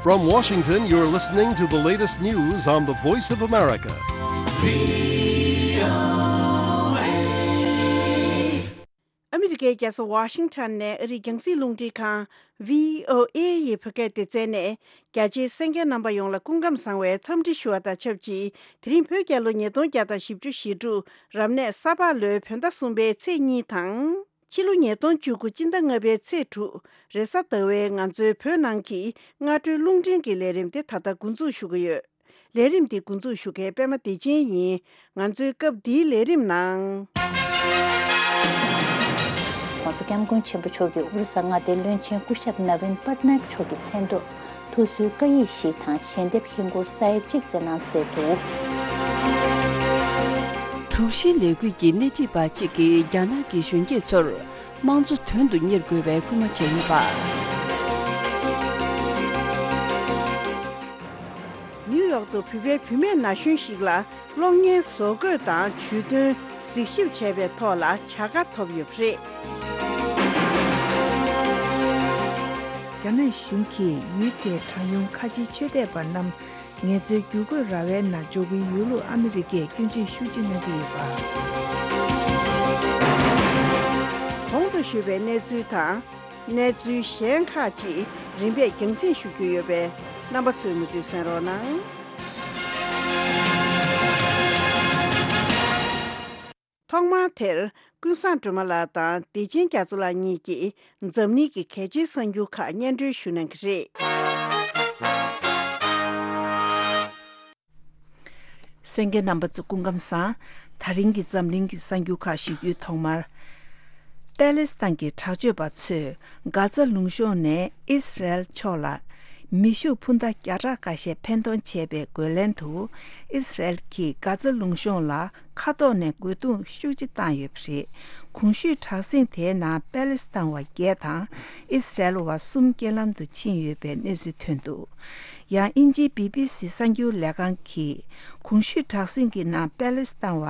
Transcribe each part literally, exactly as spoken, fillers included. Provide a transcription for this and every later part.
From Washington, you're listening to the latest news on the Voice of America. ཨ་མི་རི་ཀའི་རྒྱལ་ས་ཝ་ཤིང་ཊོན་ནས་ཨ་རིའི་རྒྱང་སྲིང་རླུང་འཕྲིན་ཁང་བྷི་ཨོ་ཨེ་ཡི་བོད་སྐད་སྡེ་ཚན་ནས། རྒྱ་ཆེའི་གསན་མཁན་རྣམ་པ་ཡོངས་ལ་སྐུ་ཁམས་བཟང་བའི་འཚམས་འདྲི་ཞུ་བ་དང་ཆབས་ཅིག་དེ་རིང་བོད་རྒྱལ་ལོ་ཉིས་སྟོང་བརྒྱ་དང་བཞི་བཅུ་ཞེ་དྲུག་རབ་གནས་ས་ཕག་ལོའི་བོད་ཟླ་གསུམ་པའི་ཚེས་གཉིས་དང་། ཕྱི་ལོ་ཉིས་སྟོང་བཅུ་དགུ་སྤྱི་ཟླ་ལྔ་པའི་ཚེས་དྲུག་རེས་གཟའ་ཟླ་བའི་ང་ཚོའི་བོད་ནང་གི་སྔ་དྲོའི་རླུང་འཕྲིན་གྱི་ལས་རིམ་དེ་ད་ལྟ་འགོ་འཛུགས་ཞུ་གི་ཡོད། ལས་རིམ་འདི་འགོ་འཛུགས་ཞུ་མཁན་པད་མ་བདེ་ཆེན་ཡིན། ང་ཚོའི་སྐབས་འདིའི་ལས་རིམ་ནང་།༸གོང་ས་༸སྐྱབས་མགོན་ཆེན་པོ་མཆོག་གིས་ཨོ་རི་ས་མངའ་སྡེའི་བློན་ཆེན་སྐུ་ཞབས་ནབ་བིན་པཊ་ནཱ་ཡེཀ་མཆོག་གི་མཚན་ཐོག་ཐུགས་གསོའི་བཀའ་ཡིག་བཞི་དང་ཞལ་འདེབས་ཧིན་སྒོར་ས་ཡ་གཅིག་བསྩལ་གནང་མཛད་འདུག་དྲུག་བཞིའི་ལས་འགུལ་གྱི་སྣེ་ཁྲིད་པ་གཅིག་གིས་རྒྱ་ནག་གི་གཞོན་སྐྱེས་ཚོར། དམངས་གཙོ་དོན་དུ་གཉེར་དགོས་པའི་སྐུལ་མ་བྱས་ཡོད་པ། ནིའུ་ཡོག་ཏུ་བོད་པའི་བུད་མེད་ན་གཞོན་ཞིག་ལ་གློག་བརྙན་བཟོ་བཀོད་དང་ཇུས་འདོན་གཟིགས་ཞིབ་བྱས་པའི་ཐོག་ལ་བྱ་དགའ་ཐོབ་ཡོད་པ་རེད། རྒྱ་ནག་གཞུང་གིས་ཡུལ་དེའི་གྲངས་ཉུང་ཁ་ཆེའི་ཆོས་དད་པ་རྣམས། ངལ་རྩོལ་བསྒྱུར་བཀོད་ར་བའི་ནང་འཇོག་རྒྱུའི་ཡོད་ལུགས་ཨ་མི་རི་ཀས་སྐྱོན་བརྗོད་ཤུགས་ཆེ་གནང་གི་ཡོད་པ། གོང་དུ་ཞུས་པའི་གནས་ཚུལ་དང་། གནས་ཚུལ་གཞན་ཁག་ཅིག་རིམ་པས་རྒྱང་སྲིང་ཞུ་རྒྱུ་ཡོད་པས་རྣམ་པ་ཚོས་མུ་མཐུད་གསན་རོགས་གནང་། ཐོག་མར་དེར་ཀུན་བཟང་སྒྲོལ་མ་ལགས་དང་བདེ་ཆེན་རྒྱ་མཚོ་ལགས་གཉིས་ཀྱིས་འཛམ་གླིང་གི་གལ་ཆེའི་གསར་འགྱུར་ཁག་སྙན་སྒྲོན་ཞུ་གནང་གི་རེད། གསན་མཁན་རྣམ་པ་ཚོ་སྐུ་ཁམས་བཟང་། ད་རིང་གི་འཛམ་གླིང་གི་གསར་འགྱུར་ཁག་ཞུ་རྒྱུའི་ཐོག་མར། པེ་ལེ་སི་ཐན་གྱི་དྲག་སྤྱོད་པ་ཚོས་གྷ་ཛ་ལུང་གཤོང་ནས་ཨིས་རལ་ཕྱོགས་ལ་མེ་ཤུགས་འཕུར་མདའ་བརྒྱ་ཕྲག་འགའ་ཤས་འཕེན་གཏོང་བྱས་པའི་རྒོལ་ལན་དུ། ཨིས་རལ་གྱིས་གྷ་ཛ་ལུང་གཤོང་ལ་མཁའ་ཐོག་ནས་རྒོལ་རྡུང་ཤུགས་ཆེ་བཏང་ཡོད་པ་རེད། གོང་ཞུས་དྲག་ཟིང་དེའི་ནང་པེ་ལེ་སི་ཐན་བ་བརྒྱད་དང་ཨིས་རལ་བ་གསུམ་རྐྱེན་ལམ་དུ་ཕྱིན་ཡོད་པའི་གནས་ཚུལ་ཐོན་འདུག་ཡང་དབྱིན་ཇིའི་བི་བི་སི་གསར་འགྱུར་ལས་ཁང་གིས་གོང་ཞུས་དྲག་ཟིང་གི་ནང་པེ་ལེ་སི་ཐན་བ་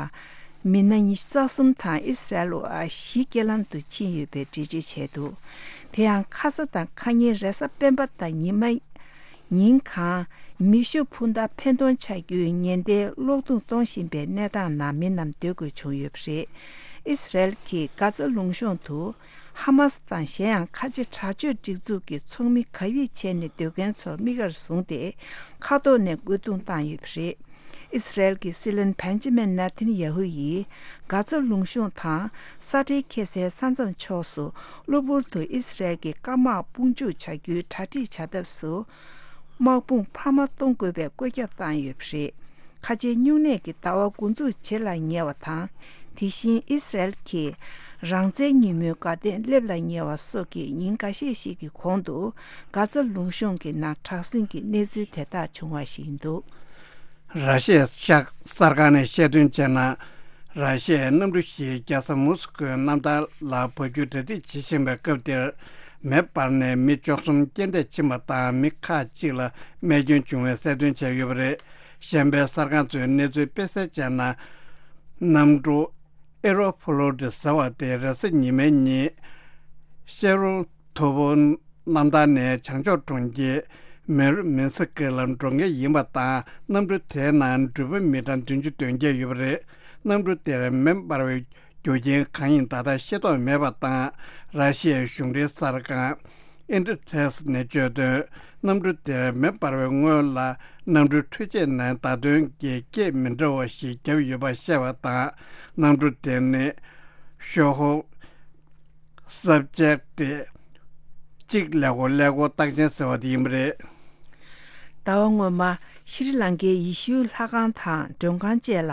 མི་སྣ་ཉི་ཤུ་རྩ་གསུམ་དང་ཨིས་རལ་བ་བཞི་རྐྱེན་ལམ་དུ་ཕྱིན་ཡོད་པའི་འགྲེལ་བརྗོད་བྱས་འདུག་དེ་ཡང་ཁ་ས་དང་ཁ་ཉིན་རེས་གཟའ་སྤེན་པ་དང་ཉི་མ། ཉིན་གང་མེ་ཤུགས་འཕུར་མདའ་འཕེན་གཏོང་བྱ་རྒྱུའི་ཉེན་བརྡའི་གློག་རྡུང་གཏོང་བཞིན་པའི་གནས་སྟངས་ནང་མི་རྣམས་སྡོད་དགོས་བྱུང་ཡོད་པ་རེད། ཨིས་རལ་གྱིས་གྷ་ཛ་ལུང་གཤོང་དུ་ཧ་མ་སི་དང་གཞན་ཡང་ཁ་ཆེ་དྲག་སྤྱོད་སྒྲིག་འཛུགས་ཀྱི་ཚོགས་མི་གབ་ཡིབ་བྱས་ནས་སྡོད་མཁན་ཚོར་དམིགས་བཀར་བཟུང་སྟེ་མཁའ་ཐོག་ནས་རྒོལ་རྡུང་བཏང་ཡོད་པ་རེད། ཨིས་རལ་གྱི་སྲིད་བློན་བན་ཇི་མིན་ནེ་ཐན་ཡ་ཧུ་ཡིས་གྷ་ཛ་ལུང་གཤོང་དང་ས་ཁྲལ་ཁེལ་སའི་ས་མཚམས་ཕྱོགས་སུ་གློ་བུར་དུ་ཨིས་རལ་གྱི་སྐམ་དམག་དཔུང་འཇུག་བྱ་རྒྱུའི་གྲ་སྒྲིག་བྱ་ཐབས་སུ། དམག་དཔུང་འཕར་མ་གཏོང་དགོས་པའི་བཀོད་ཁྱབ་བཏང་ཡོད་པ་རེད། ཁ་ཆེའི་སྨྱུང་གནས་ཀྱི་ཟླ་བ་འགོ་འཛུགས་རྗེས་ལ་ཉེ་བ་དང་། དེ་བཞིན་ཨིས་རལ་གྱིས་རང་བཙན་ཉིན་མོའི་དགའ་སྟོན་སླེབས་ལ་ཉེ་བ་སོགས་ཀྱི་ཉིན་འགའ་ཤས་ཤིག་གི་གོང་དུ་གྷ་ཛ་ལུང་གཤོང་གི་ནང་དྲག་ཟིང་གི་གནས་ཚུལ་དེ་དག་བྱུང་བ་ཞིག་ཡིན་འདུག་ར་ཤི་ཡའི་ཤག་གསར་ཁང་ནས་བཤད་དོན་བྱས་ན། ར་ཤི་ཡའི་གནམ་གྲུ་བཞིའི་རྒྱལ་ས་མོ་སི་ཀོའི་གནམ་ཐང་ལ་འབབ་རྒྱུའི་གྲ་སྒྲིག་བྱེད་བཞིན་པའི་སྐབས་དེར། མེ་འབར་ནས་མི་བཅུ་གསུམ་རྐྱེན་འདས་ཕྱིན་པ་དང་མི་ཁག་ཅིག་ལ་རྨས་སྐྱོན་བྱུང་བའི་གསལ་སྟོན་བྱས་ཡོད་པ་རེད། གཞན་པའི་གསར་ཁང་ཚོས་གནས་ཚུལ་སྤེལ་གསལ་བྱས་ན། གནམ་གྲུ་ཨེ་རོ་ཕོ་ལོ་ཏི་ཟེར་བ་དེ་རེས་གཟའ་ཉི་མའི་ཉིན་ཤེ་རོ་ཐོ་བོ་གནམ་ཐང་ནས་བྱང་ཕྱོགས་གྲོང་ཁྱེར་མེ་རུ་མིན་སི་ཀི་ལ་འགྲོ་མཁན་ཡིན་པ་དང་། གནམ་གྲུ་དེའི་ནང་འགྲུལ་པ་མི་གྲངས་བདུན་ཅུ་དོན་བརྒྱད་ཡོད་པ་རེད། གནམ་གྲུ་དེར་མེ་འབར་བའི་རྒྱུ་རྐྱེན་གང་ཡིན་ད་ལྟ་ཤེས་རྟོགས་མེད་པ་དང་། ར་ཤི་ཡའི་གཞུང་འབྲེལ་གསར་ཁང་ཨིན་ཏེ་ཐེས་ནས་བརྗོད་དོན། གནམ་གྲུ་དེར་མེ་འབར་བའི་སྔོན་ལ་གནམ་གྲུའི་འཕྲུལ་ཆས་ནས་བརྡ་སྟོན་གྱི་སྐད་མི་འདྲ་བ་ཞིག་བརྒྱབ་ཡོད་པ་བཤད་པ་དང་། གནམ་གྲུ་དེ་ནི་ཤོ་ཧོ། སབ་ཇེག་ཊི་གཅིག་ཀླད་ཀོར་ཀླད་ཀོར་རྟགས་ཅན་ཟེར་བ་དེ་ཡིན་པ་རེད། ཟླ་བ་སྔོན་མ་ཤྲི་ལང་ཀའི་ཡེ་ཤུའི་ལྷ་ཁང་དང་མགྲོན་ཁང་བཅས་ལ་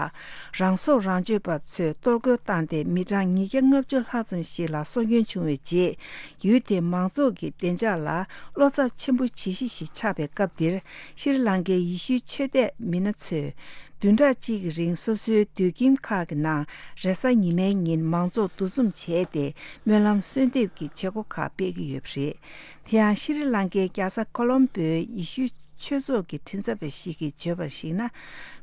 རང་སྲོག་རང་གཅོད་པ་ཚོས་གཏོར་རྒོལ་བཏང་སྟེ་མི་གྲངས་ཉིས་བརྒྱ་ལྔ་བཅུ་ལྷག་ཙམ་ཞིག་ལ་སྲོག་སྐྱོན་བྱུང་བའི་རྗེས། ཡུལ་དེའི་མང་ཚོགས་ཀྱི་བདེ་འཇགས་ལ་བློ་འཚབ་ཆེན་པོ་ཇི་ཞིག་ཞིག་ཆགས་པའི་སྐབས་འདིར། ཤྲི་ལང་ཀའི་ཡེ་ཤུའི་ཆོས་དད་མི་སྣ་ཚོས་བདུན་ཕྲག་གཅིག་གི་རིང་སོ་སོའི་སྡོད་ཁྱིམ་ཁག་གི་ནང་རེས་གཟའ་ཉི་མའི་ཉིན་མང་ཚོགས་འདུ་འཛོམས་བྱས་ཏེ་སྨོན་ལམ་གསོལ་འདེབས་ཀྱི་བྱེད་སྒོ་ཁག་སྤེལ་གྱི་ཡོད་པ་རེད། དེ་ཡང་ཤྲི་ལང་ཀའི་རྒྱལ་ས་ཁོ་ལོམ་པོའི་ཡེ་ཤུའི་ ཆོས་ཚོགས་ཀྱི་མགྲིན་ཚབ་པ་ཞིག་གིས་བརྗོད་པར་གཞིགས་ན།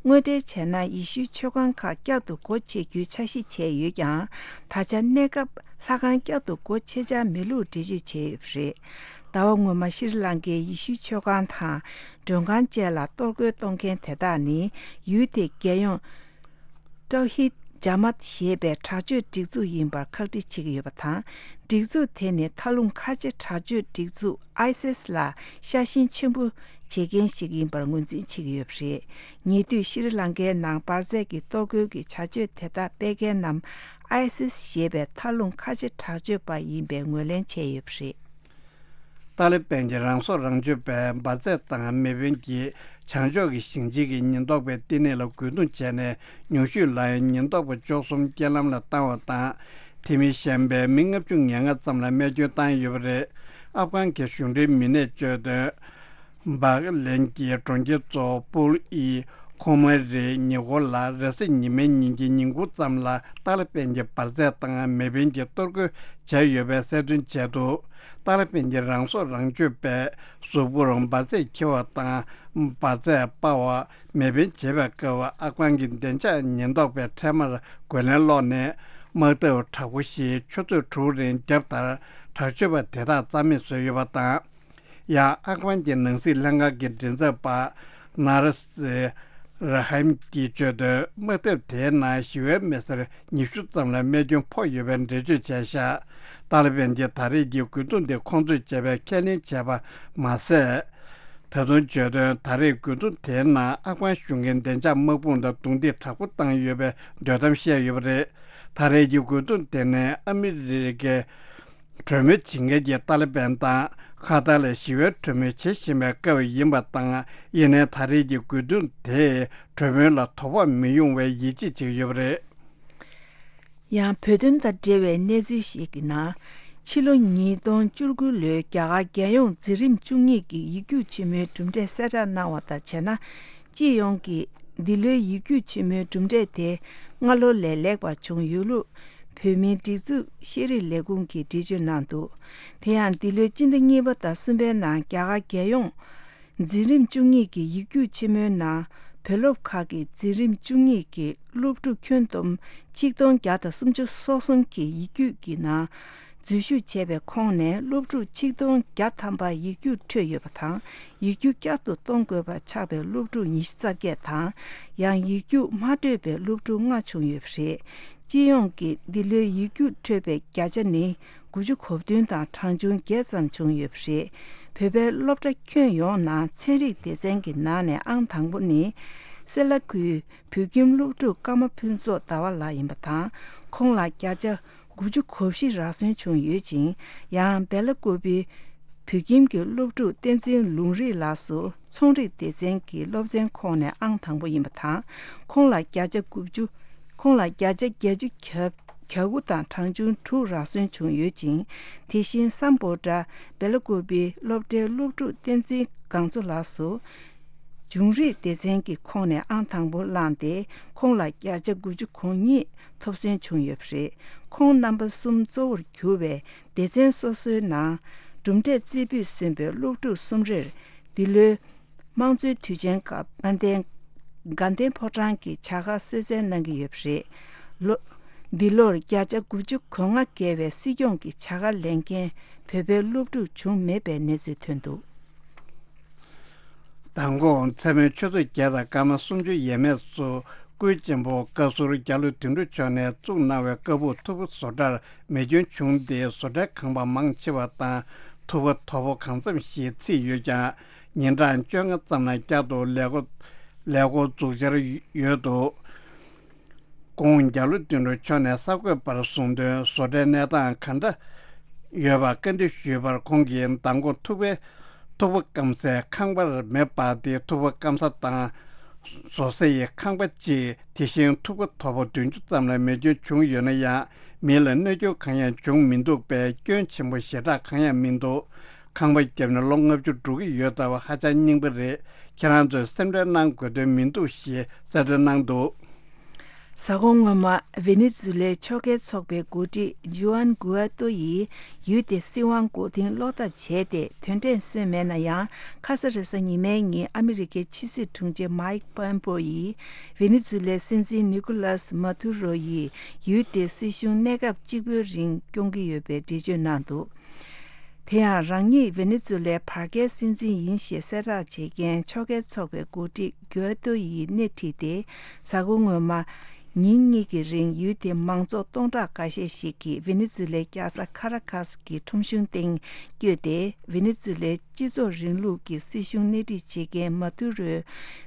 དངོས་འབྲེལ་བྱས་ན་ཡེ་ཤུའི་ཆོས་ཁང་ཁག་བསྐྱར་དུ་སྒོ་ཕྱེ་རྒྱུའི་འཆར་གཞི་བྱས་ཡོད་ཀྱང་། ད་ཆ་གནས་སྐབས་ལྷ་ཁང་བསྐྱར་དུ་སྒོ་ཕྱེ་འཆར་མེད་ལུགས་འགྲེལ་བརྗོད་བྱས་ཡོད་པ་རེད། ཟླ་བ་སྔོན་མ་ཤྲི་ལང་ཀའི་ཡེ་ཤུའི་ཆོས་ཁང་དང་མགྲོན་ཁང་བཅས་ལ་གཏོར་རྒོལ་གཏོང་མཁན་དེ་དག་ནི་ཡུལ་དེའི་རྒྱལ་ཡོངས་ཏོ་ཧིད་ཇ་མཱད་ཞེས་པའི་དྲག་སྤྱོད་སྒྲིག་འཛུགས་ཡིན་པར་ཁག་དཀྲི་བྱེད་ཀྱི་ཡོད་པ་དང་། སྒྲིག་འཛུགས་དེ་ནི་མཐའ་ལྷུང་ཁ་ཆེ་དྲག་སྤྱོད་སྒྲིག་འཛུགས་ཨའི་སིས་ལ་ཤ་ཞེན་ཆེན་པོ་བྱེད་མཁན་ཞིག་ཡིན་པར་ངོས་འཛིན་བྱེད་ཀྱི་ཡོད་པ་རེད། ཉེ་དུས་ཤྲི་ལང་ཀའི་ནང་འབར་རྫས་ཀྱི་གཏོར་རྒོལ་གྱི་བྱ་སྤྱོད་དེ་དག་སྤེལ་མཁན་རྣམས་ཨའི་སིས་ཞེས་པའི་མཐའ་ལྷུང་ཁ་ཆེ་དྲག་སྤྱོད་པ་ཡིན་པའི་ངོས་ལེན་བྱས་ཡོད་པ་རེད། ཏཱ་ལི་བན་གྱི་རང་སྲོག་རང་གཅོད་པས་འབར་རྫས་དང་མེ་འཕེན་གྱིས་བྱང་ཕྱོགས་ཀྱི་ཞིང་ཆེན་གྱི་ཉེན་རྟོག་པའི་བསྟི་གནས་ལ་རྒོལ་རྡུང་བྱས་ནས་ཉུང་ཤོས་ལ་ཉེན་རྟོག་པ་བཅུ་གསུམ་རྐྱེན་ལམ་ལ་བཏང་བ་དང་། དེ་མིན་གཞན་པའི་མི་ལྔ་བཅུ་ང་ལྔ་ཙམ་ལ་རྨས་སྐྱོན་བཏང་ཡོད་པ་རེད། ཨབ་གྷན་གྱི་གཞུང་འབྲེལ་མི་སྣས་བརྗོད་དོན། སྦག་ལན་གྱི་གྲོང་ཁྱེར་གཙོ་བོ་པུལ་ཨི་ཁོ་མ་རི་ཉེ་འཁོར་ལ་རེས་གཟའ་ཉི་མའི་ཉིན་གྱི་ཉིན་གུང་ཙམ་ལ་ཏཱ་ལི་བན་གྱི་འབར་རྫས་དང་མེ་འཕེན་གྱིས་གཏོར་རྒོལ་བྱས་ཡོད་པའི་གསལ་སྟོན་བྱས་འདུག་ཏཱ་ལི་བན་གྱི་རང་སྲོག་རང་གཅོད་པས་གཟུགས་པོར་འབར་རྫས་འཁྱེར་བ་དང་འབར་རྫས་སྤར་བ། མེ་འཕེན་བྱེད་པའི་སྐབས་ཨབ་གྷན་གྱི་བདེ་འཇགས་ཉེན་རྟོག་པས་འཕྲལ་མར་རྒོལ་ལན་སློག་ནས་དམག་འཐབ་དྲག་པོ་ཞིག་ཆུ་ཚོད་དྲུག་རིང་བརྒྱབ་མཐར་དྲག་སྤྱོད་པ་དེ་དག་རྩ་མེད་བཟོས་ཡོད་པ་དང་། ཡང་ཨབ་གྷན་གྱི་ནང་སྲིད་ལྷན་ཁང་གི་མགྲིན་ཚབ་པ་ནཱ་ར་སི་ར་ཧམ་གྱིས་བརྗོད་དོན། དམག་འཐབ་དེའི་ནང་ཞི་བའི་མི་སེར་ཉི་ཤུ་ཙམ་ལ་རྨས་སྐྱོན་ཕོག་ཡོད་པའི་འགྲེལ་བརྗོད་བྱས་བཞག་ཏཱ་ལི་བན་གྱིས་ད་རེས་ཀྱི་རྒོལ་རྡུང་དེ་ཁོང་ཚོས་བྱས་པའི་ཁས་ལེན་བྱས་པ་མ་ཟད། ད་དུང་བརྗོད་དོན། ད་རེས་རྒོལ་རྡུང་དེའི་ནང་ཨབ་གྷན་གཞུང་གི་བདེ་འཇགས་དམག་དཔུང་དང་རྡུང་རྡེག་དྲག་པོ་བཏང་ཡོད་པའི་འདོད་གཏམ་བཤད་ཡོད་པ་རེད། ད་རེས་ཀྱི་རྒོལ་རྡུང་དེ་ནི་ཨ་མི་རི་ཀའི་གྲོས་མོལ་བྱེད་མཁན་གྱི་ཏཱ་ལི་བན་དང་ཁ་ཐར་ལ་ཞི་བའི་གྲོས་མོལ་བྱེད་བཞིན་པའི་སྐབས་ཡིན་པ་དང་། ཡིན་ནའི་ད་རེས་ཀྱི་རྒོལ་རྡུང་དེས་གྲོས་མོལ་ལ་དོ་ཕོག་མི་ཡོང་བའི་ཡིད་ཆེས་བྱེད་ཀྱི་ཡོད་པ་རེད། ཡང་བོད་དོན་དང་འབྲེལ་བའི་གནས་ཚུལ་ཞིག་གི་ནང་། ཕྱི་ལོ་ཉིས་སྟོང་བཅུ་དགུ་ལོའི་རྒྱ་གར་རྒྱལ་ཡོངས་འཛིན་རིམ་བཅུ་གཉིས་ཀྱི་ཡིག་རྒྱུགས་ཆེན་མོའི་གྲུབ་འབྲས་གསལ་བསྒྲགས་གནང་བ་དང་བྱས་ན། སྤྱི་ཡོངས་ཀྱི་འདི་ལོའི་ཡིག་རྒྱུགས་ཆེན་མོའི་གྲུབ་འབྲས་དེ་སྔ་ལོ་ལས་ལེགས་པ་བྱུང་ཡོད་ལུགས་བོད་མིའི་སྒྲིག་འཛུགས་ཤེས་རིག་ལས་ཁུངས་ཀྱིས་འགྲེལ་བརྗོད་གནང་འདུག་དེ་ཡང་འདི་ལོའི་སྤྱི་ཟླ་གཉིས་པ་དང་གསུམ་པའི་ནང་རྒྱ་གར་རྒྱལ་ཡོངས་འཛིན་རིམ་བཅུ་གཉིས་ཀྱི་ཡིག་རྒྱུགས་ཆེན་མོའི་ནང་། བོད་སློབ་ཁག་གི་འཛིན་རིམ་བཅུ་གཉིས་ཀྱི་སློབ་ཕྲུག་ཁྱོན་བསྡོམས་ཆིག་སྟོང་བརྒྱ་དང་སུམ་ཅུ་སོ་གསུམ་གྱིས་ཡིག་རྒྱུགས་ཀྱི་ནང་འཛུལ་ཞུགས་བྱས་པའི་ཁོངས་ནས་སློབ་ཕྲུག་ཆིག་སྟོང་བརྒྱ་ཐམ་པ་ཡིག་རྒྱུགས་འཕྲོད་ཡོད་པ་དང་། ཡིག་རྒྱུགས་བསྐྱར་དུ་གཏོང་དགོས་པ་ཆགས་པའི་སློབ་ཕྲུག་ཉི་ཤུ་རྩ་བརྒྱད་དང་། ཡང་ཡིག་རྒྱུགས་མ་འཕྲོད་པའི་སློབ་ཕྲུག་ལྔ་བྱུང་ཡོད་པ་རེད། སྤྱི་ཡོངས་ཀྱི་འདི་ལོའི་ཡིག་རྒྱུགས་འཕྲོད་པའི་བརྒྱ་ཆ་ནི། དགུ་བཅུ་གོ་བདུན་དང་གྲངས་ཆུང་བརྒྱད་ཙམ་བྱུང་ཡོད་པ་རེད། བོད་པའི་སློབ་གྲྭ་ཁྱོན་ཡོངས་ནང་ཚན་རིག་སྡེ་ཚན་གྱི་ནང་ནས་ཨང་དང་པོ་ནི། སེ་ལ་ཁུལ་བོད་ཁྱིམ་སློབ་ཕྲུག་ཀརྨ་ཕུན་ཚོགས་ཟླ་བ་ལགས་ཡིན་པ་དང་། ཁོང་ལ་བརྒྱ་ཆ་དགུ་བཅུ་གོ་བཞི་རག་སོན་བྱུང་ཡོད་ཅིང་། ཡང་སྦེ་ལ་ཀོ་པི་བོད་ཁྱིམ་གྱི་སློབ་ཕྲུག་བསྟན་འཛིན་ལུང་རིགས་ལགས་སུ་ཚོང་རིག་སྡེ་ཚན་གྱི་སློབ་ཚན་ཁོངས་ནས་ཨང་དང་པོ་ཡིན་པ་དང་། ཁོང་ལ་བརྒྱ་ཆ་དགུ་བཅུ། ཁོང་ལ་བརྒྱ་ཆ་བརྒྱད་ཅུ་གྱ་གྱ་དགུ་དང་གྲངས་ཆུང་དྲུག་རག་སོན་བྱུང་ཡོད་ཅིང་། དེ་བཞིན་སམ་བྷོ་ཊ་སྦེ་ལ་ཀོ་པི་སློབ་གྲྭའི་སློབ་ཕྲུག་བསྟན་འཛིན་སྒང་ཚོ་ལགས་སུ། འབྱུང་རིག་སྡེ་ཚན་གྱི་ཁོངས་ནས་ཨང་དང་པོ་བླངས་ཏེ། ཁོང་ལ་བརྒྱ་ཆ་དགུ་བཅུ་གོ་གཉིས་ཐོབ་སོན་བྱུང་ཡོད་པ་རེད། ཁོང་རྣམ་པ་གསུམ་གཙོ་བོར་གྱུར་བའི་སྡེ་ཚན་སོ་སོའི་ནང་གྲུབ་འབྲས་རྩེ་ཕུད་སོན་པའི་སློབ་ཕྲུག་གསུམ་རེར། འདི་ལོའི་དམངས་གཙོའི་དུས་ཆེན་སྐབས་དགའ་ལྡན་དགའ་ལྡན་ཕོ་བྲང་གི་བྱ་དགའ་གསོལ་སྩལ་གནང་གི་ཡོད་པ་རེད། ལོ། འདི་ལོར་བརྒྱ་ཆ་དགུ་བཅུ་གོ་ལྔ་བརྒལ་བའི་སྲིད་སྐྱོང་གི་བྱ་དགའ་ལེན་མཁན་བོད་པའི་སློབ་ཕྲུག་བྱུང་མེད་པའི་གནས་ཚུལ་ཐོན་འདུག་མདང་དགོང་མཚན་མོའི་ཆུ་ཚོད་བརྒྱད་དང་སྐར་མ་སུམ་ཅུ་ཡས་མས་སུ། སྐུའི་གཅེན་པོ་བཀའ་ཟུར་རྒྱ་ལོ་དོན་གྲུབ་མཆོག་ནས་བཙུགས་གནང་བའི་བཀའ་སྦུག་ཐུབ་པ་བཟོ་གྲྭར་མེ་སྐྱོན་བྱུང་སྟེ། བཟོ་གྲྭའི་ཁང་པ་མང་ཆེ་བ་དང་ཐུབ་པ་དོ་པོ་གང་འཚམ་ཞིག་ཚིག་ཡོད་ཀྱང་། ཉིན་གྲངས་བཅོ་ལྔ་ཙམ་ལ་བསྐྱར་དུ་ལས་འགོ་ལས་འགོ་འཛུགས་འཆར་ཡོད་འདུག་ཁོང་རྒྱ་ལོ་དོན་གྲུབ་མཆོག་ནས་གསར་འགོད་པར་གསུངས་དོན། བཟོ་གྲྭའི་གནས་སྟངས་ག་འདྲ་ཡོད་པ་བཀའ་འདྲི་ཞུས་པར། ཁོང་གིས་མདང་དགོང་ཐུག་པའི་ཐུག་པ་སྐམ་སའི་ཁང་པར་མེ་སྤར་ཏེ། ཐུག་པ་སྐམ་ས་དང་བཟོ་ས་ཡི་ཁང་པ་གཅིག་དེ་བཞིན་ཐུག་པ་དོ་པོ་བདུན་ཅུ་ཙམ་ལ་མེ་སྐྱོན་བྱུང་ཡོད་ན་ཡང་། མི་ལ་གནོད་སྐྱོན་གང་ཡང་བྱུང་མི་འདུག་པས། སྐྱོན་ཆེན་པོ་ཞེ་དྲག་གང་ཡང་མི་འདུག་ཁང་པ་བརྒྱབ་ནས་ལོ་ལྔ་བཅུ་འགྲོ་གི་ཡོད་ལྟ་བུ་ཧ་ཅང་རྙིང་པ་རེད། ཁྱེད་རང་ཚོས་སེམས་ཁྲལ་གནང་དགོས་དོན་མི་འདུག་ཞེས་གསལ་སྟོན་གནང་འདུག་གཟའ་འཁོར་སྔོན་མ། ཝེ་ནེ་ཛུ་ལའི་ཕྱོགས་འགལ་ཚོགས་པའི་འགོ་ཁྲིད་ཇུ་ཨན་གུ་ཨ་ཏོ་ཡིས་ཡུལ་དེའི་སྲིད་དབང་མགོ་རྟིང་སློག་ཐབས་བྱས་ཏེ། དོན་འབྲས་སོན་མེད་ན་ཡང་། ཁ་ས་རེ་ས་ཉི་མའི་ཉིན་ཨ་མི་རི་ཀའི་ཕྱི་སྲིད་དྲུང་ཆེ་མའིག་པོམ་པེའོ་ཡིས་ཝེ་ནེ་ཛུ་ལའི་སྲིད་འཛིན་ནི་ཀོ་ལཱས་མ་དུ་རོ་ཡིས་ཡུལ་དེའི་སྲིད་གཞུང་གནས་སྐབས་གཅིག་པོའི་རིང་སྐྱོང་གི་ཡོད་པའི་འགྲེལ་བརྗོད་གནང་འདུག་དེ་ཡང་། རང་ཉིད་ཝེ་ནེ་ཛུ་ལའི་བར་བརྒལ་སྲིད་འཛིན་ཡིན་ཞེས་གསལ་བསྒྲགས་བྱེད་མཁན་ཕྱོགས་འགལ་ཚོགས་པའི་འགོ་ཁྲིད་གུ་ཨ་ཏོ་ཡིས་སྣེ་ཁྲིད་དེ། གཟའ་འཁོར་སྔོན་མ། ཉིན་གཉིས་ཀྱི་རིང་ཡུལ་དེའི་མང་ཚོགས་སྟོང་ཕྲག་འགའ་ཤས་ཤིག་གིས་ཝེ་ནེ་ཛུ་ལའི་རྒྱལ་ས་ཁ་ར་ཁཱས་ཀྱི་ཁྲོམ་གཞུང་སྟེང་བསྐྱོད་དེ། ཝེ་ནེ་ཛུ་ལའི་སྤྱི་ཚོགས་རིང་ལུགས་ཀྱི་སྲིད་གཞུང་སྣེ་ཁྲིད་བྱེད་མཁན་མ་དུ་རོའི་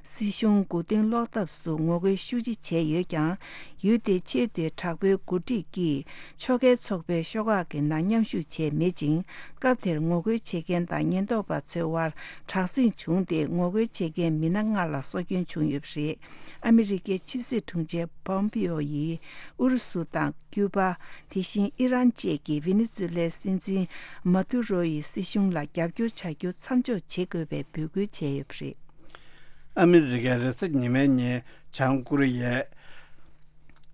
སྲིད་གཞུང་མགོ་རྟིང་སློག་ཐབས་སུ་ངོ་རྒོལ་ཤུགས་ཆེ་བྱས་ཡོད་ཀྱང་། ཡུལ་དེའི་ཆེས་མཐོའི་དྲག་པོའི་འགོ་ཁྲིད་ཀྱིས་ཕྱོགས་འགལ་ཚོགས་པའི་ཤོག་ཁག་གི་ནང་མཉམ་ཞུགས་བྱས་མེད་ཅིང་། སྐབས་དེར་ངོ་རྒོལ་བྱེད་མཁན་དང་ཉེན་རྟོག་པ་ཚོའི་དབར་དྲག་ཟིང་བྱུང་སྟེ། ངོ་རྒོལ་བྱེད་མཁན་མི་སྣ་ལྔ་ལ་སྲོག་སྐྱོན་བྱུང་ཡོད་པ་རེད། ཨ་མི་རི་ཀའི་ཕྱི་སྲིད་དྲུང་ཆེ་པོམ་པེའོ་ཡིས་ཨུ་རུ་སུ་དང་ཀྱུ་པ། དེ་བཞིན་ཨི་རན་བཅས་ཀྱིས་ཝེ་ནེ་ཛུ་ལའི་སྲིད་འཛིན་མ་དུ་རོ་ཡི་སྲིད་གཞུང་ལ་རྒྱབ་སྐྱོར་བྱ་རྒྱུ་མཚམས་འཇོག་བྱེད་དགོས་པའི་འབོད་སྐུལ་བྱས་ཡོད་པ་རེད། ཨ་མི་རི་ཀས་རེས་གཟའ་ཉི་མའི་ཉིན་བྱང་ཀོ་རི་ཡའི་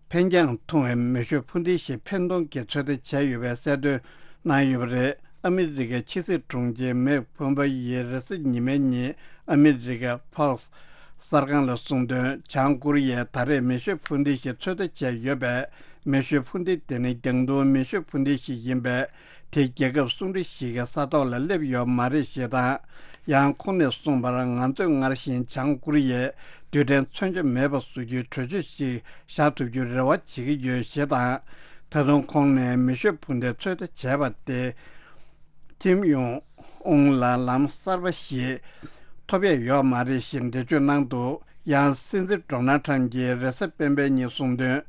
འཕེན་རྒྱང་ཐུང་བའི་མེ་ཤུགས་འཕུར་མདེལ་ཞིག་འཕེན་གཏོང་གི་ཚོད་ལྟ་བྱས་ཡོད་པའི་གསལ་སྟོན་གནང་ཡོད་པ་རེད། ཨ་མི་རི་ཀའི་ཕྱི་སྲིད་དྲུང་ཆེ་མེག་ཕོམ་པ་ཡིས་རེས་གཟའ་ཉི་མའི་ཉིན་ཨ་མི་རི་ཀའི་ཕོག་སི་གསར་ཁང་ལ་གསུངས་དོན། བྱང་ཀོ་རི་ཡས་ད་རེས་མེ་ཤུགས་འཕུར་མདེལ་ཞིག་ཚོད་ལྟ་བྱས་ཡོད་པས། མེ་ཤུགས་འཕུར་མདེལ་དེ་ནི་རྒྱང་ཐུང་མེ་ཤུགས་འཕུར་མདེལ་ཞིག་ཡིན་པས། དེ་རྒྱལ་ཁབ་སུང་ཀྲི་ཞིག་གི་ས་ཐོག་ལ་སླེབས་ཡོད་མ་རེད་ཞེས་དང་། ཡང་ཁོང་ནས་གསུངས་པར། ང་ཚོས་སྔར་བཞིན་བྱང་ཀོ་རི་ཡས་རྡུལ་ཕྲན་མཚོན་ཆ་མེད་པ་བཟོ་རྒྱུའི་གྲོས་ཆོད་ཞིག་བཞག་ཐུབ་རྒྱུའི་རེ་བ་བྱེད་ཀྱི་ཡོད་ཞེས་དང་། ད་དུང་ཁོང་ནས་མེ་ཤུགས་འཕུར་མདེལ་ཚོད་ལྟ་བྱས་པ་སྟེ། ཁིམ་ཡོང་ཨུང་ལ་ལམ་གསར་པ་ཞིག་ཐོབ་ཡས་ཡོད་མ་རེད་ཞེས་འགྲེལ་བརྗོད་གནང་འདུག་ཡང་སྲིད་འཛིན་ཌོ་ནལ་ཁྲམ་གྱིས་རེས་གཟའ་སྤེན་པའི་ཉིན་གསུངས་དོན།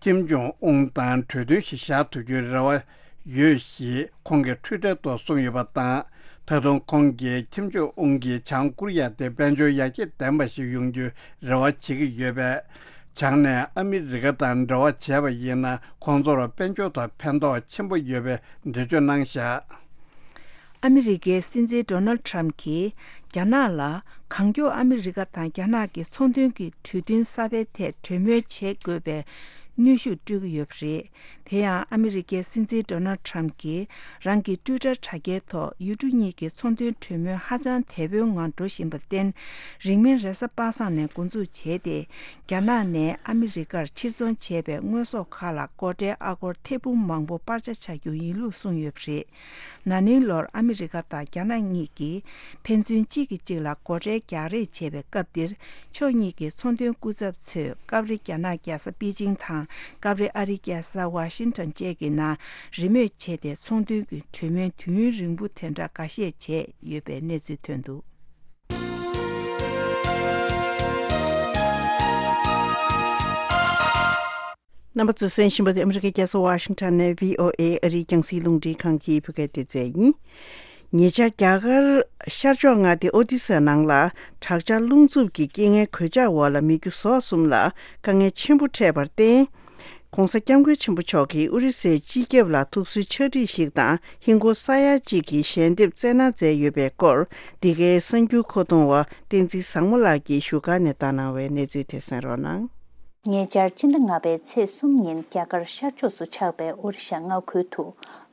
ཁིམ་ཇོང་ཨུང་དང་གྲོས་མཐུན་ཞིག་བཞག་ཐུབ་རྒྱུའི་རེ་བ་ཡོད་ཞེས་ཁོང་གིས་ཊུའི་ཊར་ཐོག་གསུངས་ཡོད་པ་དང་། ད་དུང་ཁོང་གིས་ཁིམ་ཇོང་ཨུང་གིས་བྱང་ཀོ་རི་ཡ་དེ་དཔལ་འབྱོར་ཡར་རྒྱས་ལྡན་པ་ཞིག་ཡོང་རྒྱུའི་རེ་བ་བྱེད་ཀྱི་ཡོད་པས། བྱང་ནས་ཨ་མི་རི་ཀ་དང་འབྲེལ་བ་བྱས་པ་ཡིན་ན། ཁོང་ཚོར་དཔལ་འབྱོར་ཐོག་ཕན་ཐོགས་ཆེན་པོ་ཡོད་པའི་འགྲེལ་བརྗོད་གནང་བཞག་ཨ་མི་རི་ཀའི་སྲིད་འཛིན་ཌོ་ནལ་ཁྲམ་གྱིས་རྒྱ་ནག་ལ་གང་མགྱོགས་ཨ་མི་རི་ཀ་དང་རྒྱ་ནག་གི་ཚོང་དོན་གྱི་གྲོས་མཐུན་གསར་པའི་ཐད་གྲོས་མོལ་བྱེད་དགོས་པའི་གནོན་ཤུགས་སྤྲོད་ཀྱི་ཡོད་པ་རེད། དེ་ཡང་ཨ་མི་རི་ཀའི་སྲིད་འཛིན་ཌོ་ནལ་ཁྲམ་གྱིས་རང་གི་ཊུའི་ཊར་དྲ་རྒྱའི་ཐོག་ཡུལ་གྲུ་གཉིས་ཀྱི་ཚོང་དོན་གྲོས་མོལ་ཧ་ཅང་དལ་པོའི་ངང་འགྲོ་བཞིན་པར་བརྟེན། རིང་མིན་རེས་གཟའ་པ་སངས་ནས་འགོ་འཛུགས་བྱས་ཏེ། རྒྱ་ནག་ནས་ཨ་མི་རི་ཀར་ཕྱིར་ཚོང་བྱས་པའི་དངོས་ཟོག་ཁག་ལ་སྒོ་ཁྲལ་ཨ་སྒོར་ཐེར་འབུམ་མང་པོ་སྤར་ཆ་བྱ་རྒྱུ་ཡིན་ལུགས་གསུངས་ཡོད་པ་རེད། ན་ནིང་ལོར་ཨ་མི་རི་ཀ་དང་རྒྱ་ནག་གཉིས་ཀྱིས་ཕན་ཚུན་གཅིག་གིས་གཅིག་ལ་སྒོ་ཁྲལ་རྒྱག་རེས་བྱས་པའི་སྐབས་འདིར། ཕྱོགས་གཉིས་ཀྱི་ཚོང་དོན་སྐུ་ཚབ་ཚོས་སྐབས་རེ་རྒྱ་ནག་རྒྱལ་ས་པེ་ཅིང་དང་། སྐབས་རེ་ཨ་རིའི་རྒྱལ་ས་ཝ་ཤིང་ཊོན་བཅས་ཀྱི་ནང་རེས་མོས་བྱས་ཏེ། ཚོང་དོན་གྱི་གྲོས་མོལ་དུས་ཡུན་རིང་པོ་དེ་འདྲ་འགའ་ཤས་བྱས་ཡོད་པའི་གནས་ཚུལ་ཐོན་འདུག་རྣམ་པ་ཚོས་གསན་བཞིན་པ་དེ་ཨ་མི་རི་ཀའི་རྒྱལ་ས་ཝ་ཤིང་ཊོན་ནས་བྷི་ཨོ་ཨེ་ཨ་རིའི་རྒྱང་སྲིང་རླུང་འཕྲིན་ཁང་གི་བོད་སྐད་སྡེ་ཚན་ཡིན། ཉེ་ཆར་རྒྱ་གར་ཤར་ཕྱོགས་མངའ་སྡེ་ཨོ་ཏི་ས་ནང་ལ་དྲག་ཆར་རླུང་འཚུབ་ཀྱི་རྐྱེན་ངན་གོད་ཆག་འོག་ལ་མི་རྒྱུ་ཟོག་གསུམ་ལ་དཀའ་ངལ་ཆེན་པོ་འཕྲད་པར་བརྟེན། ྋགོང་ས་ྋསྐྱབས་མགོན་ཆེན་པོ་མཆོག་གིས་ཨོ་རི་སའི་སྤྱི་ཁྱབ་ལ་ཐུགས་གསོའི་ཕྱག་བྲིས་ཤིག་དང་ཧིན་སྒོར་ས་ཡ་གཅིག་གི་ཞལ་འདེབས་བསྩལ་གནང་མཛད་ཡོད་པའི་སྐོར། འདི་གའི་གསར་འགྱུར་མཁོ་གཏོང་བ་བསྟན་འཛིན་བཟང་མོ་ལགས་ཀྱིས་བཞུགས་སྒར་ནས་བཏང་གནང་བའི་གནས་ཚུལ་དེ་གསན་རོགས་གནང་། ཉེ་ཆར་སྤྱི་ཟླ་ལྔ་པའི་ཚེས་གསུམ་ཉིན་རྒྱ་གར་ཤར་ཕྱོགས་སུ་ཆགས་པའི་ཨོ་རི་ཤ་མངའ་ཁུལ་དུ་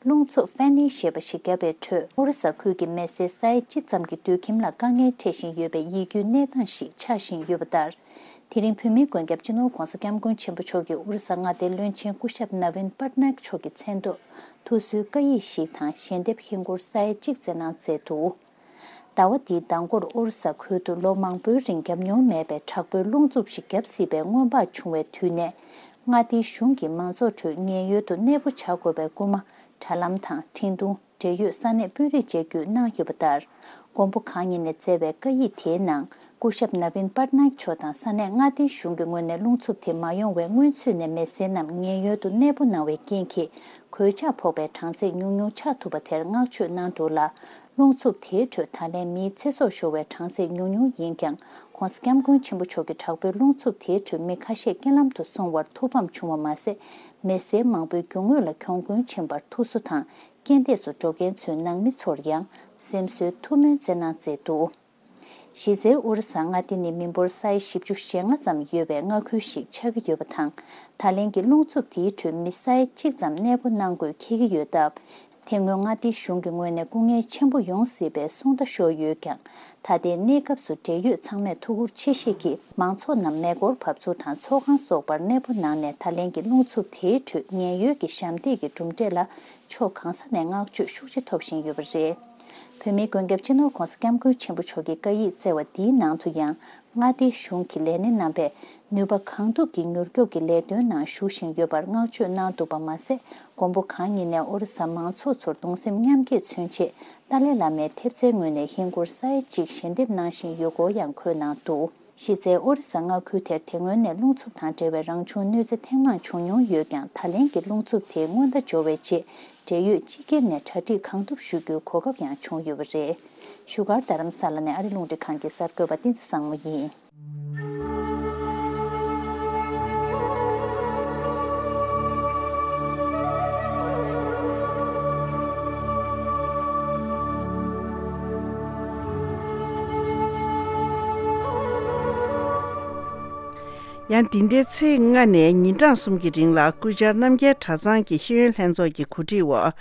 རླུང་འཚུབ་ཧྥེ་ནི་ཞེས་པ་ཞིག་བརྒྱབ་པའི་ཁྲོད། ཨོ་རི་ས་ཁུལ་གྱི་མི་སེར་ས་ཡ་གཅིག་ཙམ་གྱི་སྡོད་ཁྱིམ་ལ་དཀའ་ངལ་འཕྲད་བཞིན་ཡོད་པའི་ཡིད་སྐྱོའི་གནས་སྟངས་ཤིག་ཆགས་བཞིན་ཡོད་པ་ལྟར། དེ་རིང་བོད་མིའི་མགོན་སྐྱབས་སྤྱི་ནོར་ྋགོང་ས་ྋསྐྱབས་མགོན་ཆེན་པོ་མཆོག་གིས་ཨོ་རི་ས་མངའ་སྡེའི་བློན་ཆེན་སྐུ་ཞབས་ནཱ་ཝིན་པཊ་ནཱ་ཡིག་མཆོག་གི་མཚན་ཐོག་ཐུགས་གསོའི་བཀའ་ཡིག་ཞིག་དང་ཞལ་འདེབས་ཧིན་སྒོར་ས་ཡ་གཅིག་བསྩལ་གནང་མཛད་འདུག་ཟླ་བ་འདིའི་མདང་སྐོར་ཨོ་རི་ས་ཁུལ་དུ་ལོ་མང་པོའི་རིང་བརྒྱབ་མྱོང་མེད་པའི་དྲག་པོའི་རླུང་འཚུབ་ཞིག་བརྒྱབ་སྲིད་པའི་སྔོན་དཔག་བྱུང་བའི་དུས་ནས། མངའ་སྡེའི་གཞུང་གིས་མང་ཚོགས་ཁྲོད་ངེས་ཡོད་དུ་གནས་སྤོ་བྱ་དགོས་པའི་སྐུལ་མ་དྲ་ལམ་དང་འཕྲིན་ཐུང་། འབྲེལ་ཡོད་ས་གནས་དཔོན་རིགས་བཅས་བརྒྱུད་གནང་ཡོད་པ་ལྟར། མགོན་པོ་གང་ཉིད་ནས་བསྩལ་བའི་བཀའ་ཡིག་དེའི་ནང་། སྐུ་ཞབས་ནཱ་ཝིན་པཊ་ནཱ་ཡིག་མཆོག་དང་ས་གནས་མངའ་སྡེའི་གཞུང་གི་ངོས་ནས་རླུང་འཚུབ་དེ་མ་ཡོང་བའི་སྔོན་ཚུད་ནས་མི་སེར་རྣམས་ངེས་ཡོད་དུ་གནས་སྤོ་གནང་བའི་རྐྱེན་གྱིས། གོད་ཆག་ཕོག་པའི་གྲངས་ཚད་ཉུང་ཉུང་ཆགས་ཐུབ་པ་དེར་བསྔགས་བརྗོད་གནང་འདུག་ལ། རླུང་འཚུབ་དེའི་ཁྲོད་ད་ལན་མིའི་ཚེ་སྲོག་ཤོར་བའི་གྲངས་ཚད་ཉུང་ཉུང་ཡིན་ཀྱང་། ྋགོང་ས་ྋསྐྱབས་མགོན་ཆེན་པོ་མཆོག་གི་དྲག་པོའི་རླུང་འཚུབ་དེའི་ཁྲོད་མི་ཁ་ཤས་རྐྱེན་ལམ་དུ་སོང་བར་ཐུགས་ཕམ་བྱུང་བ་མ་ཟད། མི་སེར་མང་པོའི་རྒྱུ་དངོས་ལ་གྱོང་གུན་ཕྱིན་པར་ཐུགས་གསོ་དང་རྐྱེན་འདས་སུ་འགྲོ་མཁན་ཚོའི་ནང་མི་ཚོར་ཡང་སེམས་གསོའི་ཐུགས་སྨོན་བསྩལ་གནང་མཛད་འདུག་གཞི་རྩའི་ཨོ་རི་ས་མངའ་སྡེ་ནི་མི་འབོར་ས་ཡ་བཞི་བཅུ་ཞེ་ལྔ་ཙམ་ཡོད་པའི་མངའ་ཁུལ་ཞིག་ཆགས་ཀྱི་ཡོད་པ་དང་། ད་ལན་གྱི་རླུང་འཚུབ་དེའི་ཁྲོད་མི་ས་ཡ་གཅིག་ཙམ་གནས་སྤོ་གནང་དགོས་འཁེལ་གྱི་ཡོད་སྟབས། དེ་སྔོན་མངའ་སྡེའི་གཞུང་གི་ངོས་ནས་སྐུ་ངལ་ཆེན་པོ་ཡོང་སྲིད་པའི་གསུང་བརྡ་ཤོར་ཡོད་ཀྱང་། ད་ལྟའི་གནས་སྐབས་སུ་འབྲེལ་ཡོད་ཚང་མས་ཐུགས་ཁུར་ཆེ་བཞེས་ཀྱིས་མང་ཚོགས་རྣམས་མེ་འཁོར་བབས་ཚུགས་དང་ཚོགས་ཁང་སོགས་པར་གནས་སྤོ་གནང་ནས། ད་ལན་གྱི་རླུང་འཚུབ་དེའི་ཁྲོད་ཉེན་གཡོལ་གྱི་ཞབས་འདེགས་ཀྱི་གྲུབ་འབྲས་ལ་ཕྱོགས་གང་ས་ནས་བསྔགས་བརྗོད་ཤུགས་ཆེ་ཐོབ་བཞིན་ཡོད་པ་རེད། བོད་མིའི་མགོན་སྐྱབས་སྤྱི་ནོར་ྋགོང་ས་ྋསྐྱབས་མགོན་ཆེན་པོ་མཆོག་གིས་བཀའ་ཡིག་སྩལ་བ་འདིའི་ནང་དུ་ཡང་། མངའ་སྡེའི་གཞུང་གི་ལས་སྣེ་རྣམ་པས་ནུས་པ་གང་ཐུབ་ཀྱིས་མྱུར་སྐྱོབ་ཀྱི་ལས་དོན་ནང་ཞུགས་བཞིན་ཡོད་པར་བསྔགས་བརྗོད་གནང་འདུག་པ་མ་ཟད། མགོན་པོ་གང་ཉིད་ནས་ཨོ་རི་ས་མང་ཚོགས་ཚོར་གདུང་སེམས་མཉམ་སྐྱེད་མཚོན་ཆེད་ཏཱ་ལའི་བླ་མའི་ཐེབས་རྩའི་ངོས་ནས་ཧིན་སྒོར་ས་ཡ་གཅིག་ཞལ་འདེབས་གནང་བཞིན་ཡོད་སྐོར་ཡང་འཁོད་གནང་འདུག་གཞི་རྩའི་ཨོ་རི་ས་མངའ་ཁུལ་དེར་དེ་སྔོན་ནས་རླུང་འཚུབ་དང་འབྲེལ་བའི་རང་བྱུང་གནོད་འཚེ་ཐེངས་མང་བྱུང་མྱོང་ཡོད་ཀྱང་། ད་ལན་གྱི་རླུང་འཚུབ་དེའི་སྔོན་བརྡ་འབྱོར་བའི་རྗེས། འབྲེལ་ཡོད་སྤྱི་སྒེར་ནས་གྲ་སྒྲིག་གང་ཐུབ་ཞུ་རྒྱུའི་གོ་སྐབས་ཡང་བྱུང་ཡོད་པ་རེད། བཞུགས་སྒར་རྡ་རམ་ས་ལ་ནས་ཨ་རི་རླུང་འཕྲིན་ཁང་གི་གསར་འགོད་པ་བསྟན་འཛིན་བཟང་མོ་ཡིན། ཡང་འདི་ཟླའི་ཚེས་ལྔ་ནས་ཉིན་གྲངས་གསུམ་གྱི་རིང་ལ་སྐུ་བཅར་རྣམ་རྒྱལ་གྲྭ་ཚང་གི་ཤེས་ཡོན་ལྷན་ཚོགས་ཀྱི་གོ་སྒྲིག་འོག་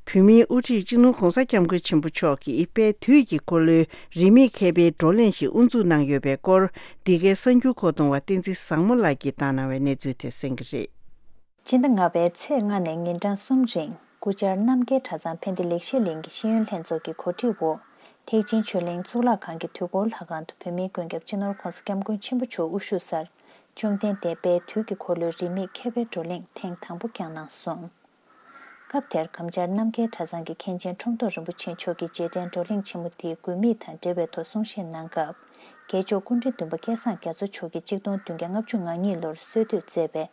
བོད་མིའི་དབུ་ཁྲིད་སྤྱི་ནོར་ྋགོང་ས་ྋསྐྱབས་མགོན་ཆེན་པོ་མཆོག་གིས་དཔལ་དུས་ཀྱི་འཁོར་ལོའི་རིས་མེད་མཁས་པའི་བགྲོ་གླེང་ཞིག་དབུ་འཛུགས་གནང་ཡོད་པའི་སྐོར། འདི་གའི་གསར་འགྱུར་མཁོ་གཏོང་བ་བསྟན་འཛིན་བཟང་མོ་ལགས་ཀྱིས་བཏང་གནང་བའི་གནས་ཚུལ་དེ་གསན་གྱི་རེད། སྤྱི་ཟླ་ལྔ་པའི་ཚེས་ལྔ་ནས་ཉིན་གྲངས་གསུམ་རིང་སྐུ་བཅར་རྣམ་རྒྱལ་གྲྭ་ཚང་ཕན་བདེ་ལེགས་བཤད་གླིང་གི་ཤེས་ཡོན་ལྷན་ཚོགས་ཀྱི་གོ་སྒྲིག་འོག་ཐེག་ཆེན་ཆོས་གླིང་གཙུག་ལག་ཁང་གི་དུས་འཁོར་ལྷ་ཁང་དུ་བོད་མིའི་མགོན་སྐྱབས་སྤྱི་ནོར་ྋགོང་ས་ྋསྐྱབས་མགོན་ཆེན་པོ་མཆོག་དབུ་བཞུགས་སར། བཅོམ་ལྡན་འདས་དཔལ་དུས་ཀྱི་འཁོར་ལོའི་རིས་མེད་མཁས་པའི་བགྲོ་གླེང་ཐེངས་དང་པོ་བསྐྱངས་གནང་སོང་། སྐབས་དེར་གམ་བཅར་རྣམ་རྒྱལ་གྲྭ་ཚང་གི་མཁན་ཆེན་ཁྲོམ་ཐོག་རིན་པོ་ཆེ་མཆོག་གིས་རྗེས་དྲན་བགྲོ་གླེང་ཆེན་མོ་དེའི་དགོས་དམིགས་དང་འབྲེལ་བའི་ཐོག་གསུང་བཤད་གནང་སྐབས། རྒྱལ་མཆོག་སྐུ་ཕྲེང་བདུན་པ་སྐལ་བཟང་རྒྱ་མཚོ་མཆོག་གིས་གཅིག་སྟོང་བདུན་བརྒྱ་ལྔ་བཅུ་ང་གཉིས་ལོར་སྲོལ་གཏོད་མཛད་པའི་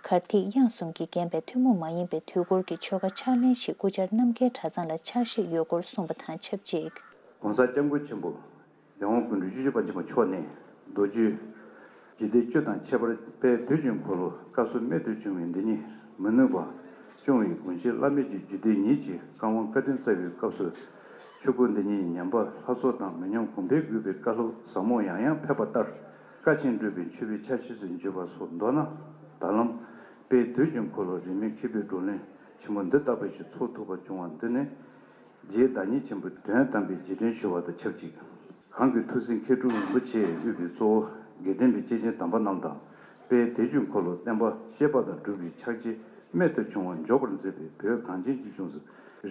གར་ཐིག་དབྱངས་གསུམ་གྱིས་བརྒྱན་པའི་ཐུན་མོང་མ་ཡིན་པའི་དུས་འཁོར་གྱི་ཆོ་ག་ཕྱག་ལེན་ཞིག་སྐུ་བཅར་རྣམ་རྒྱལ་གྲྭ་ཚང་ལ་ཕྱག་བཞེས་ཡོད་སྐོར་གསུངས་པ་དང་ཆབས་ཅིག ྋགོང་ས་ྋསྐྱབས་མགོན་ཆེན་པོ་ལས་དབང་སྐུ་ཕྲེང་བཅུ་བཞི་པ་ཆེན་པོ་མཆོག་ནས་མདོ་རྒྱུད་འཇིག་རྟེན་བཅུ་དང་ཁྱད་པར་དཔལ་དུས་ཀྱི་འཁོར་ལོ་སྐབས་སུ་རྨད་དུ་བྱུང་བའི་འདི་ཉིད་མི་ནུབ་པ། སྐྱོང་བའི་དགོངས་གཞི་བླ་མེད་ཀྱི་རྒྱུད་སྡེ་ཉིད་ཀྱི་བཀའ་དབང་བཀའ་དྲིན་སྩལ་བའི་སྐབས་སུ། ཆོས་སྐུ་འདི་ཉིད་ཉམས་པ་ལྷ་ཚོགས་དང་མི་ཉམས་གོང་འཕེལ་དགོས་པའི་བཀའ་སློབ་ཟབ་མོ་ཡང་ཡང་ཕེབས་པ་ལྟར། བཀའ་ཆེན་སྒྲུབ་པའི་མཆོད་པའི་ཆར་ཆུ་ཚོད་འཇུག་པ་སོགས་མདོར་ན། ད་ལམ་དཔལ་དུས་ཀྱི་འཁོར་ལོ་རིས་མེད་མཁས་པའི་བགྲོ་གླེང་ཆེན་མོ་འདི་ལྟ་བུ་ཞིག་ཚོགས་ཐུབ་པ་བྱུང་བ་འདི་ནི། རྗེའི་བདག་ཉིད་ཆེན་པོའི་དོན་དམ་པའི་རྗེས་དྲན་ཞུ་བ་དང་ཆབས་ཅིག་གང་གི་ཐུགས་སྲས་མཁས་གྲུབ་རིན་པོ་ཆེས་དབུས་པའི་གཙོ་བོ་དགེ་ལྡན་པའི་སྐྱེས་ཆེན་དམ་པ་རྣམས་དང་། དཔལ་དུས་ཀྱི་འཁོར་ལོ་བསྟན་པ་བཤད་པ་དང་སྒྲུབ་པའི་ཕྱག་རྗེས་རྨད་དུ་བྱུང་བ་འཇོག་པར་མཛད་པའི་བོད་གངས་ཅན་གྱི་ལྗོངས་སུ་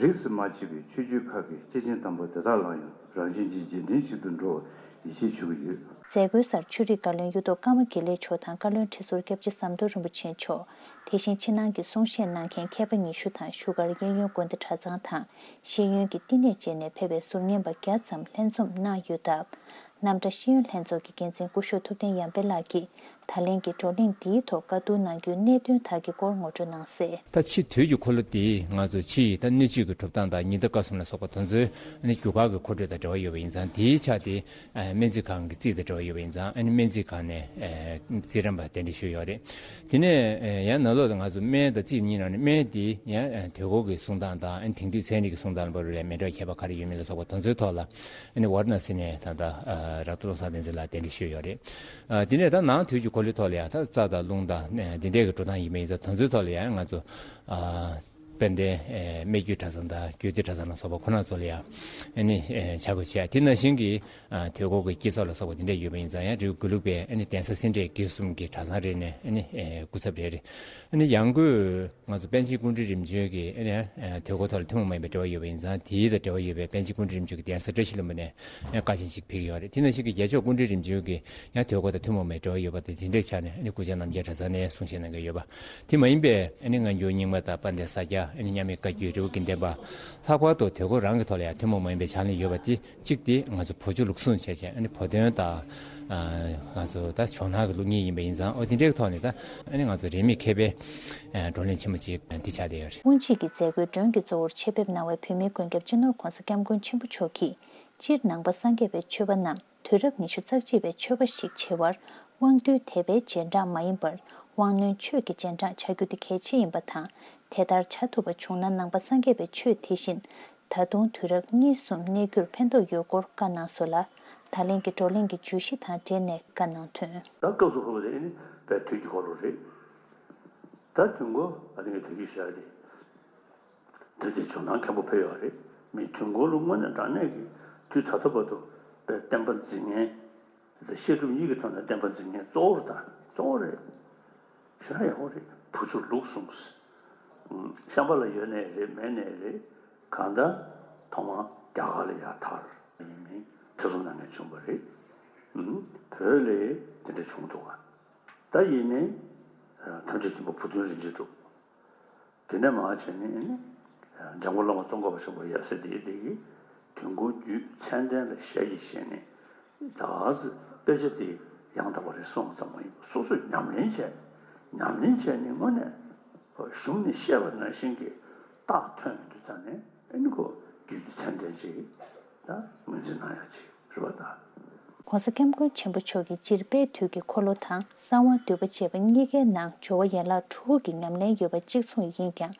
རིས་སུ་མ་ཆད་པའི་ཆོས་བརྒྱུད་ཁག་གི་སྐྱེས་ཆེན་དམ་པ་དེ་དག་ལ་ཡང་རང་བཞིན་གྱི་རྗེས་དྲན་ཞིག་ཏུ་འགྲོ་བར་ཡིད་ཆེས་ཞུ་གི་ཡོད། མཛད་སྒོའི་སར་ཆོས་རིག་བཀའ་བློན་གཡུ་ཐོག་ཀརྨ་དགེ་ལེགས་མཆོག་དང་བཀའ་བློན་ཁྲི་ཟུར་སྐྱབས་རྗེ་ཟམ་གདོང་རིན་པོ་ཆེ་མཆོག་དེ་བཞིན་ཕྱི་ནང་གི་གསུང་བཤད་གནང་མཁན་མཁས་པ་ཉི་ཤུ་དང་བཞུགས་སྒར་གཡས་གཡོན་དགོན་སྡེ་གྲྭ་ཚང་དང་ཤེས་ཡོན་གྱི་བསྟི་གནས་བཅས་ནས་ཕེབས་པའི་ཟུར་ཉན་པ་བརྒྱ་ཙམ་ལྷན་འཛོམས་གནང་ཡོད་སྟབས། རྣམ་གྲྭ་ཤེས་ཡོན་ལྷན་ཚོགས་ཀྱི་འགན་འཛིན་སྐུ་ཞབས་ཐུབ་བསྟན་ཡར་འཕེལ་ལགས་ཀྱིས་ད་ལན་གྱི་བགྲོ་གླེང་འདིའི་ཐོག་བཀའ་བསྡུར་གནང་རྒྱུའི་གནད་དོན་དག་གི་སྐོར་ངོ་སྤྲོད་གནང་གསལ། ད་ཕྱི་དུས་ཀྱི་འཁོར་ལོ་འདི་ང་ཚོ་ཕྱི་ཡི་ད་སྣོད་བཅུད་ཀྱི་གྲུབ་སྟངས་དང་ཉི་ཟླ་སྐར་གསུམ་ལ་སོགས་པ་དེ་ཚོའི་ཨ་ནི་རྒྱུ་སྐར་གྱི་འཁོར་འགྲོས་དང་འབྲེལ་བ་ཡོད་པ་ཡིན་ཙང་། དེའི་ཆ་དེ་ཨ་སྨན་རྩིས་ཁང་གི་རྩིས་དང་འབྲེལ་བ་ཡོད་པ་ཡིན་ཙང་། ཨ་ནི་སྨན་རྩིས་ཁང་ནས་ཨ་རྩིས་རན་པ་གདན་འདྲེན་ཞུས་ཡོད་རེད། དེ་ནས་ཨ་ཡང་ནང་ལོགས་ལ་ང་ཚོ་སྨན་དང་རྩིས་གཉིས་ནང་ནས་སྨན་དེ་ཡང་ཨ་དུས་འཁོར་གྱི་གསུང་སྟངས་དང་། ཨ་ནི་དེང་དུས་ཚན་རིག་གི་གསུང་སྟངས་བར་ལ་མེ་སྒྲོན་ཁྱད་པར་ག་རེ་ཡོད་མེད་ལ་སོགས་པ་དེ་ཚོའི་ཐོག་ལ། ཨ་ནི་ཝཱ་ར་ཎ་སི་ནས་ད་ལྟ་ཨ་ར་ཏ་བློ་བཟང་བསྟན་འཛིན་ལགས་གདན་འདྲེན་ཞུས་ཡོད་རེད། ཨ་དེ་ནས་ད་ནང་དུས་ཀྱི་འཁོར་ལོའི་ཐོག་ལ་ཡང་ད་རྩ་དང་རླུང་དང་ཨ་འདི་འདྲའི་གི་འགྲོ་སྟངས་ཡིན་པ་ཡིན་ཙང་། དེ་ཚོའི་ཐོག་ལ་ཡང་ང་ཚོ་ཨ་དཔལ་ལྡན་ཨ་སྨད་རྒྱུད་གྲྭ་ཚང་དང་རྒྱུད་སྡེ་གྲྭ་ཚང་ལ་སོགས་པ་ཁོ་ན་ཚོ་ལ་ཡང་ཨ་ནི་ཨ་ཕྱག་དགོས་བྱས། དེ་ནང་བཞིན་གྱི་ཨ་དུས་འཁོར་གྱི་དཀྱིལ་ཆོག་ལ་སོགས་པ་འདི་འདྲ་ཡོད་པ་ཡིན་ཙང་། ཡང་རི་བོ་དགེ་ལུགས་པའི་ཨ་ནི་གདན་ས་སེ་འབྲས་དགེ་གསུམ་གྱི་གྲྭ་ཚང་རེ་ནས་ཨ་ནི་ཨ་སྐུ་ཚབ་རེ་རེ། ཨ་ནི་ཡང་སྒོས་ང་ཚོ་པཎ་ཆེན་ཀཽཎྜི་ནྱ་རིམ་བྱོན་གྱི་ཨ་ནི་ཨ་དུས་འཁོར་ཐོག་ལ་ཐུན་མོང་མ་ཡིན་པའི་འབྲེལ་བ་ཡོད་པ་ཡིན་ཙང་། དེའི་དང་འབྲེལ་བ་ཡོད་པའི་པཎ་ཆེན་ཀཽཎྜི་ནྱ་རིམ་བྱོན་གྱི་གདན་ས་བཀྲ་ཤིས་ལྷུན་པོ་ནས་ཨ་ནི་བཀའ་ཆེན་ཞིག་ཕེབས་ཀྱི་ཡོད་རེད། དེ་ནང་བཞིན་གྱི་རྒྱལ་མཆོག་ཀཽཎྜི་ནྱ་རིམ་བྱོན་གྱི་ཡང་དུས་འཁོར་དང་ཐུན་མོང་མའི་འབྲེལ་བ་ཡོད་པ་དང་དེ་འདྲའི་ཆ་ནས་ཨ་ནི་སྐུ་བཅར་རྣམ་རྒྱལ་གྲྭ་ཚང་ནས་གསུང་བཤད་གནང་གི་ཡོད་པ། དེ་མ་ཡིན་པའི་ཨ་ནི་སྔ་འགྱུར་རྙིང་མ་དང་དཔལ་ལྡན་ས་སྐྱ། ཨ་ནི་མཉམ་མེད་བཀའ་བརྒྱུད། རི་བོ་དགེ་ལྡན་པ། ལྷག་པར་དུ་དུས་འཁོར་རང་གི་ཐོག་ལ་ཡང་ཐུན་མོང་མ་ཡིན་པའི་ཕྱག་ལེན་ཡོད་པ་དེ་གཅིག་དེ་ང་ཚོ་བོད་ཆོས་ལུགས་ཟུང་བྱས་བྱས། ཨ་ནི་བོད་དོན་དང་ཨ་ང་ཚོ་ད་ཇོ་ནང་གི་ལུགས་གཉིས་ཡིན་པ་ཡིན་ཙང་། ཨོ་དེ་འདྲའི་ཐོག་ནས་ད་ཨ་ནི་ང་ཚོ་རིས་མེད་མཁས་པའི་ཨ་བགྲོ་གླེང་ཆེན་མོ་ཅིག་འདི་ཆགས་བསྡད་ཡོད་རེད། དབུ་འབྱེད་ཀྱི་མཛད་སྒོའི་མགྲོན་གྱི་གཙོ་བོར་ཆེད་ཕེབས་གནང་བའི་བོད་མིའི་མགོན་སྐྱབས་སྤྱི་ནོར་ྋགོང་ས་ྋསྐྱབས་མགོན་ཆེན་པོ་མཆོག་གིས། སྤྱིར་ནང་པ་སངས་རྒྱས་པའི་ཆོས་པ་རྣམས་དུས་རབས་ཉི་ཤུ་རྩ་གཅིག་པའི་ཆོས་པ་ཞིག་བྱེད་པར་དབང་རྟུལ་དད་པའི་རྗེས་འབྲང་མ་ཡིན་པར། དབང་རྣོན་ཆོས་ཀྱི་རྗེས་འབྲང་བྱ་རྒྱུ་དེ་གལ་ཆེ་ཡིན་པ་དང་། དེ་ལྟར་བྱ་ཐུབ་པ་བྱུང་ན་ནང་པ་སངས་རྒྱས་པའི་ཆོས་དེ་བཞིན་ ད་དུང་དུས་རབས་གཉིས་གསུམ་གནས་རྒྱུར་ཕན་ཐོགས་ཡོད་སྐོར་བཀའ་གནང་སོང་ལ། ད་ལན་གྱི་བགྲོ་གླེང་གི་བརྗོད་གཞི་དང་འབྲེལ་ནས་བཀའ་གནང་དོན། ད་སྐབས་སུ་བབས་པ་དེ་ནི་དཔེ་དུས་ཀྱི་འཁོར་ལོ་རེད། ད་དུས་འཁོར་ཨ་ནི་གི་དུས་ཀྱི་ཞག་དེ། དེ་དེ་ཇོ་ནང་མཁན་པོ་ཕེབས་ཡོད་རེད། མི་དུས་འཁོར་ལོ་དངོས་གནས་དྲང་གནས་ཀྱི་དུས་ད་ལྟ་བར་དུ་དཔེ་བསྟན་པ་འཛིན་མཁན། དེ་བཤད་སྒྲུབ་གཉིས་ཀྱི་ཐོག་ནས་བསྟན་པ་འཛིན་མཁན་གཙོ་བོ་རེད་ད། གཙོ་བོ་རེད། ཞེ་དྲག་ཡག་པོ་རེད། བུ་ཆུ་ལུག་གསུངས། ཤམ་བྷ་ལ་ཡོད་ནའི་རེད་མེད་ནའི་རེད། གང་ལྟར་ཐོག་མར་རྒྱ་གར་ལ་ཡར་དར་ཡིན་མིན་ཐེ་ཚོམ་གནང་མཁན་བྱུང་བ་རེད། བོད་ལ་དེ་འདྲ་བྱུང་འདུག་ག་ད་ཡིན་ནའི་ཐམས་ཅད་མཁྱེན་པ་བུ་སྟོན་རིན་ཆེན་གྲུབ། དེ་ནས་མར་བྱས་ནས་ནི། འཇམ་མགོན་བླ་མ་ཙོང་ཁ་པ་ཆེན་པོ་ཡབ་སྲས་འདིའི་སྡེ་ཡི་དུས་འཁོར་རྒྱུད་མཚན་ལྡན་ལ་ཞལ་གྱིས་བཞེས་ནས། ད་ག་ཟེ་དཔེ་ཆ་དེ་ཡང་དག་པ་རེད་གསུངས་ཙམ་མ་ཡིན་པར་སོ་སོས་ཉམས་ལེན་བྱས། ཉམས་ལེན་བྱས་ནས་དངོས་གནས་གཞུང་ནས་བཤད་པ་ནང་བཞིན་གྱི་རྟགས་ཐོན་ཡོང་དུས་ཙང་ནས་ཨ་ནི་ཁོ་རྒྱུད་ཀྱི་མཚན་ལྡན་ཅིག་ད་ངོས་འཛིན་གནང་ཡག་ཅིག་རེད་པ་ད། ༸གོང་ས་༸སྐྱབས་མགོན་ཆེན་པོ་མཆོག་གིས་སྤྱིར་དཔལ་དུས་ཀྱི་འཁོར་ལོ་དང་གསང་བ་འདུས་པ་བཅས་པ་གཉིས་ཀའི་ནང་སྦྱོར་བ་ཡན་ལག་དྲུག་གི་ཉམས་ལེན་ཡོད་པ་གཅིག་མཚུངས་ཡིན་ཀྱང་།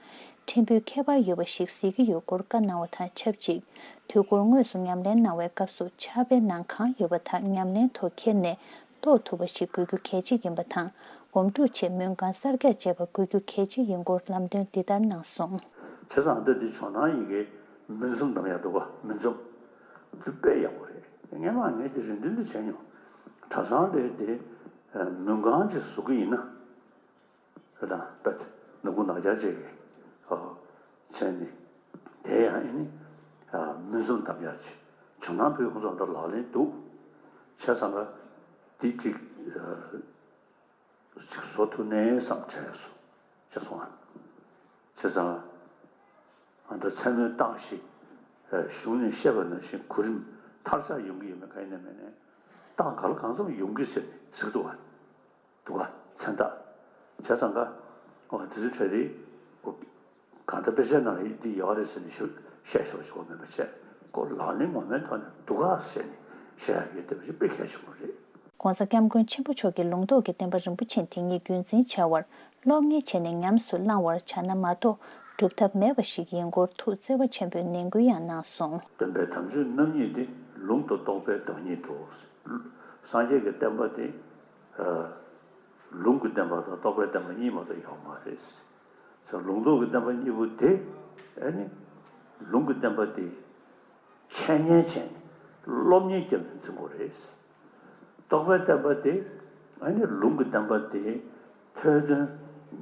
ཕྲན་བུ་ཁྱད་པར་ཡོད་པ་ཞིག་གཟིགས་ཀྱི་ཡོད་སྐོར་བཀའ་གནང་བ་དང་ཆབས་ཅིག་དུས་འཁོར་དངོས་སུ་ཉམས་ལེན་གནང་བའི་སྐབས་སུ་ཕྱག་དཔེའི་ནང་གང་ཡོད་པ་དག་ཉམས་ལེན་ཐོག་འཁྱེར་ནས་རྟོགས་ཐུབ་པ་ཞིག་དགོས་རྒྱུ་གལ་ཆེ་ཡིན་པ་དང་། སྒོམ་སྒྲུབ་ཆེད་སྨོན་ཁང་གསར་རྒྱག་བྱས་པ་དགོས་རྒྱུ་གལ་ཆེ་ཡིན་སྐོར་ལམ་སྟོན་འདི་ལྟར་གནང་སོང་། བྱས་ཙང་ད་འདི་ཇོ་ནང་ཡི་གེ་མུན་འཛོམས་གདམ་ཡག་འདུག་ག་མུན་འཛོམས། འདི་དཔེ་ཡག་པོ་རེད། སྔན་མ་ངས་དེ་རེ་འདུན་དུ་བྱས་མྱོང་། གྲྭ་ཚང་ལས་དེ་མུན་ཁང་ཅིག་བཟོ་གི་ཡིན་ན། རེད་དང་དཔེ་ནག་ཁུང་ནག་རྐྱང་ཅིག་གི་བྱས་ནས་དེ་ཡང་ཨེ་ནི་མུན་འཛོམས་གདམ་ཡག་ཅིག་ཇོ་ནང་ཕུད་ཁོང་ཚོ་འདི་ལག་ལེན་འདུག་བྱས་ཙང་ག་འདི་ཅིག་ཅིག་བཟོ་ཐུབ་ནའི་བསམ་བྱས་སོང་བྱས་སོང་ཨ། བྱས་ཙང་ཨ་ད་མཚན་མོའི་རྟགས་ཤིག་གཞུང་ནས་བཤད་པ་ནང་བཞིན་གོ་རིམ་མཐར་ཆགས་ཡོང་གི་ཡོད་མེད་གང་ཡིན་ནའི་མིན་ནའི་རྟགས་ག་ལ་གང་འཚམ་ཡོང་གི་ཟེར་ནས་ཟེར་གི་འདུག་ག་འདུག་ག་མཚན་རྟགས། བྱས་ཙང་ག་ཨོ་དེ་ཚོའི་གྲས་དེ་གང་ལྟར་དཔེ་ཆའི་ནང་ལ་འདི་ཡོད་རེད་ཟེར་ནས་ཞུ་བཤད་ཤོག་ཞུ་བ་མེད་པ་བྱས་ཁོ་ལག་ལེན་ངོ་མའི་ཐོག་ནས་འདུག་ག་ཟེར་ནས་བཤད་ཡག་གི་དེ་བ་ཞིག་དཔེ་གལ་ཆེན་པོ་རེད། ༸གོང་ས་༸སྐྱབས་མགོན་ཆེན་པོ་མཆོག་གིས་ལུང་རྟོགས་ཀྱི་བསྟན་པ་རིན་པོ་ཆེ་དེ་ཉིད་རྒྱུན་འཛིན་བྱ་བར་སློབ་གཉེར་བྱས་ནས་ཉམས་སུ་བླང་བར་བྱ་ན་མ་གཏོགས་སྒྲུབ་ཐབས་མེད་པ་ཞིག་ཡིན་སྐོར་ཐུགས་བརྩེ་བ་ཆེན་པོས་ནན་སྐུལ་ཡང་གནང་སོང་། སྟོན་པའི་དམ་ཆོས་རྣམ་གཉིས་ཏེ། ལུང་དང་རྟོགས་པའི་བདག་ཉིད་དོ། སངས་རྒྱས་ཀྱི་བསྟན་པ་དེ། ལུང་གི་བསྟན་པ་དང་རྟོགས་པའི་བསྟན་པ་གཉིས་མ་གཏོགས་ཡོད་མ་རེད། ལུང་རྟོགས་ཀྱི་བསྟན་པ་གཉིས་པོ་དེ་ཨ་ནི་ལུང་གི་བསྟན་པ་དེ་འཆད་ཉན་བྱས་ནས་སློབ་གཉེར་བརྒྱབ་ནས་འཛིན་དགོས་རེད། རྟོགས་པའི་བསྟན་པ་དེ་ཨ་ནི་ལུང་གི་བསྟན་པ་དེ་ཐོས་དོན་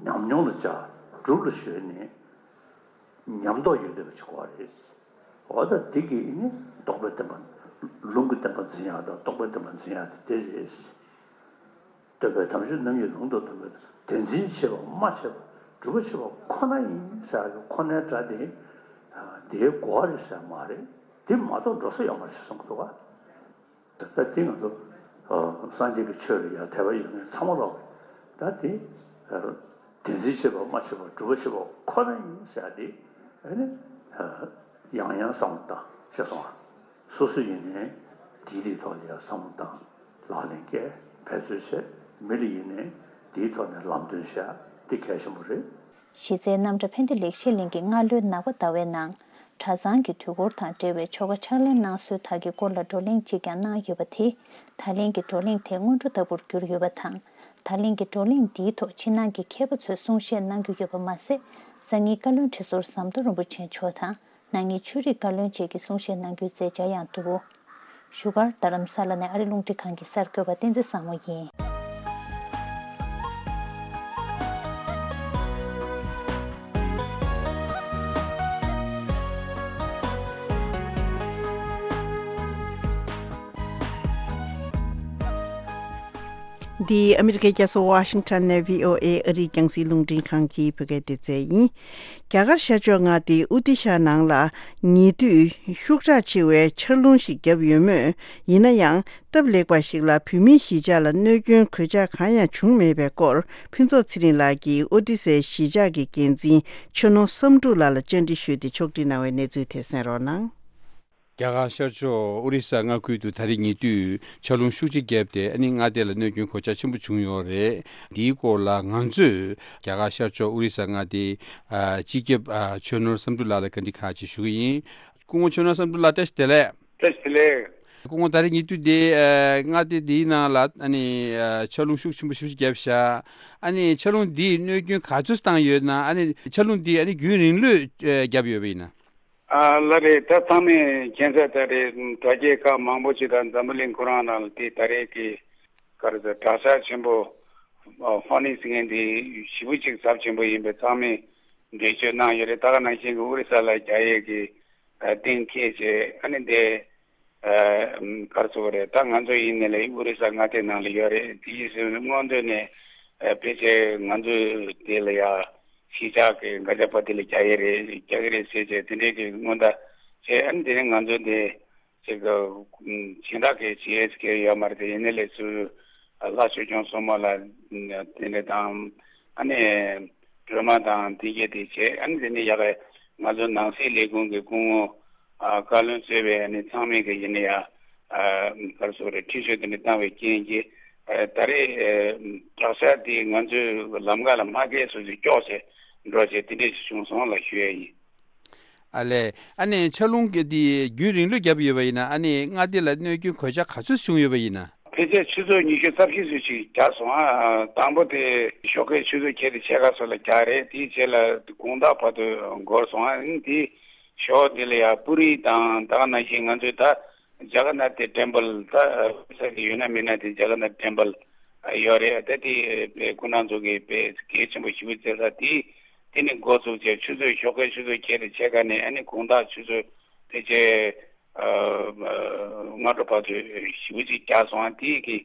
ཉམས་མྱོང་ལ་སྦྱར་སྒྲུབ་ལ་གཞོལ་ནས་ཉམས་རྟོགས་ཡོང་བསྡད་པ་ཞིག་དགོས་རེད། འོ་ད་འདི་གི་ནི་རྟོགས་པའི་བསྟན་པ། ལུང་གི་བསྟན་པ་འཛིན་ཡག་དང་རྟོགས་པའི་བསྟན་པ་འཛིན་ཡག་དེ་དེ་རེད། སྟོན་པའི་དམ་ཆོས་རྣམ་གཉིས་ལུང་དང་རྟོགས་པའི་དེ་འཛིན་བྱེད་པ་མ་བྱས་པ་སྒྲུབ་པ་བྱེད་པ་ཁོ་ན་ཡིན་ཟེར་ཡག་གི་ཁོ་ནའི་སྒྲ་དེ་དེའི་གོ་བ་རེད་ཟེར་མ་རེད། དེ་མ་གཏོགས་འགྲོ་ས་ཡོད་མ་རེད་ཟེར་གསུང་གི་འདུག་ག་ད་དེ་ང་ཚོ་སངས་རྒྱས་ཀྱི་ཆོས་ལ་ཡང་དད་པ་ཡོད་མཁན་ཚང་མ་ལོག་གི་ད་དེ་དེ་འཛིན་བྱེད་པ་མ་བྱེད་པ་སྒྲུབ་པ་བྱེད་པ་ཁོ་ན་ཡིན་ཟེར་ཡག་དེ་ཨ་ནི་ཡང་ཡང་བསམ་བློ་བཏང་ཤེས་སོང་ཨ། སོ་སོ་ཡིན་ནའི་དེའི་རིགས་ཐོག་ལ་ཡང་བསམ་བློ་བཏང་ལག་ལེན་བཀལ་འབད་རྩོལ་བྱས། མི་ལ་ཡིན་ནའི་དེའི་ཐོག་ནས་ལམ་སྟོན་བྱས་དེ་གལ་ཆེན་པོ་རེད། གཞི་རྩའི་རྣམ་གྲྭ་ཕན་བདེ་ལེགས་བཤད་གླིང་གི་སྔ་ལོའི་ནག་པ་ཟླ་བའི་ནང་གྲྭ་ཚང་གི་དུས་འཁོར་དང་འབྲེལ་བའི་ཆོ་ག་ཕྱག་ལེན་གནང་སྲོལ་དག་གི་སྐོར་ལ་བགྲོ་གླེང་གཅིག་ཀྱང་གནང་ཡོད་པ་དེ་ད་ལན་གྱི་བགྲོ་གླེང་དེ་སྔོན་འགྲོ་ལྟ་བུར་གྱུར་ཡོད་པ་དང་། ད་ལན་གྱི་བགྲོ་གླེང་འདིའི་ཐོག་ཕྱི་ནང་གི་མཁས་པ་ཚོས་གསུང་བཤད་གནང་རྒྱུ་ཡོད་པ་མ་ཟད། སང་ཉིན་བཀའ་བློན་ཁྲི་ཟུར་ཟམ་གདོང་རིན་པོ་ཆེ་མཆོག་དང་། གནངས་ཉིན་ཆོས་རིག་བཀའ་བློན་བཅས་ཀྱིས་གསུང་བཤད་གནང་རྒྱུའི་མཛད་འཆར་ཡང་འདུག་བཞུགས་སྒར་རྡ་རམ་ས་ལ་ནས་ཨ་རི་རླུང་འཕྲིན་ཁང་གི་གསར་འགོད་པ་བསྟན་འཛིན་བཟང་མོ་ཡིན། འདི་ཨ་མི་རི་ཀའི་རྒྱལ་ས་ཝ་ཤིང་ཊོན་ནས་བྷི་ཨོ་ཨེ་ཨ་རིའི་རྒྱང་སྲིང་རླུང་འཕྲིན་ཁང་གི་བོད་སྐད་སྡེ་ཚན་ཡིན། རྒྱ་གར་ཤར་ཕྱོགས་མངའ་སྡེའི་ཨོ་ཏི་ཤ་ནང་ལ་ཉེ་དུས་ཤུགས་དྲག་ཆེ་བའི་ཆར་རླུང་ཞིག་བརྒྱབ་ཡོད་མོད། ཡིན་ན་ཡང་སྟབས་ལེགས་པ་ཞིག་ལ་བོད་མིའི་གཞིས་ཆགས་ལ་གནོད་སྐྱོན་གོད་ཆག་གང་ཡང་བྱུང་མེད་པའི་སྐོར་ཕུན་ཚོགས་ཚེ་རིང་ལགས་ཀྱིས་ཨོ་ཏི་སའི་གཞིས་ཆགས་ཀྱི་འགན་འཛིན་ཆོས་ནོར་བསམ་འགྲུབ་ལགས་ལ་བཅར་འདྲི་ཞུས་ཏེ་ཕྱོགས་སྒྲིག་གནང་བའི་གནས་ཚུལ་དེ་གསན་རོགས་གནང་། རྒྱ་གར་ཤར་ཕྱོགས་ཨོ་རི་ས་མངའ་ཁུལ་དུ་ད་རེས་ཉེ་དུས་ཆར་རླུང་ཤུགས་ཆེ་བརྒྱབ་སྟེ་ཨ་ནི་མངའ་སྡེ་ལ་གནོད་སྐྱོན་གོད་ཆག་ཆེན་པོ་བྱུང་ཡོད་རེད། འདིའི་སྐོར་ལ་ང་ཚོས་རྒྱ་གར་ཤར་ཕྱོགས་ཨོ་རི་ས་མངའ་སྡེའི་ཨ་སྤྱི་ཁྱབ་ཨ་ཆོས་ནོར་བསམ་འགྲུབ་ལགས་ལ་བཀའ་འདྲི་ཁག་ཅིག་ཞུ་གི་ཡིན། སྐུ་ངོ་ཆོས་ནོར་བསམ་གྲུབ་ལགས། བཀྲ་ཤིས་བདེ་ལེགས། བཀྲ་ཤིས་བདེ་ལེགས། སྐུ་ངོ། ད་རེས་ཉེ་དུས་འདི་ཨ་མངའ་སྡེ་འདིའི་ནང་ལ་ཨ་ནི་ཨ་ཆར་རླུང་ཤུགས་ཆེན་པོ་ཞེ་པོ་ཅིག་བརྒྱབ་ཤག་ཨ་ནི་ཆར་རླུང་འདིས་གནོད་སྐྱོན་ག་ཚོད་བཏང་ཡོད་ན། ཨ་ནི་ཆར་རླུང་འདིས་ཨ་ནི་རྒྱུན་རིང་ལོས་ཨ་བརྒྱབ་ཡོད་པ་ཡིན་ན། ཨ་ལགས་རེད། ད་ཚང་མས་མཁྱེན་གསལ་ལྟར་རེད། དྲ་རྒྱའི་ཁག་མང་པོ་ཅིག་དང་འཛམ་བུ་གླིང་ཁོ་རང་ནང་ལ་དེ་ད་རེས་ཀྱི་ག་རེ་ཟེར། དྲག་ཆར་ཆེན་པོ་ཨ་ཧྥ་ནི་ཟེར་མཁན་དེ་ཞེ་པོ་ཅིག་ཚབས་ཆེན་པོ་ཡིན་པས་ཚང་མས་འགྲེལ་བརྗོད་གནང་ཡོད་རེད། ད་ག་ནང་བཞིན་གྱི་ཨོ་རི་ས་ལ་རྒྱག་ཡས་ཀྱི་ཨ་གཏན་འཁེལ་བྱས། ཨ་ནི་དེ་ཨ་ག་རེ་ཟེར་དགོས་རེད། ད་ང་ཚོ་ཡིན་ནའི་ལས་ཨོ་རི་ས་མངའ་སྡེ་ནང་ལ་ཡོད་རེད། དེ་ཡིན་ཟེར་ན་སྔོན་དུ་ནས་ཨ་ཕལ་ཆེར་ང་ཚོས་དེ་ལ་ཡ་གཞིས་ཆགས་ཀྱི་མགར་ཆ་པ་དེ་ལ་རྒྱག་ཡས་རེད། རྒྱག་གི་རེད་ཟེར་བྱས་དེ་འདྲའི་གི་སྔོན་བརྡ་བྱས། ཨ་ནི་དེ་ནས་ང་ཚོ་དེ་ཅིག་ཨ་སྦྱིན་བདག་གི་བྱེད་ཡས་ཀྱི་ཡོད་མ་རེད་དེ། ཡིན་ནའི་ལས་ཚུར་ཨ་ལྷ་ཆོས་སྐྱོང་སྲུང་མ་ལ་དེ་འདྲ་དང་། ཨ་ནི་སྒྲོལ་མ་དང་དེ་གས་དེ་བྱས། ཨ་ནི་དེ་ནས་ཡ་གི་ང་ཚོ་ནང་སྲིད་ལས་ཁུངས་ཀྱི་སྐུ་ངོ་ཨ་བཀའ་བློན་གཙོས་པའི་ཨ་ནི་ཚང་མས་ཀྱི་ཡིན་ན་ཡ་ཨ་ག་རེ་ཟེར་དགོས་རེད། འཕྲིན་བཅོལ་དེ་འདྲ་བཏང་བའི་རྐྱེན་གྱིས་ཨ་ད་རེས་ཨ་དྲག་ཆར་དེ་ང་ཚོའི་ལམ་ཁ་ལ་མ་བརྒལ་སོ་སོ་སྐྱོག་བྱས་འགྲོ་བྱས་དེ་འདྲས་ཞིག་བྱུང་སོང་ལ་ཞུ་ཡས་ཡིན། ཨ་ལས། ཨ་ནི་ཆར་རླུང་གི་དེ་རྒྱུན་རིང་ལོས་བརྒྱབ་ཡོད་པ་ཡིན་ན། ཨ་ནི་མངའ་སྡེ་ལ་གནོད་སྐྱོན་གོད་ཆག་ག་ཚོད་བྱུང་ཡོད་པ་ཡིན་ན། ཕལ་ཆེར་ཆུ་ཚོད་ཉི་ཤུ་རྩ་བཞི་ཙམ་ཞིག་བརྒྱབ་སོང་ཨ། དང་པོ་དེ་ཞོགས་ཀའི་ཆུ་ཚོད་ཁལ་དེ་ཕྱེད་ཀ་ཙམ་ལ་བརྒྱབ་རེད། དེའི་རྗེས་ལ་དགོང་དག་བར་དུ་འགོར་སོང་ཨ། ཨ་ནི་དེ་ཞོགས་དེ་ལ་ཡ་པུ་རི་དང་ད་ག་ནང་བཞིན་ང་ཚོའི་ད་ཇ་ག་ན་ཐའི་ཊེམ་པལ། ད་ས་གི་ཡོད་ན་མེད་ན་དེ་ཇ་ག་ན་ཐའི་ཊེམ་པལ་ཡོད་རེད། ད་དེ་དཔེ་ཁོ་རང་ཚོ་གི་དཔེ་གལ་ཆེན་པོ་ཞེ་པོ་བྱེད་ས་དེ། དེ་ནས་འགོ་བཙུགས་བྱས་ཆུ་ཚོད་ཞོགས་ཀའི་ཆུ་ཚོད་ཁལ་དེ་ཕྱེད་ཀ་ནས་ཨ་ནི་དགོང་དག་ཆུ་ཚོད་ཕལ་ཆེར་ཨ་སྔ་དྲོ་བར་དུ་ཞེ་པོ་ཅིག་བརྒྱབ་སོང་ཨ། དེ་གི་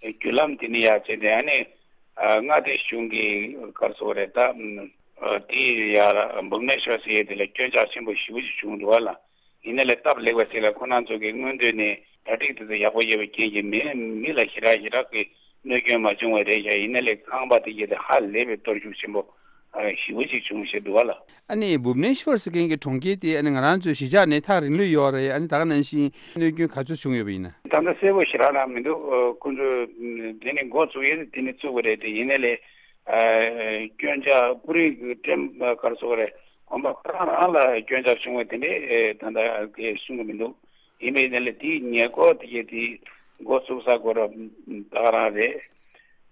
བརྒྱུད་ལམ་དེ་ནས་ཡར་བྱས་ཏེ་ཨ་ནི་ཨ་མངའ་སྡེ་གཞུང་གི་ག་རེ་ཟེར་དགོས་རེད། ད་ཨ་དེ་ཡར་བུབ་ནེ་ཤོར་ཟེར་ཡས་དེ་ལ་སྐྱོན་ཆག་ཆེན་པོ་ཞེ་པོ་ཅིག་བྱུང་འདུག་བ་ལ། ཡིན་ནའི་ལས་སྟབས་ལེགས་པ་ཞིག་ལ་ཁོ་རང་ཚོ་གི་སྔོན་དུས་ནས་གྲ་སྒྲིག་དེ་ཚོ་ཡག་པོ་ཡོད་པའི་རྐྱེན་གྱིས་མི་མི་ལ་ཞེ་དྲག་ཞེ་དྲག་གི་གནོད་སྐྱོན་མ་བྱུང་བ་རེད་ཤག་ཡིན་ནའི་ལས་ཁང་པ་དེ་གས་དེ་ཧ་ལས་པའི་གཏོར་བཤིག་ཆེན་པོ་ཨ་ཞེ་པོ་ཅིག་བྱུང་ཞེས་འདུག་བ་ལ། ཨ་ནི་བུབ་ནེ་ཤོར་ཟེར་མཁན་གྱི་གྲོང་ཁྱེར་དེ་ཨ་ནི་ང་རང་ཚོའི་གཞིས་ཆགས་ནས་ཐག་རིང་ལོས་ཡོད་རེད། ཨ་ནི་ད་ག་ནང་བཞིན་གནོད་སྐྱོན་ག་ཚོད་བྱུང་ཡོད་པ་ཡིན་ན། ད་ལྟ་གསལ་པོ་ཞེ་དྲག་རང་མི་འདུག་ཨ་ཁོང་ཚོས་དེ་ནས་འགོ་བཙུགས་ཡས་དེ་ནས་བཙུགས་པ་རེད་དེ། ཡིན་ནའི་ལས་ཨ་སྐྱོན་ཆག་པུ་རི་གི་ཀྲེམ་ག་རེ་ཟེར་དགོས་རེད། དགོན་པ་ཁོ་རང་རང་ལ་སྐྱོན་ཆག་བྱུང་བ་དེ་འདྲས་ད་ལྟ་གས་གསུང་གི་མི་འདུག་ཡིན་པའི་ནི་ལས་དེའི་ཉེ་འཁོར་དེ་གས་དེ་འགོ་བཙུགས་ས་གོ་ར་ད་ག་རང་རེད།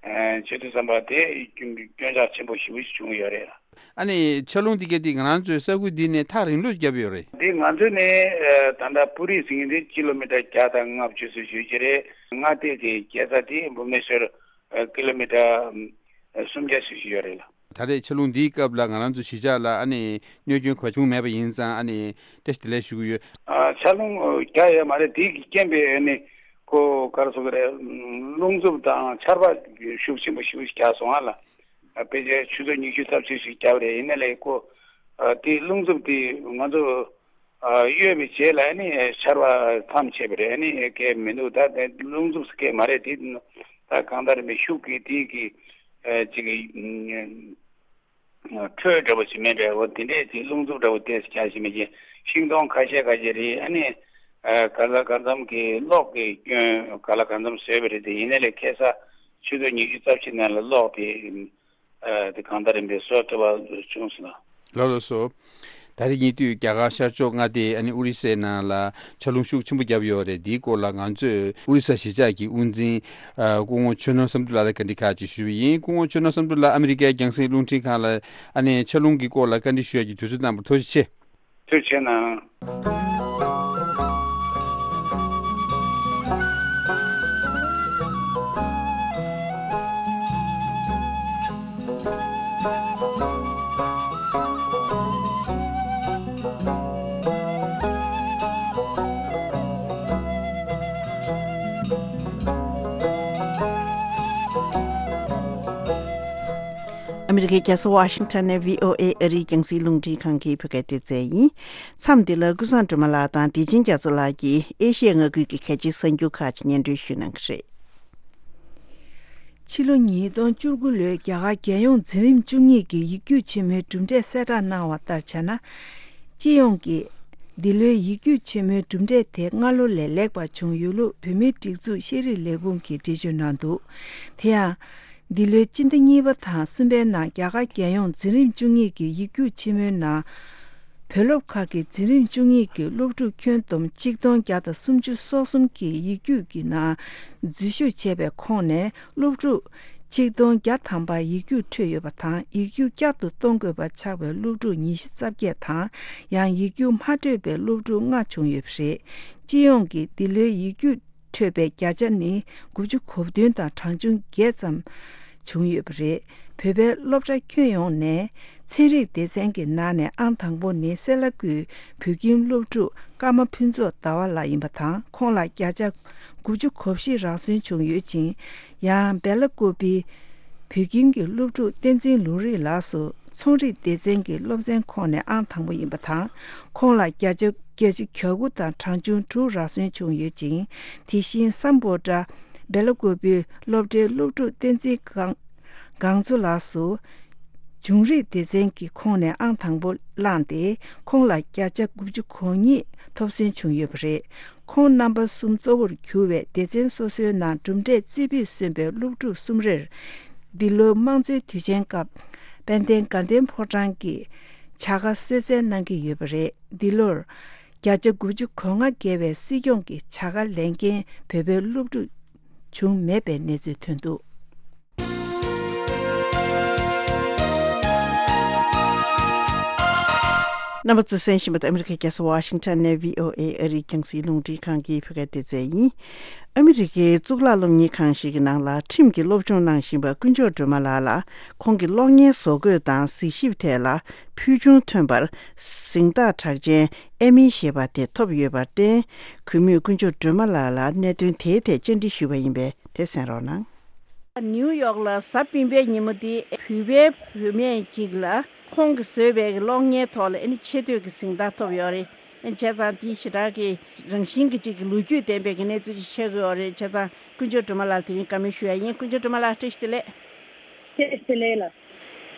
ཨ་བྱེད་དུས་ཙམ་པ་དེ་སྐྱོན་སྐྱོན་ཆག་ཆེན་པོ་ཞེ་པོ་ཞིག་བྱུང་ཡོད་རེད། ཨ་ནི་ཆར་རླུང་དེ་གས་དེ་ང་རང་ཚོའི་ས་ཁུལ་འདི་ནས་ཐག་རིང་ལོས་བརྒྱབ་ཡོད་རེད། དེ་ང་ཚོ་ནས་ཨ་ད་ལྟ་པུ་རི་ཟེར་མཁན་དེ་ཀི་ལོ་མི་ཊར་བརྒྱ་དང་ལྔ་བཅུ་ཙམ་ཞིག་རེད། མངའ་སྡེ་དེ་རྒྱལ་ས་དེ་བུབ་ནེ་ཤོར་ཨ་ཀི་ལོ་མི་ཊར་ཨ་སུམ་བརྒྱ་ཙམ་ཞིག་ཡོད་རེད་ལ། ད་རེས་ཆར་རླུང་འདིའི་སྐབས་ལ་ང་རང་ཚོ་གཞིས་ཆགས་ལ་ཨ་ནི་གནོད་སྐྱོན་གང་བྱུང་མེད་པ་ཡིན་ཙང་ཨ་ནི་བཀྲ་ཤིས་བདེ་ལེགས་ཞུ་གི་ཡོད། ཨ་ཆར་རླུང་རྒྱག་ཡོད་མ་རེད། དེ་གི་རྐྱེན་པས་ཨ་ནི་ཁོ་ག་རེ་ཟེར་དགོས་རེད། རླུང་འཚུབ་དང་ཆར་པ་ཤུགས་ཆེན་པོ་ཞེ་པོ་ཞིག་རྒྱག་སོང་ཨ་ལ། ཨ་ཕལ་ཆེར་ཆུ་ཚོད་ཉི་ཤུ་རྩ་བཞི་ཞིག་རྒྱབ་རེད། ཡིན་ན་ལས་ཁོ་ཨ་དེ་རླུང་འཚུབ་དེ་ང་ཚོ་ཨ་གཡོས་པའི་རྗེས་ལ་ཨ་ནི་ཆར་པ་མཚམས་ཆད་པ་རེད། ཨ་ནི་སྐད་མི་འདུག་ད་དེ་རླུང་འཚུབ་སྐད་མ་རེད་དེ། ད་གང་ལྟར་མི་ཤུགས་ཀྱིས་དེ་གི་ཨ་ཅིག་གི་ཁྲོད་འདྲ་པོ་ཞིག་མེད་འདྲ་བོ་དེ་འདྲས་དེ་རླུང་འཚུབ་འདྲ་བོ་དེ་ཁྱག་ཞིག་མི་གྱིས་ཤིང་སྡོང་ཁ་ཤས་ཁ་ཤས་རེད། ཨ་ནི་ཨ་ག་ལ་གང་འཚམ་གྱི་གློག་གི་སྐྱོན་ག་ལ་གང་འཚམ་བཟོས་པ་རེད་དེ། ཡིན་ན་ལས་ཁ་སང་ཆུ་ཚོད་ཉི་ཤུ་རྩ་བཞི་ནང་ལ་གློག་དེ་ཨ་དེ་གང་ལྟར་ཡིན་པའི་བཟོ་ཐུབ་པ་བྱུང་སོང་ལ། ལགས་ལགས་སོ། ད་རེས་ཉེ་དུས་རྒྱ་གར་ཤར་ཕྱོགས་མངའ་སྡེ་ཨ་ནི་ཨོ་རི་སའི་ནང་ལ་ཆར་རླུང་ཤུགས་ཆེན་པོ་བརྒྱབ་ཡོད་རེད། འདིའི་སྐོར་ལ་ང་ཚོས་ཨོ་རི་ས་གཞིས་ཆགས་ཀྱི་དབུ་འཛིན་ཨ་སྐུ་ངོ་ཆོས་ནོར་བསམ་གྲུབ་ལགས་ལ་བཀའ་འདྲི་ཁག་ཅིག་ཞུས་པ་ཡིན། སྐུ་ངོ་ཆོས་ནོར་བསམ་གྲུབ་ལགས་ཨ་མི་རི་ཀའི་རྒྱང་སྲིང་རླུང་འཕྲིན་ཁང་ལ་ཨ་ནི་ཆར་རླུང་གི་སྐོར་ལ་བཀའ་འདྲི་ཞུ་ཡག་གི་དུས་ཚོད་གནང་བར་ཐུགས་རྗེ་ཆེ། ཐུགས་རྗེ་གནང་། ཨ་མི་རི་ཀའི་རྒྱལ་ས་ཝ་ཤིང་ཊོན་ནས་བྷི་ཨོ་ཨེ་ཨ་རིའི་རྒྱང་སྲིང་རླུང་འཕྲིན་ཁང་གི་བོད་སྐད་སྡེ་ཚན་ཡིན། མཚམས་འདི་ལ་ཀུན་བཟང་སྒྲོལ་མ་ལགས་དང་བདེ་ཆེན་རྒྱ་མཚོ་ལགས་ཀྱིས་ཨེ་ཤི་ཡ་མངའ་ཁུལ་གྱི་གལ་ཆེའི་གསར་འགྱུར་ཁག་ཅིག་སྙན་སྒྲོན་ཞུ་གནང་གི་རེད། ཕྱི་ལོ་ཉིས་སྟོང་བཅུ་དགུ་ལོའི་རྒྱ་གར་རྒྱལ་ཡོངས་འཛིན་རིམ་བཅུ་གཉིས་ཀྱི་ཡིག་རྒྱུགས་ཆེན་མོའི་གྲུབ་འབྲས་གསལ་བསྒྲགས་གནང་བ་ལྟར་བྱས་ན། སྤྱི་ཡོངས་ཀྱི་འདི་ལོའི་ཡིག་རྒྱུགས་ཆེན་མོའི་གྲུབ་འབྲས་དེ་སྔ་ལོ་ལས་ལེགས་པ་བྱུང་ཡོད་ལུགས་བོད་མིའི་སྒྲིག་འཛུགས་ཤེས་རིག་ལས་ཁུངས་ཀྱིས་འགྲེལ་བརྗོད་གནང་འདུག་དེ་ཡང་། འདི་ལོའི་སྤྱི་ཟླ་གཉིས་པ་དང་གསུམ་པའི་ནང་རྒྱ་གར་རྒྱལ་ཡོངས་འཛིན་རིམ་བཅུ་གཉིས་ཀྱི་ཡིག་རྒྱུགས་ཆེན་མོའི་ནང་། བོད་སློབ་ཁག་གི་འཛིན་རིམ་བཅུ་གཉིས་ཀྱི་སློབ་ཕྲུག་ཁྱོན་བསྡོམས་གཅིག་སྟོང་བརྒྱ་དང་སུམ་ཅུ་སོ་གསུམ་གྱིས་ཡིག་རྒྱུགས་ཀྱི་ནང་འཛུལ་ཞུགས་བྱས་པའི་ཁོངས་ནས་སློབ་ཕྲུག་ཆིག་སྟོང་བརྒྱ་ཐམ་པ་ཡིག་རྒྱུགས་འཕྲོད་ཡོད་པ་དང་། ཡིག་རྒྱུགས་བསྐྱར་དུ་གཏོང་དགོས་པ་ཆགས་པའི་སློབ་ཕྲུག་ཉི་ཤུ་རྩ་བརྒྱད་དང་། ཡང་ཡིག་རྒྱུགས་མ་འཕྲོད་པའི་སློབ་ཕྲུག་ལྔ་བྱུང་ཡོད་པ་རེད། སྤྱི་ཡོངས་ཀྱིས་འདི་ལོའི་ཡིག་རྒྱུགས་འཕྲོད་པའི་བརྒྱ་ཆ་ནི་དགུ་བཅུ་གོ་བདུན་དང་གྲངས་ཆུང་བརྒྱད་ཙམ་བྱུང་ཡོད་པ་རེད། བོད་པའི་སློབ་གྲྭ་ཁྱོན་ཡོངས་ནས་ཚན་རིག་སྡེ་ཚན་གྱི་ནང་ནས་ཨང་དང་པོ་ནི་སེ་ལ་ཀུའི་བོད་ཁྱིམ་སློབ་ཕྲུག་ཀརྨ་ཕུན་ཚོགས་ཟླ་བ་ལགས་ཡིན་པ་དང་། ཁོང་ལ་བརྒྱ་ཆ་དགུ་བཅུ་གོ་བཞི་རག་སོན་བྱུང་ཡོད་ཅིང་། ཡང་སྦེ་ལ་ཀོ་པི་བོད་ཁྱིམ་གྱི་སློབ་ཕྲུག་བསྟན་འཛིན་ལུང་རིགས་ལགས་སུ་ཚོང་རིག་སྡེ་ཚན་གྱི་སློབ་ཚན་ཁོངས་ནས་ཨང་དང་པོ་ཡིན་པ་དང་། ཁོང་ལ་བརྒྱ་ཆ་བརྒྱད་ཅུ་གྱ་དགུ་དང་གྲངས་ཆུང་དྲུག་རག་སོན་བྱུང་ཡོད་ཅིང་། དེ་བཞིན་སམ་བྷོ་ཊ་སྦེ་ལ་ཀོ་པི་སློབ་གྲྭའི་སློབ་ཕྲུག་བསྟན་འཛིན་སྒང་སྒང་ཚོ་ལགས་སུ་འབྱུང་རིག་སྡེ་ཚན་གྱི་ཁོངས་ནས་ཨང་དང་པོ་བླངས་ཏེ། ཁོང་ལ་བརྒྱ་ཆ་དགུ་བཅུ་གོ་གཉིས་ཐོབ་སོན་བྱུང་ཡོད་པ་རེད། ཁོང་རྣམ་པ་གསུམ་གཙོ་བོར་གྱུར་བའི་སྡེ་ཚན་སོ་སོའི་ནང་གྲུབ་འབྲས་རྩེ་ཕུད་སོན་པའི་སློབ་ཕྲུག་གསུམ་རེར། འདི་ལོའི་དམངས་གཙོའི་དུས་ཆེན་སྐབས་དཔལ་ལྡན་དགའ་ལྡན་ཕོ་བྲང་གིས་བྱ་དགའ་གསོལ་སྩལ་གནང་གི་ཡོད་པ་རེད། འདི་ལོར་བརྒྱ་ཆ་དགུ་བཅུ་གོ་ལྔ་བརྒལ་བའི་སྲིད་སྐྱོང་གི་བྱ་དགའ་ལེན་མཁན་བོད་པའི་སློབ་ཕྲུག་བྱུང་མེད་པའི་གནས་ཚུལ་ཐོན་འདུག། རྣམ་པ་ཚོས་གསན་བཞིན་པ་དེ་ཨ་མི་རི་ཀའི་རྒྱལ་ས་ཝ་ཤིང་ཊོན་ནས་བྷི་ཨོ་ཨེ་ཨ་རིའི་རྒྱང་སྲིང་རླུང་འཕྲིན་ཁང་གི་བོད་སྐད་སྡེ་ཚན་ཡིན། ཨ་མི་རི་ཀའི་གཙུག་ལག་སློབ་གཉེར་ཁང་ཞིག་གི་ནང་ལ་ཁྲིམས་ཀྱི་སློབ་སྦྱོང་གནང་བཞིན་པ་དཀོན་མཆོག་སྒྲོལ་མ་ལགས་ལ་ཁོང་གི་གློག་བརྙན་བཟོ་འགོད་དང་གཟིགས་ཞིབ་ཐད་ལ་ཕུལ་བྱུང་ཐོན་པར་གཟེངས་རྟགས་གྲགས་ཅན་ཨེ་མི་ཞེས་པ་དེ་ཐོབ་ཡོད་པར་བརྟེན། གུས་མོས་དཀོན་མཆོག་སྒྲོལ་མ་ལགས་ལ་གནད་དོན་དེའི་ཐད་བཅར་འདྲི་ཞུས་པ་ཡིན་པས་དེ་གསན་རོགས་གནང་། ནིའུ་ཡོག་ལ་གཟའ་སྤེན་པའི་ཉིན་མོ་འདི་བོད་པའི་བུད་མེད་ཅིག་ལ་ཁོང་གིས་བཟོས་པའི་གློག་བརྙན་ཐོག་ལ་ཨ་ནི་ཆེ་བསྟོད་ཀྱི་གཟེངས་རྟགས་ཐོབ་ཡོད་རེད། ཨ་ནི་བྱས་ཙང་འདི་ཞེ་དྲག་གི་རང་བཞིན་གྱི་ཅིག་གི་ལོ་རྒྱུས་ལྡན་པའི་གི་གནས་ཚུལ་ཅིག་ཆགས་ཀྱི་ཡོད་རེད། བྱས་ཙང་དཀོན་མཆོག་སྒྲོལ་མ་ལགས་དེ་རིང་བཀའ་མོལ་ཞུ་ཡ་ཡིན། དཀོན་མཆོག་སྒྲོལ་མ་ལགས་བཀྲ་ཤིས་བདེ་ལེགས། བཀྲ་ཤིས་བདེ་ལེགས་ལགས།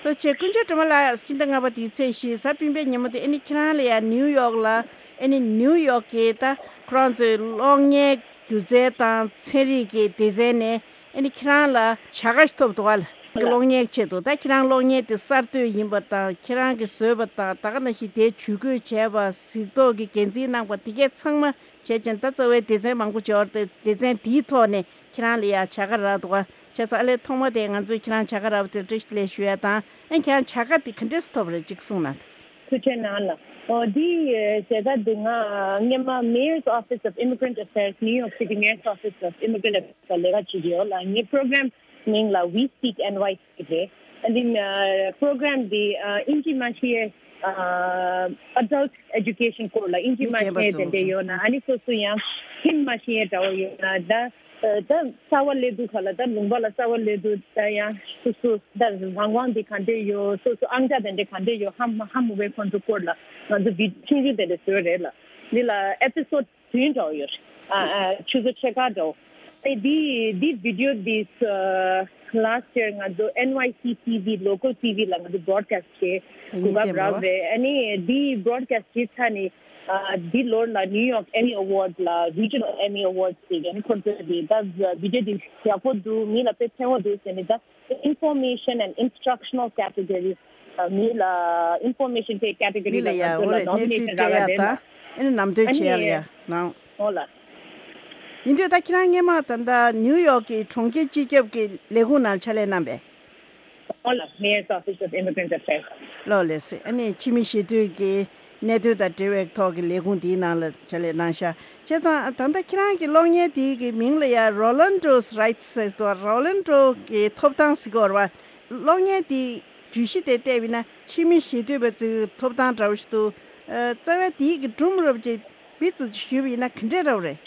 ཐུགས་རྗེ་ཆེ། དཀོན་མཆོག་སྒྲོལ་མ་ལགས། ཕྱི་ཟླ་ལྔ་པ་དེའི་ཚེས་བཞི་གཟའ་སྤེན་པའི་ཉིན་མོ་དེ་ཨ་ནི་ཁྱེད་རང་ལ་ཡ་ནིའུ་ཡོག་ལ་ཨ་ནི་ནིའུ་ཡོག་གི་ད་ཁོ་རང་ཚོའི་གློག་བརྙན་སྒྱུ་རྩལ་དང་ཚན་རིག་གི་སྡེ་ཚན་ནས་ཨ་ནི་ཁྱེད་རང་ལ་བྱ་དགའ་ཞིག་ཐོབ་འདུག་ག་གློག་བརྙན་ཆེད་དུ། ད་ཁྱེད་རང་གློག་བརྙན་དེ་གསར་གཏོད་ཡིན་པ་དང་། ཁྱེད་རང་གིས་བཟོས་པ་དང་། ད་ག་ནང་བཞིན་དེའི་ཇུས་འགོད་བྱས་པ། གཟིགས་རྟོག་གི་འགན་འཛིན་གནང་པ། དེ་གས་ཚང་མ་བྱས་ཙང་ད་རྩ་བའི་སྡེ་ཚན་མང་པོ་ཅིག་ཡོད་རེད་དེ། སྡེ་ཚན་དེའི་ཐོག་ནས་ཁྱེད་རང་ལ་ཡ་བྱ་དགའ་རག་འདུག་ག་བྱས་ཙང་ཨ་ལས་ཐོག་མ་དེ་ང་ཚོས་ཁྱེད་རང་བྱ་དགའ་རག་པ་དེར་བཀྲ་ཤིས་བདེ་ལེགས་ཞུ་ཡ་དང་། ཨ་ཁྱེད་རང་བྱ་དགའ་དེ་ག་འདྲས་སེ་ཐོབ་རེད་ཅིག་གསུངས་གནང་དང་། ཐུགས་རྗེ་གནང་ལགས། ཨོ་འདི་བྱ་དགའ་འདི་ང་སྔོན་མ་Mayor's Office of Immigrant Affairs, New York City Mayor's Office of Immigrant Affairs ལ་ལས་ཀ་བྱེད་ཀྱི་ཡོད་ལགས། ངའི་པོ་རོ་གྷ་རམ་མིང་ལ་We Speak N Y C རེད། ཨ་འདི་པོ་རོ་གྷ་རམ་འདི་ཨིན་ཇི་མ་ཤེས་ཨ་adult education སྐོར་ལ། ཨིན་ཇི་མ་ཤེས་དེ་འདྲ་ཡོད་ན། ཨ་ནི་སོ་སོ་ཡང་ཁྱིམ་མ་ཤེས་འདྲ་བོ་ཡོད་ན་ད། ད་གསར་པ་སླེབས་དུས་ག་ལ། ད་ལུང་པ་ལ་གསར་པ་སླེབས་དུས་ད་ཡང་སོ་སོ་ད་རང་དབང་འདི་ག་འདྲས་ཡོད། སོ་སོ་ཨང་གྲངས་དེ་འདྲས་ག་འདྲས་ཡོད། ཧ་མ་ཧ་མ་གོ་བའི་ཁོང་ཚོ་སྐོར་ལ་ང་ཚོ་བི་ཆུང་ཆུང་དེ་འདྲས་བཟོས་རེད་ལགས། འདི་ལ་ཨེ་པི་སོ་ཌི་བདུན་འདྲ་བོ་ཡོད་རེད། ཨ་ཨ་ཆུ་ཚོད་ཕྱེད་ཀ་འདྲ་བོ། ཨེ་འདི་འདི་བི་ཌི་ཡོ་འདི་ལ་སི་ཊི་ཡར་ང་ཚོ་ཨེན་ཝའི་སི་ཊི་ཝི་local T V ལ་ང་ཚོ་བྷོ་རོ་ཌི་ཁ་སི་ཊི་བྱས་གོ་སྐབས་རག་རེད། ཨ་ནི་འདི་བྷོ་རོ་ཌི་ཁ་སི་ཊི་བྱས་ཚར་ནས། ཨ་འདི་ལོར་ལ་New York Emmy Awards ལ་Regional Emmy Awards ཟེར་ཡ་ནི་ཁོ་ཚོས་དེ་ད་བི་ཌི་ཡོ་འདི་ཡག་པོ་འདུག་མི་ལ་དཔེ་ཕན་པོ་འདུག་ཟེར་ནས། ད་Information and Instructional Category ཨ་མི་ལ་Information དེ་category མི་ལ་ལ་ཡ་ང་ཚོ་འོ་ལ་རེད། གནས་nomination ཚུལ་རག་སྤྲད་ཡ་ག་རེད་ལ། དང་ཨ་ནི་ནམ་དོན་ཨ་བྱེད་ཡ་ལ་ནི་ཡ་ནང་འོ་ལ། ཡིན་དུས་ད་ཁྱེད་རང་སྔོན་མ་ད་ལྟ་ནིའུ་ཡོག་གི་གྲོང་ཁྱེར་སྤྱི་ཁྱབ་ཀྱི་ལས་ཁུངས་ནང་ཕྱག་ལས་གནང་པས། ཨོ་ལགས། Mayor's Office of Immigrant Affairs ལགས་ལགས་སེ། ཨ་ནི་ཕྱི་མི་ཞི་གཏོད་ཀྱི་གནད་དོན་དང་འབྲེལ་བའི་ཐོག་གི་ལས་ཁུངས་འདིའི་ནང་ལ་ཕྱག་ལས་གནང་ཤག་བྱས་ཙང་ད་ལྟ་ཁྱེད་རང་གི་གློག་བརྙན་དེའི་གི་མིང་ལ་ཡ་Rollando's Rights ཟེར་འདུག Rollando's གི་ཐོབ་ཐང་ཟེར་གྱི་ཡོད་རེད་པ། གློག་བརྙན་དེའི་བརྗོད་གཞི་དེ་བལྟས་པ་ཡིན་ན་ཕྱི་མི་ཞི་གཏོད་པ་ཚོའི་ཐོབ་ཐང་འདྲ་བོ་ཞིག་འདུག་ཨ་རྩ་བའི་དེའི་གི་སྒྲོམ་རུབ་ཅིག་བི་ཙི་ཞུས་པ་ཡིན་ན་ག་འདྲས་འདྲ་བོ་རེད།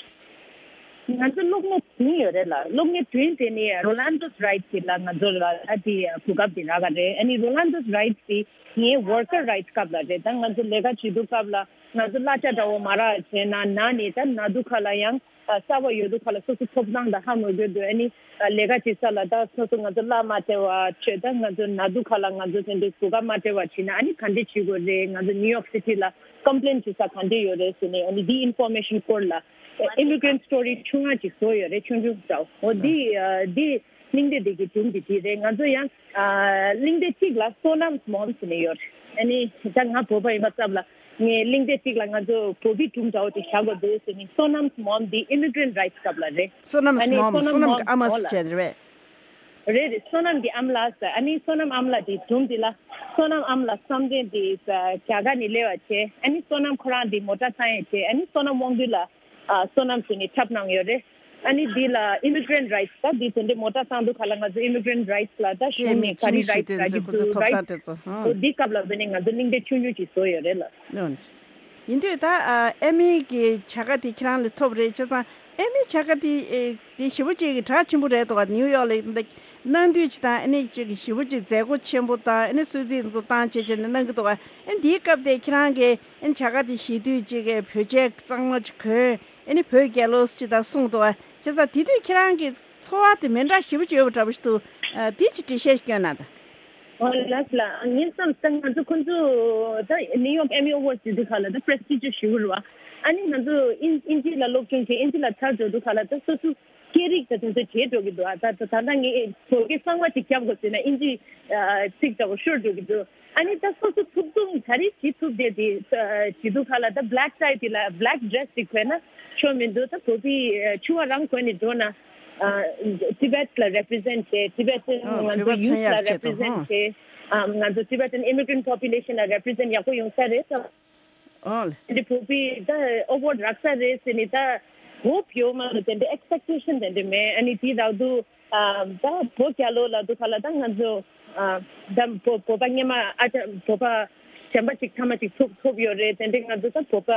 ང་ཚོ་གློག་བརྙན་བདུན་ཡོད་རེད་ལགས། གློག་བརྙན་བདུན་དེ་ནི་Rollando's Rights གི་ལ་ང་ཚོ་ལ་ད་དེ་གོ་སྐབས་དེ་རག་ག་རེད། ཨ་ནི་Rollando's Rights དེ་ངའི་worker rights སྐབས་ལ་རེད། ད་ང་ཚོ་ལས་ཀ་བྱེད་དུས་སྐབས་ལ་ང་ཚོ་གླ་ཆ་འདྲ་བོ་མ་རག་བྱས་ན་ན་ནས་ད་ན་དུས་ག་ལ་ཡང་གསར་པ་ཡོད་དུས་ག་ལ་སོ་སོ་ཐོབ་ཐང་དང་ཧ་མ་གོ་དུས། ཨ་ནི་ལས་ཀ་བྱེད་ས་ལ་ད་སོ་སོ་ང་ཚོ་གླ་མ་སྤྲད་པ་བྱས། ད་ང་ཚོ་ན་དུས་ག་ལ་ང་ཚོ་དེ་འདྲའི་གོ་སྐབས་མ་སྤྲད་པ་བྱས་ན་ཨ་ནི་ག་འདྲས་བྱེད་དགོས་རེད། ང་ཚོ་New York City ལ་complain བྱེད་ས་ག་འདྲས་ཡོད་རེད་ཟེར་ནས། ཨ་ནི་འདི་Information སྐོར་ལ་Immigrant Story ཆུང་ང་ཅིག་བཟོ་ཡོད་རེད། ཆུང་ཆུང་འདྲ་བོ། འོ་འདི་ཨ་འདི་གླེང་སྟེགས་འདི་གི་སྒྲོམ་འདི་འདི་རེད། ང་ཚོ་ཡང་ཨ་གླེང་སྟེགས་གཅིག་ལ་Sonam's Mom ཟེར་ནས་ཡོད་རེད། ཨ་ནི་ད་ང་བོད་པ་ཡིན་པ་ཙམ་ལ་ ངས་གླེང་སྟེགས་གཅིག་ལ་ང་ཚོ་བོད་པའི་སྒྲུང་འདྲ་བོ་ཅིག་བཞག་དགོས་འདུག་ཟེར་ནས། བསོད་ནམས་མོམ་འདི་ཨི་མི་གྷི་རེན་ཊི་རའིཊ་སི་སྐབས་ལ་རེད། བསོད་ནམས་ཨ་ནི་མོམ། བསོད་ནམས་བསོད་ནམས་མོམ་ཀྱི་ཨ་མ་ཟེར་བྱས་རེད་པས། རེད་རེད། བསོད་ནམས་ཀྱི་ཨ་མ་ལགས་ཟེར། ཨ་ནི་བསོད་ནམས་ཨ་མ་ལགས་འདི་སྒྲུང་འདི་ལ། བསོད་ནམས་ཨ་མ་ལགས་བསམ་གཏན་འདི་རྒྱ་གར་ནས་སླེབས་པ་བྱས། ཨ་ནི་བསོད་ནམས་ཁོ་རང་འདི་མོ་ཊ་ཚང་ཡས་བྱས། ཨ་ནི་བསོད་ནམས་དབང་འདུས་ལ། ཨ། བསོད་ནམས་ཟེར་ནས་འཁྲབ་གནང་ཡོད་རེད། ཨ་ནི་འདི་ལ་ཨི་མི་གྷི་རེན་ཊི་རའིཊ་སི། ད་འདི་དེ་འདྲའི་མོ་ཊ་བཏང་དུས་ག་ལ་ང་ཚོ་ཨི་མི་གྷི་རེན་ཊི་རའིཊ་སི་ལ་ད་གཞུང་ནས་ག་རེ་རའིཊ་སི་རག་གི་འདུག། རའིཊ་སི་ཐོབ་ཐང་དེ་ཚོ། ཨོ། འདི་སྐབས་ལ་བྱས་ནས་ང་ཚོ་གླེང་སྟེགས་ཆུང་ཆུང་ཅིག་བཟོས་ཡོད་རེད་ལ། ཡིན་དུས་ད། ཨ། ཨེ་མི་གི་བྱ་དགའ་དེ་ཁྱེད་རང་ལ་ཐོབ་རེད། བྱས་ཙང་ཨེ་མི་བྱ་དགའ་དེ། ཨེ། དེ་ཞེ་པོ་ཅིག་གི་གྲགས་ཆེན་པོ་རེད་འདུག་ག། ནིའུ་ཡོག་ལ་གནང་དུས་ཅིག་དང་། ཨ་ནི་ཅིག་ཞེ་པོ་ཅིག་མཛད་སྒོ་ཆེན་པོ་དང་། ཨ་ནི་གསོལ་ཚིགས་ཚོ་བཏང་བྱས་བྱས་ནས་གནང་གི་འདུག་ག། ཨ་ནི་འདིའི་སྐབས་དེ་ཁྱེད་རང་གིས། ཨ་ནི་བྱ་དགའ་དེ་བཞེས་དུས་ཅིག་གི་བོད་ཆས་གཙང་མ་ཅིག་གོན། ཨ་ནི་བོད་རྒྱལ་ལོ་ཅིག་དང་གསུངས་འདུག་ག། བྱས་ཙང་དེ་དུས་ཁྱེད་རང་གི་ཚོར་བ་དེ་མི་འདྲ་ཞེ་པོ་ཅིག་ཡོད་པ་འདྲ་པོ་ཞིག་འདུག། ཨ། དེ་ཅིག་འགྲེལ་བཤད་སྐྱོན་གནང་དང་། ཨོ་ལགས་ལགས། ངས་བསམ་ད་ང་ཚོ་ཁོང་ཚོ་ད་ནིའུ་ཡོག་ཨེ་མི་ཨེ་ཝོརཌ་ཟེར་དུས་ག་ལ་ད་པི་རེ་སི་ཊི་ཇི་ཞེ་པོ་རེད་པ། ཨ་ནི་ང་ཚོ་དབྱིན་དབྱིན་ཇི་ལ་སློབ་སྦྱོང་བྱས། དབྱིན་ཇི་ལ་ཚར་འགྲོ་དུས་ག་ལ་ད་སོ་སོ་སྐད་རིགས་ད་དེ་ཚོ་བརྗེད་འགྲོ་གི་འདུག། ཨ། ད་ད་ད་ལྟ་ངས་བོད་སྐད་གཙང་མ་ཅིག་རྒྱབ་དགོས་ཟེར་ན་དབྱིན་ཇི། ཨ། ཚིག་འདྲ་པོ་ཤོར་འགྲོ་གི་འདུག། ཨ་ནི་ད་སོ་སོ་ཐུབ་ཐུབ་ག་རེ་བྱེད་ཐུབ་བསྡད་དེ། ཨ། བྱེད་དུས་ག་ལ་ད་བྷི་ལེག་ཊའི་དེ་ལ་བྷི་ལེག་ཌི་རེ་སི་ཅིག་གོན་ན་ཆོ་མི་འདུག། ད་བོད་པའི། ཨ། ཕྱུ་པ་རང་གོན་ནས་འགྲོ་ན། ཨ། ཊི་བེཊ་ལ་རེ་པི་རི་ཛེན་ཊི་བྱས། ཊི་བེ་ཊན། ཨོ། ང་ཚོ་བོད་པ་ཡུ་ཐི་ལ་མཚོན་ཡག་རེ་པི་རི་ཛེན་ཊི་བྱས། ཨ། ང་ཚོ་ཊི་བེ་ཊན་ཨི་མི་གྷི་རེན་ཊི་པོ་པུ་ལེ་ཤན་ལ་རེ་པི་རི་ཛེན་ཊི་ཡག་པོ་ཡོང་ས་རེད། ཨོ་ལེ། འདི་བོད་པའི་ད་ཨེ་ཝོརཌ་རག་ས་རེད་ཟེར་ནས་ད་ཧོབ་ཡོད་མ་གཏོགས་དེ་འདྲའི་ཨེག་སི་པེག་ཊེ་ཤན་དེ་འདྲ་མེད། ཨ་ནི་དེ་རག་དུས། ཨ། ད་བོད་རྒྱལ་ལོ་ལབ་དུས་ག་ལ་ད་ང་ཚོ། ཨ། ད་བོད་བོད་པ་སྔོན་མ། ཨ། ད་བོད་པ་གཞན་པ་ཅིག་ཐ་མ་ཅིག་ཐོབ་ཐོབ་ཡོད་རེད། དེ་འདྲའི་ང་ཚོ་ད་བོད་པ་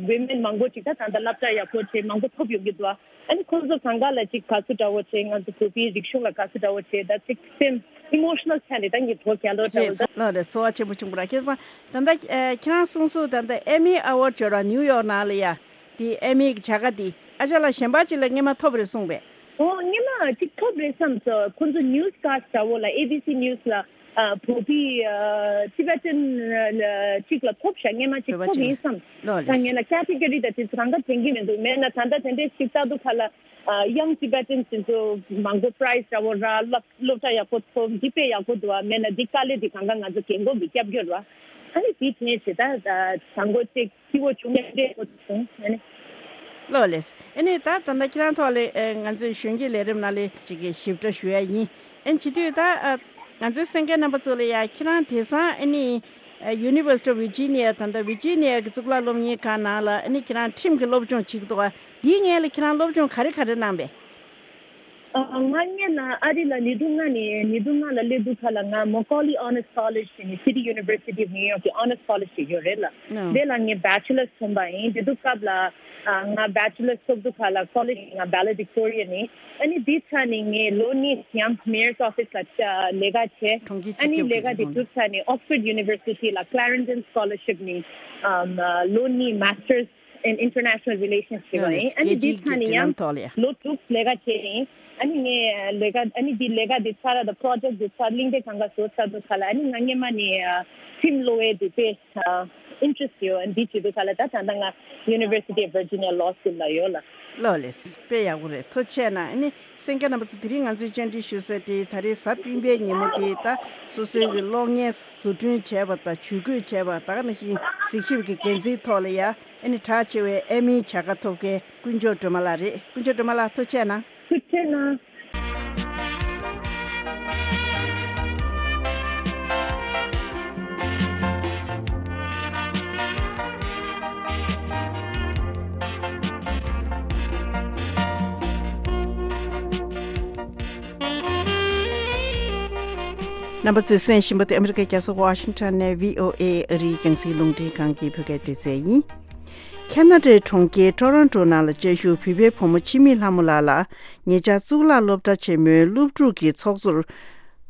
ཝི་མེན་མང་པོ་ཅིག་ད་ད་ལྟ་སློབ་གྲྭ་ཡག་པོ་བྱས་མང་པོ་ཐོབ་ཡོང་གི་འདུག། ཨ། ཨ་ནི་ཁོང་ཚོ་གང་ག་ལ་ཅིག་དགའ་བསུ་འདྲ་བོ་བྱས། ང་ཚོ་བོད་པའི་རིག་གཞུང་ལ་དགའ་བསུ་འདྲ་བོ་བྱས། ད་ཅིག་སེམས་ཨི་མོ་ཤི་ནལ་ཆགས་ནས་ད་ངས་བོད་རྒྱལ་ལོ་འདྲ་བོ་ད། ལགས་རེད། ཚོར་བ་ཆེན་པོ་བྱུང་བ་རེད། ཁྱེད་ཚོ་ད་ལྟ། ཨ། ཁྱེད་རང་གསུངས་སོང་། ད་ལྟ་ཨེ་མི་ཨེ་ཝོརཌ་ཅིག་ཡོད་རེད་པ། ནིའུ་ཡོག་ནང་ལ་ཡ། དེ་ཨེ་མི་གི་བྱ་དགའ་དེ་ཨ་ཅག་ལགས་གཞན་པ་ཅིག་ལ་སྔོན་མ་ཐོབ་རེད་གསུངས་པས། ཨོ། སྔོན་མ་ཅིག་ཐོབ་རེད་བསམ་སོང་། ཁོང་ཚོ་ནིའུ་སི་ཀ་སི་ཊི་འདྲ་བོ་ལ། ཨེ་བི་སི་ནིའུ་སི་ལ། ཨ། བོད་པའི། ཨ། ཊི་བེ་ཊན་ཅིག་ལ་ཐོབ་ཤག། སྔོན་མ་ཅིག་བོད་པ་ཐོབ་ཅིག་ཡིན་བསམ། ལགས་རེད། ད་ངས་ལ་ཀེ་ཊི་གོ་རི་དང་དེ་ཚོ་གང་ག་དྲན་གྱི་མི་འདུག། མེད་ན་ད་ལྟ་དེ་འདྲའི་ཞིབ་ལྟ་དུས་ག་ལ། ཨ། ཡང་ཊི་བེ་ཊན་དེ་ཚོ་མང་པོ་པ་རའི་ཛི་འདྲ་བོ་རག། སློབ་སློབ་གྲྭ་ཡག་པོ་ཐོབ། འདི་དཔེ་ཡག་པོ་འདུག་པ། མེད་ན་འདི་དཀའ་ལས་འདི་གང་ག་ང་ཚོ་རྒན་གོག་གིས་རྒྱབ་སྐྱོར་བ། ཨ་ནི་དེ་དྲན་བྱས་ད་ད་བཟང་པོ་ཅིག་སྐྱིད་པོ་བྱུང་ནས་འདྲེ་པོ་བྱུང་། ཨ་ནི། ལགས་ལགས། ཨ་ནི་ད་ད་ལྟ་ཁྱེད་རང་ཐོག་ལ། ཨ། ང་ཚོའི་གཞོན་སྐྱེས་ལས་རིམ་ནང་ལ་ཅིག་གི་ཞིབ་ཕྲ་ཞུ་ཡ་ཡིན། ཨ་ནི་བྱེད་དུས་ད། ཨ། ང་ཚོའི་གསན་མཁན་རྣམ་པ་ཚོ་ལ་ཡ། ཁྱེད་རང་དེང་སང་ཨ་ནི། ཨ། University of Virginia། ད་ལྟ་ཝི་ཇི་ནི་ཡ་གི་གཙུག་ལག་སློབ་གཉེར་ཁང་ནང་ལ་ཨ་ནི་ཁྱེད་རང་ཁྲིམས་ཀྱི་སློབ་སྦྱོང་བྱེད་ཀྱི་འདུག་ག། འདིའི་སྔོན་ལ་ཁྱེད་རང་སློབ་སྦྱོང་ག་རེ་ག་རེ་གནང་པས། ཨ། ང་སྔོན་ལ་ཨ་རི་ལ་ཉིས་སྟོང་ལྔ་ནས་ཉིས་སྟོང་ལྔ་ལ་སླེབས་དུས་ག་ལ་ང་མོ་ཀོ་ལི་ཨོ་ནར་སི་ཀོ་ལེཇ་ཟེར་ནས་City University of New York གི་ཨོ་ནར་སི་ཀོ་ལེཇ་ཞིག་ཡོད་རེད་ལ། ཨ། དེ་ལ་ངས་བྷེ་ཆེ་ལར་ཐོན་པ་ཡིན། དེ་དུས་སྐབས་ལ། ཨ། ང་བྷེ་ཆེ་ལར་ཐོབ་དུས་ག་ལ་ཀོ་ལེཇ་ང་བྷེ་ལ་ཌི་ཀི་ཊོ་རི་ཡ་ནས། ཨ་ནི་དེའི་ཚར་ནས་ངས་ལོ་གཉིས་ཡང་མེ་ཡར་སི་ཨོ་ཕི་སི་ལ་ལས་ཀ་བྱས། གྲོང་ཁྱེར་ཨ་ནི་སྤྱི་ཁྱབ་ལས་ཀ་ཀྱི་དེ་ཁོངས་གྲུབ་ཚར་ནས་Oxford University ལ་Clarendon Scholarship ནས། ཨམ། ལོ་གཉིས་Masters in International Relations བྱས་པ་ཡིན། ཨ་ནི་དེའི་ཚར་ནས་ཡང་ལོ་དྲུག་ལས་ཀ་བྱས་ཡིན། ཨ་ནི་ངས་ལས་ཀ། ཨ་ནི་དེ་ལས་ཀ་དེ་ཚར་ར་དང་པོ་རོ་ཇེག་དེ་ཚར། གླེང་སྟེགས་གང་ག་བཟོ་ཚར་དུས་ག་ལ། ཨ་ནི་ང་སྔོན་མ་ནས་ཁྲིམས་སློབ་ཡས་དེ་དཔེ་ཨིན་ཊི་རེ་སི་ཊི་ཡོད། ཨ་ནི་དེ་བྱེད་དུས་ག་ལ་ད་ད་ལྟ་ང་University of Virginia Law School ལ་ཡོད་ལ། ལགས་ལགས། དཔེ་ཡག་པོ་རེད། ཐུགས་རྗེ་གནང་། ཨ་ནི་གསན་མཁན་རྣམ་པ་ཚོ། དེ་རིང་ང་ཚོས་བཅར་འདྲི་ཞུ་ས་དེ་ད་རེས་གཟའ་སྤེན་པའི་ཉིན་མོ་དེ། ད་སོ་སོའི་གི་གློག་བརྙན་བཟོ་སྐྲུན་བྱས་པ་དང་ཇུས་འགོད་བྱས་པ། ད་ག་ནང་བཞིན་གཟིགས་ཞིབ་ཀྱི་འགན་འཛིན་ཐོག་ལ་ཡ། ཨ་ནི་གྲགས་ཆེ་བའི་ཨེ་མི་བྱ་དགའ་ཐོབ་མཁན་དཀོན་མཆོག་སྒྲོལ་མ་ལགས་རེད། དཀོན་མཆོག་སྒྲོལ་མ་ལགས་ཐུགས་རྗེ་གནང་། ཐུགས་རྗེ་གནང་། རྣམ་པ་ཚོས་གསན་བཞིན་པ་དེ་ཨ་མི་རི་ཀའི་རྒྱལ་ས་ཝ་ཤིང་ཊོན་ནས་བྷི་ཨོ་ཨེ་ཨ་རིའི་རྒྱང་སྲིང་རླུང་འཕྲིན་ཁང་གི་བོད་སྐད་སྡེ་ཚན་ཡིན། ཁ་ན་ཌའི་གྲོང་ཁྱེར་ཊོ་རོན་ཊོ་ནང་ལ་བཅའ་བཞུགས་བོད་པའི་བུ་མོ་འཆི་མེད་ལྷ་མོ་ལགས་ལ་ཉེ་ཆར་གཙུག་ལག་སློབ་གྲྭ་ཆེན་མོའི་སློབ་ཕྲུག་གི་ཚོགས་གཙོར་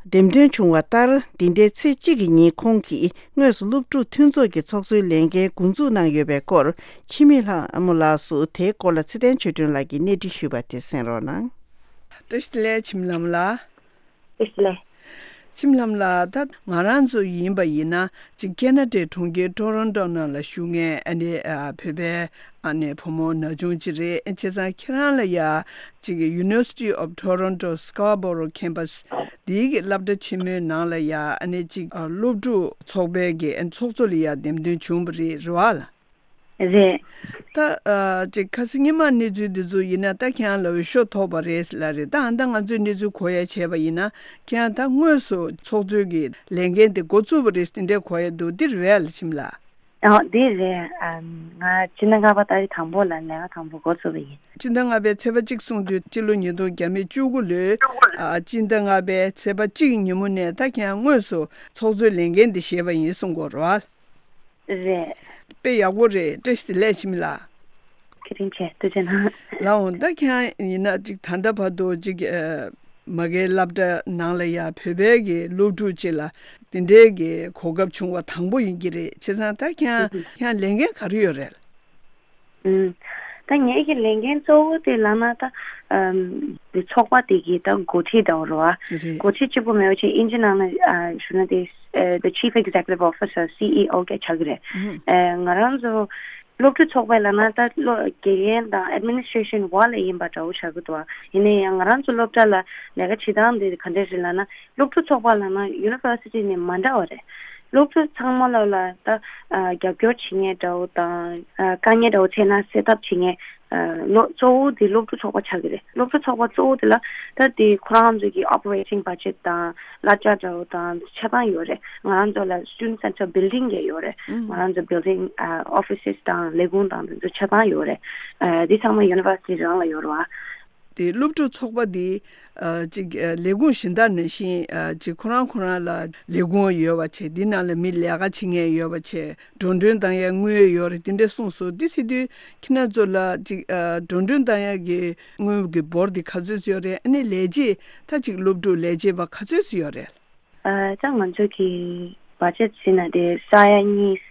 འདེམས་ཐོན་བྱུང་བ་ལྟར། འདི་ཟླའི་ཚེས་གཅིག་གི་ཉིན་ཁོང་གིས་དངོས་སུ་སློབ་ཕྲུག་མཐུན་ཚོགས་ཀྱི་ཚོགས་གཙོའི་ལས་འགན་འགོ་འཛུགས་གནང་ཡོད་པའི་སྐོར། འཆི་མེད་ལྷ་མོ་ལགས་སུ་དེའི་སྐོར་ལ་ཚེ་བརྟན་ཆོས་སྒྲོན་ལགས་ཀྱིས་གནས་འདྲི་ཞུས་པ་དེ་གསན་རོགས་གནང་། བཀྲ་ཤིས་བདེ་ལེགས། འཆི་མེད་ལྷ་མོ་ལགས། བཀྲ་ཤིས་བདེ་ལེགས། ཁྱིམ་ལྷམ་ལགས། ད་ང་རང་ཚོ་ཡིན་པ་ཡིན་ན་ཅིག་ཁེ་ན་ཌའི་གྲོང་ཁྱེར་ཊོ་རོན་ཊོ་ནང་ལ་བཞུགས་མཁན་ཨ་ནི་ཨ་བོད་པའི་ཨ་ནི་བུ་མོ་ན་ཆུང་ཅིག་རེད། བྱས་ཙང་ཁྱེད་རང་ལ་ཡ་ཅིག་University of Toronto Scarborough Campus འདིའི་གི་སློབ་གྲྭ་ཆེན་མོའི་ནང་ལ་ཡ་ཨ་ནི་ཅིག་ཨ་སློབ་ཕྲུག་ཚོགས་པའི་གི་ཨ་ནི་ཚོགས་གཙོ་ལ་ཡ་འདེམས་ཐོན་བྱུང་བ་རེད། རེད་བ་ལ། རེད། ད་ཨ་ཅིག་ཁ་སང་ཉི་མ་གནས་ཚུལ་འདི་ཚོ་ཡིན་ན་ད་ཁྱེད་རང་ལ་འོས་ཤོག་ཐོབ་པ་རེད་ལ་རེད། ད་ཨ་ད་ང་ཚོས་གནས་ཚུལ་གོ་ཡ་བྱས་པ་ཡིན་ན་ཁྱེད་རང་ད་དངོས་སུ་ཚོགས་གཙོའི་གི་ལས་འགན་དེ་འགོ་བཙུགས་པ་རེད་དེ་འདྲས་གོ་ཡ་འདུག་འདི་རེད་བས་ལ་ཁྱིམ་ལ། ཨ་འདི་རེད། ཨ་ང་སྤྱི་ཟླ་ལྔ་པ་ཏ་རིག་དང་པོ་ལ་ལས་ཀ་དང་པོ་འགོ་བཙུགས་པ་ཡིན། སྤྱི་ཟླ་ལྔ་པའི་ཚེས་པ་གཅིག་གསུངས་དུས་སྤྱི་ལོ་ཉིས་སྟོང་བརྒྱ་མེད་བཅུ་དགུ་ལོའི་ཨ་སྤྱི་ཟླ་ལྔ་པའི་ཚེས་པ་གཅིག་གི་ཉིན་མོ་ནས་ད་ཁྱེད་རང་དངོས་སུ་ཚོགས་གཙོའི་ལས་འགན་འདི་བཞེས་པ་ཡིན་གསུང་གོ་རེད་བ། རེད། དཔེ་ཡག་པོ་རེད། བཀྲ་ཤིས་བདེ་ལེགས་ཁྱིམ་ལ། བཀའ་དྲིན་ཆེ། ཐུགས་རྗེ་གནང་། ལགས་འོང་། ད་ཁྱེད་རང་ཡིན་ན་ཅིག་ད་ལྟ་བར་དུ་ཅིག་ཨ་མ་གིའི་སློབ་གྲྭ་ནང་ལ་ཡ་བོད་པའི་གི་སློབ་ཕྲུག་ཅིག་ལ་དེ་འདྲའི་གི་གོ་སྐབས་བྱུང་བ་དང་པོ་ཡིན་གྱི་རེད། བྱས་ཙང་ད་ཁྱེད་རང་ཁྱེད་རང་ལས་འགན་ག་རེ་ཡོད་རེད། ཨུམ། ད་ངེད་ཀྱི་ལས་འགན་གཙོ་བོ་དེ་ལབ་ན་ད་ཨམ་དེ་ཚོགས་པ་དེ་གི་ད་འགོ་ཁྲིད་འདྲ་བོ་རེད་བ། རེད། འགོ་ཁྲིད་གཅིག་པུ་མེད་པ་བྱས་ཨིན་ཇི་ནང་ན་ཨ་ཞུ་ན་དེ་ཨ་the Chief Executive Officer, C E O ག་ཆགས་ཀྱི་རེད། ཨུམ། ཨ་ང་རང་ཚོ་སློབ་ཕྲུག་ཚོགས་པ་ལབ་ན་ད་སློ་དགེ་རྒན་དང་ཨེཌ་མི་ནི་སི་ཊྲེ་ཤན་བར་ལ་ཡིན་པ་འདྲ་བོ་ཆགས་ཀྱི་འདུག་བ། ཡིན་ན་ཡང་ང་རང་ཚོ་སློབ་གྲྭ་ལ་ལས་ཀ་བྱེད་སྟངས་དེ་ག་འདྲ་རེད་ལབ་ན། སློབ་ཕྲུག་ཚོགས་པ་ལབ་ན་ཡུ་ནི་ཝར་སི་ཊི་ནས་མ་འདྲ་བ་རེད། སློབ་ཕྲུག་ཚང་མ་ལ་ལ་ད་ཨ་རྒྱབ་སྐྱོར་བྱེད་མཁན་འདྲ་བོ་དང་ཨ་དཀའ་ངལ་འདྲ་བོ་འཕྲད་ན་སེལ་ཐབས་བྱེད་མཁན་ཨ་ལོ་གཙོ་བོ་དེ་སློབ་ཕྲུག་ཚོགས་པ་ཆགས་ཀྱི་རེད། སློབ་ཕྲུག་ཚོགས་པ་གཙོ་བོ་དེ་ལ་ད་དེ་ཁོ་རང་ཚོ་གི་operating budget དང་གླ་ཆ་འདྲ་བོ་དང་ཆ་ཚང་ཡོད་རེད། ང་རང་ཚོ་ལ་student center building ག་ཡོད་རེད། ང་རང་ཚོ་building ཨ་offices དང་ལས་ཁུངས་དང་དེ་ཚོ་ཆ་ཚང་ཡོད་རེད། ཨ་དེ་ཚང་མ་ཡུ་ནི་ཝར་སི་ཊི་རང་ལ་ཡོད་རེད་བ། དེ་སློབ་ཕྲུག་ཚོགས་པ་འདི་ཨ་ཅིག་ཨ་ལས་ཁུངས་གཞན་དག་ནང་བཞིན་ཨ་ཅིག་ཁོ་རང་ཁོ་རང་ལ་ལས་ཁུངས་ཡོད་པ་བྱས། འདི་ནང་ལ་མི་ལས་ཀ་བྱེད་མཁན་ཡོད་པ་བྱས། འགྲོ་གྲོན་གཏོང་ཡ་དངུལ་ཡོད་རེད། དེ་འདྲས་གསུངས་སོང་། འདི་ཟེར་དུས་ཁྱེད་རང་ཚོ་ལ་ཅིག་ཨ་འགྲོ་གྲོན་གཏོང་ཡ་གི་དངུལ་གྱི་འབོར་འདི་ག་ཚོད་ཡོད་རེད། ཨ་ནི་ལས་བྱེད་ད་ཅིག་སློབ་ཕྲུག་ལས་བྱེད་པ་ག་ཚོད་ཡོད་རེད། ཨ་ད་ང་ཚོ་གི་བ་ཇེཊ་ཟེར་ན་དེ་ས་ཡ་གཉིས་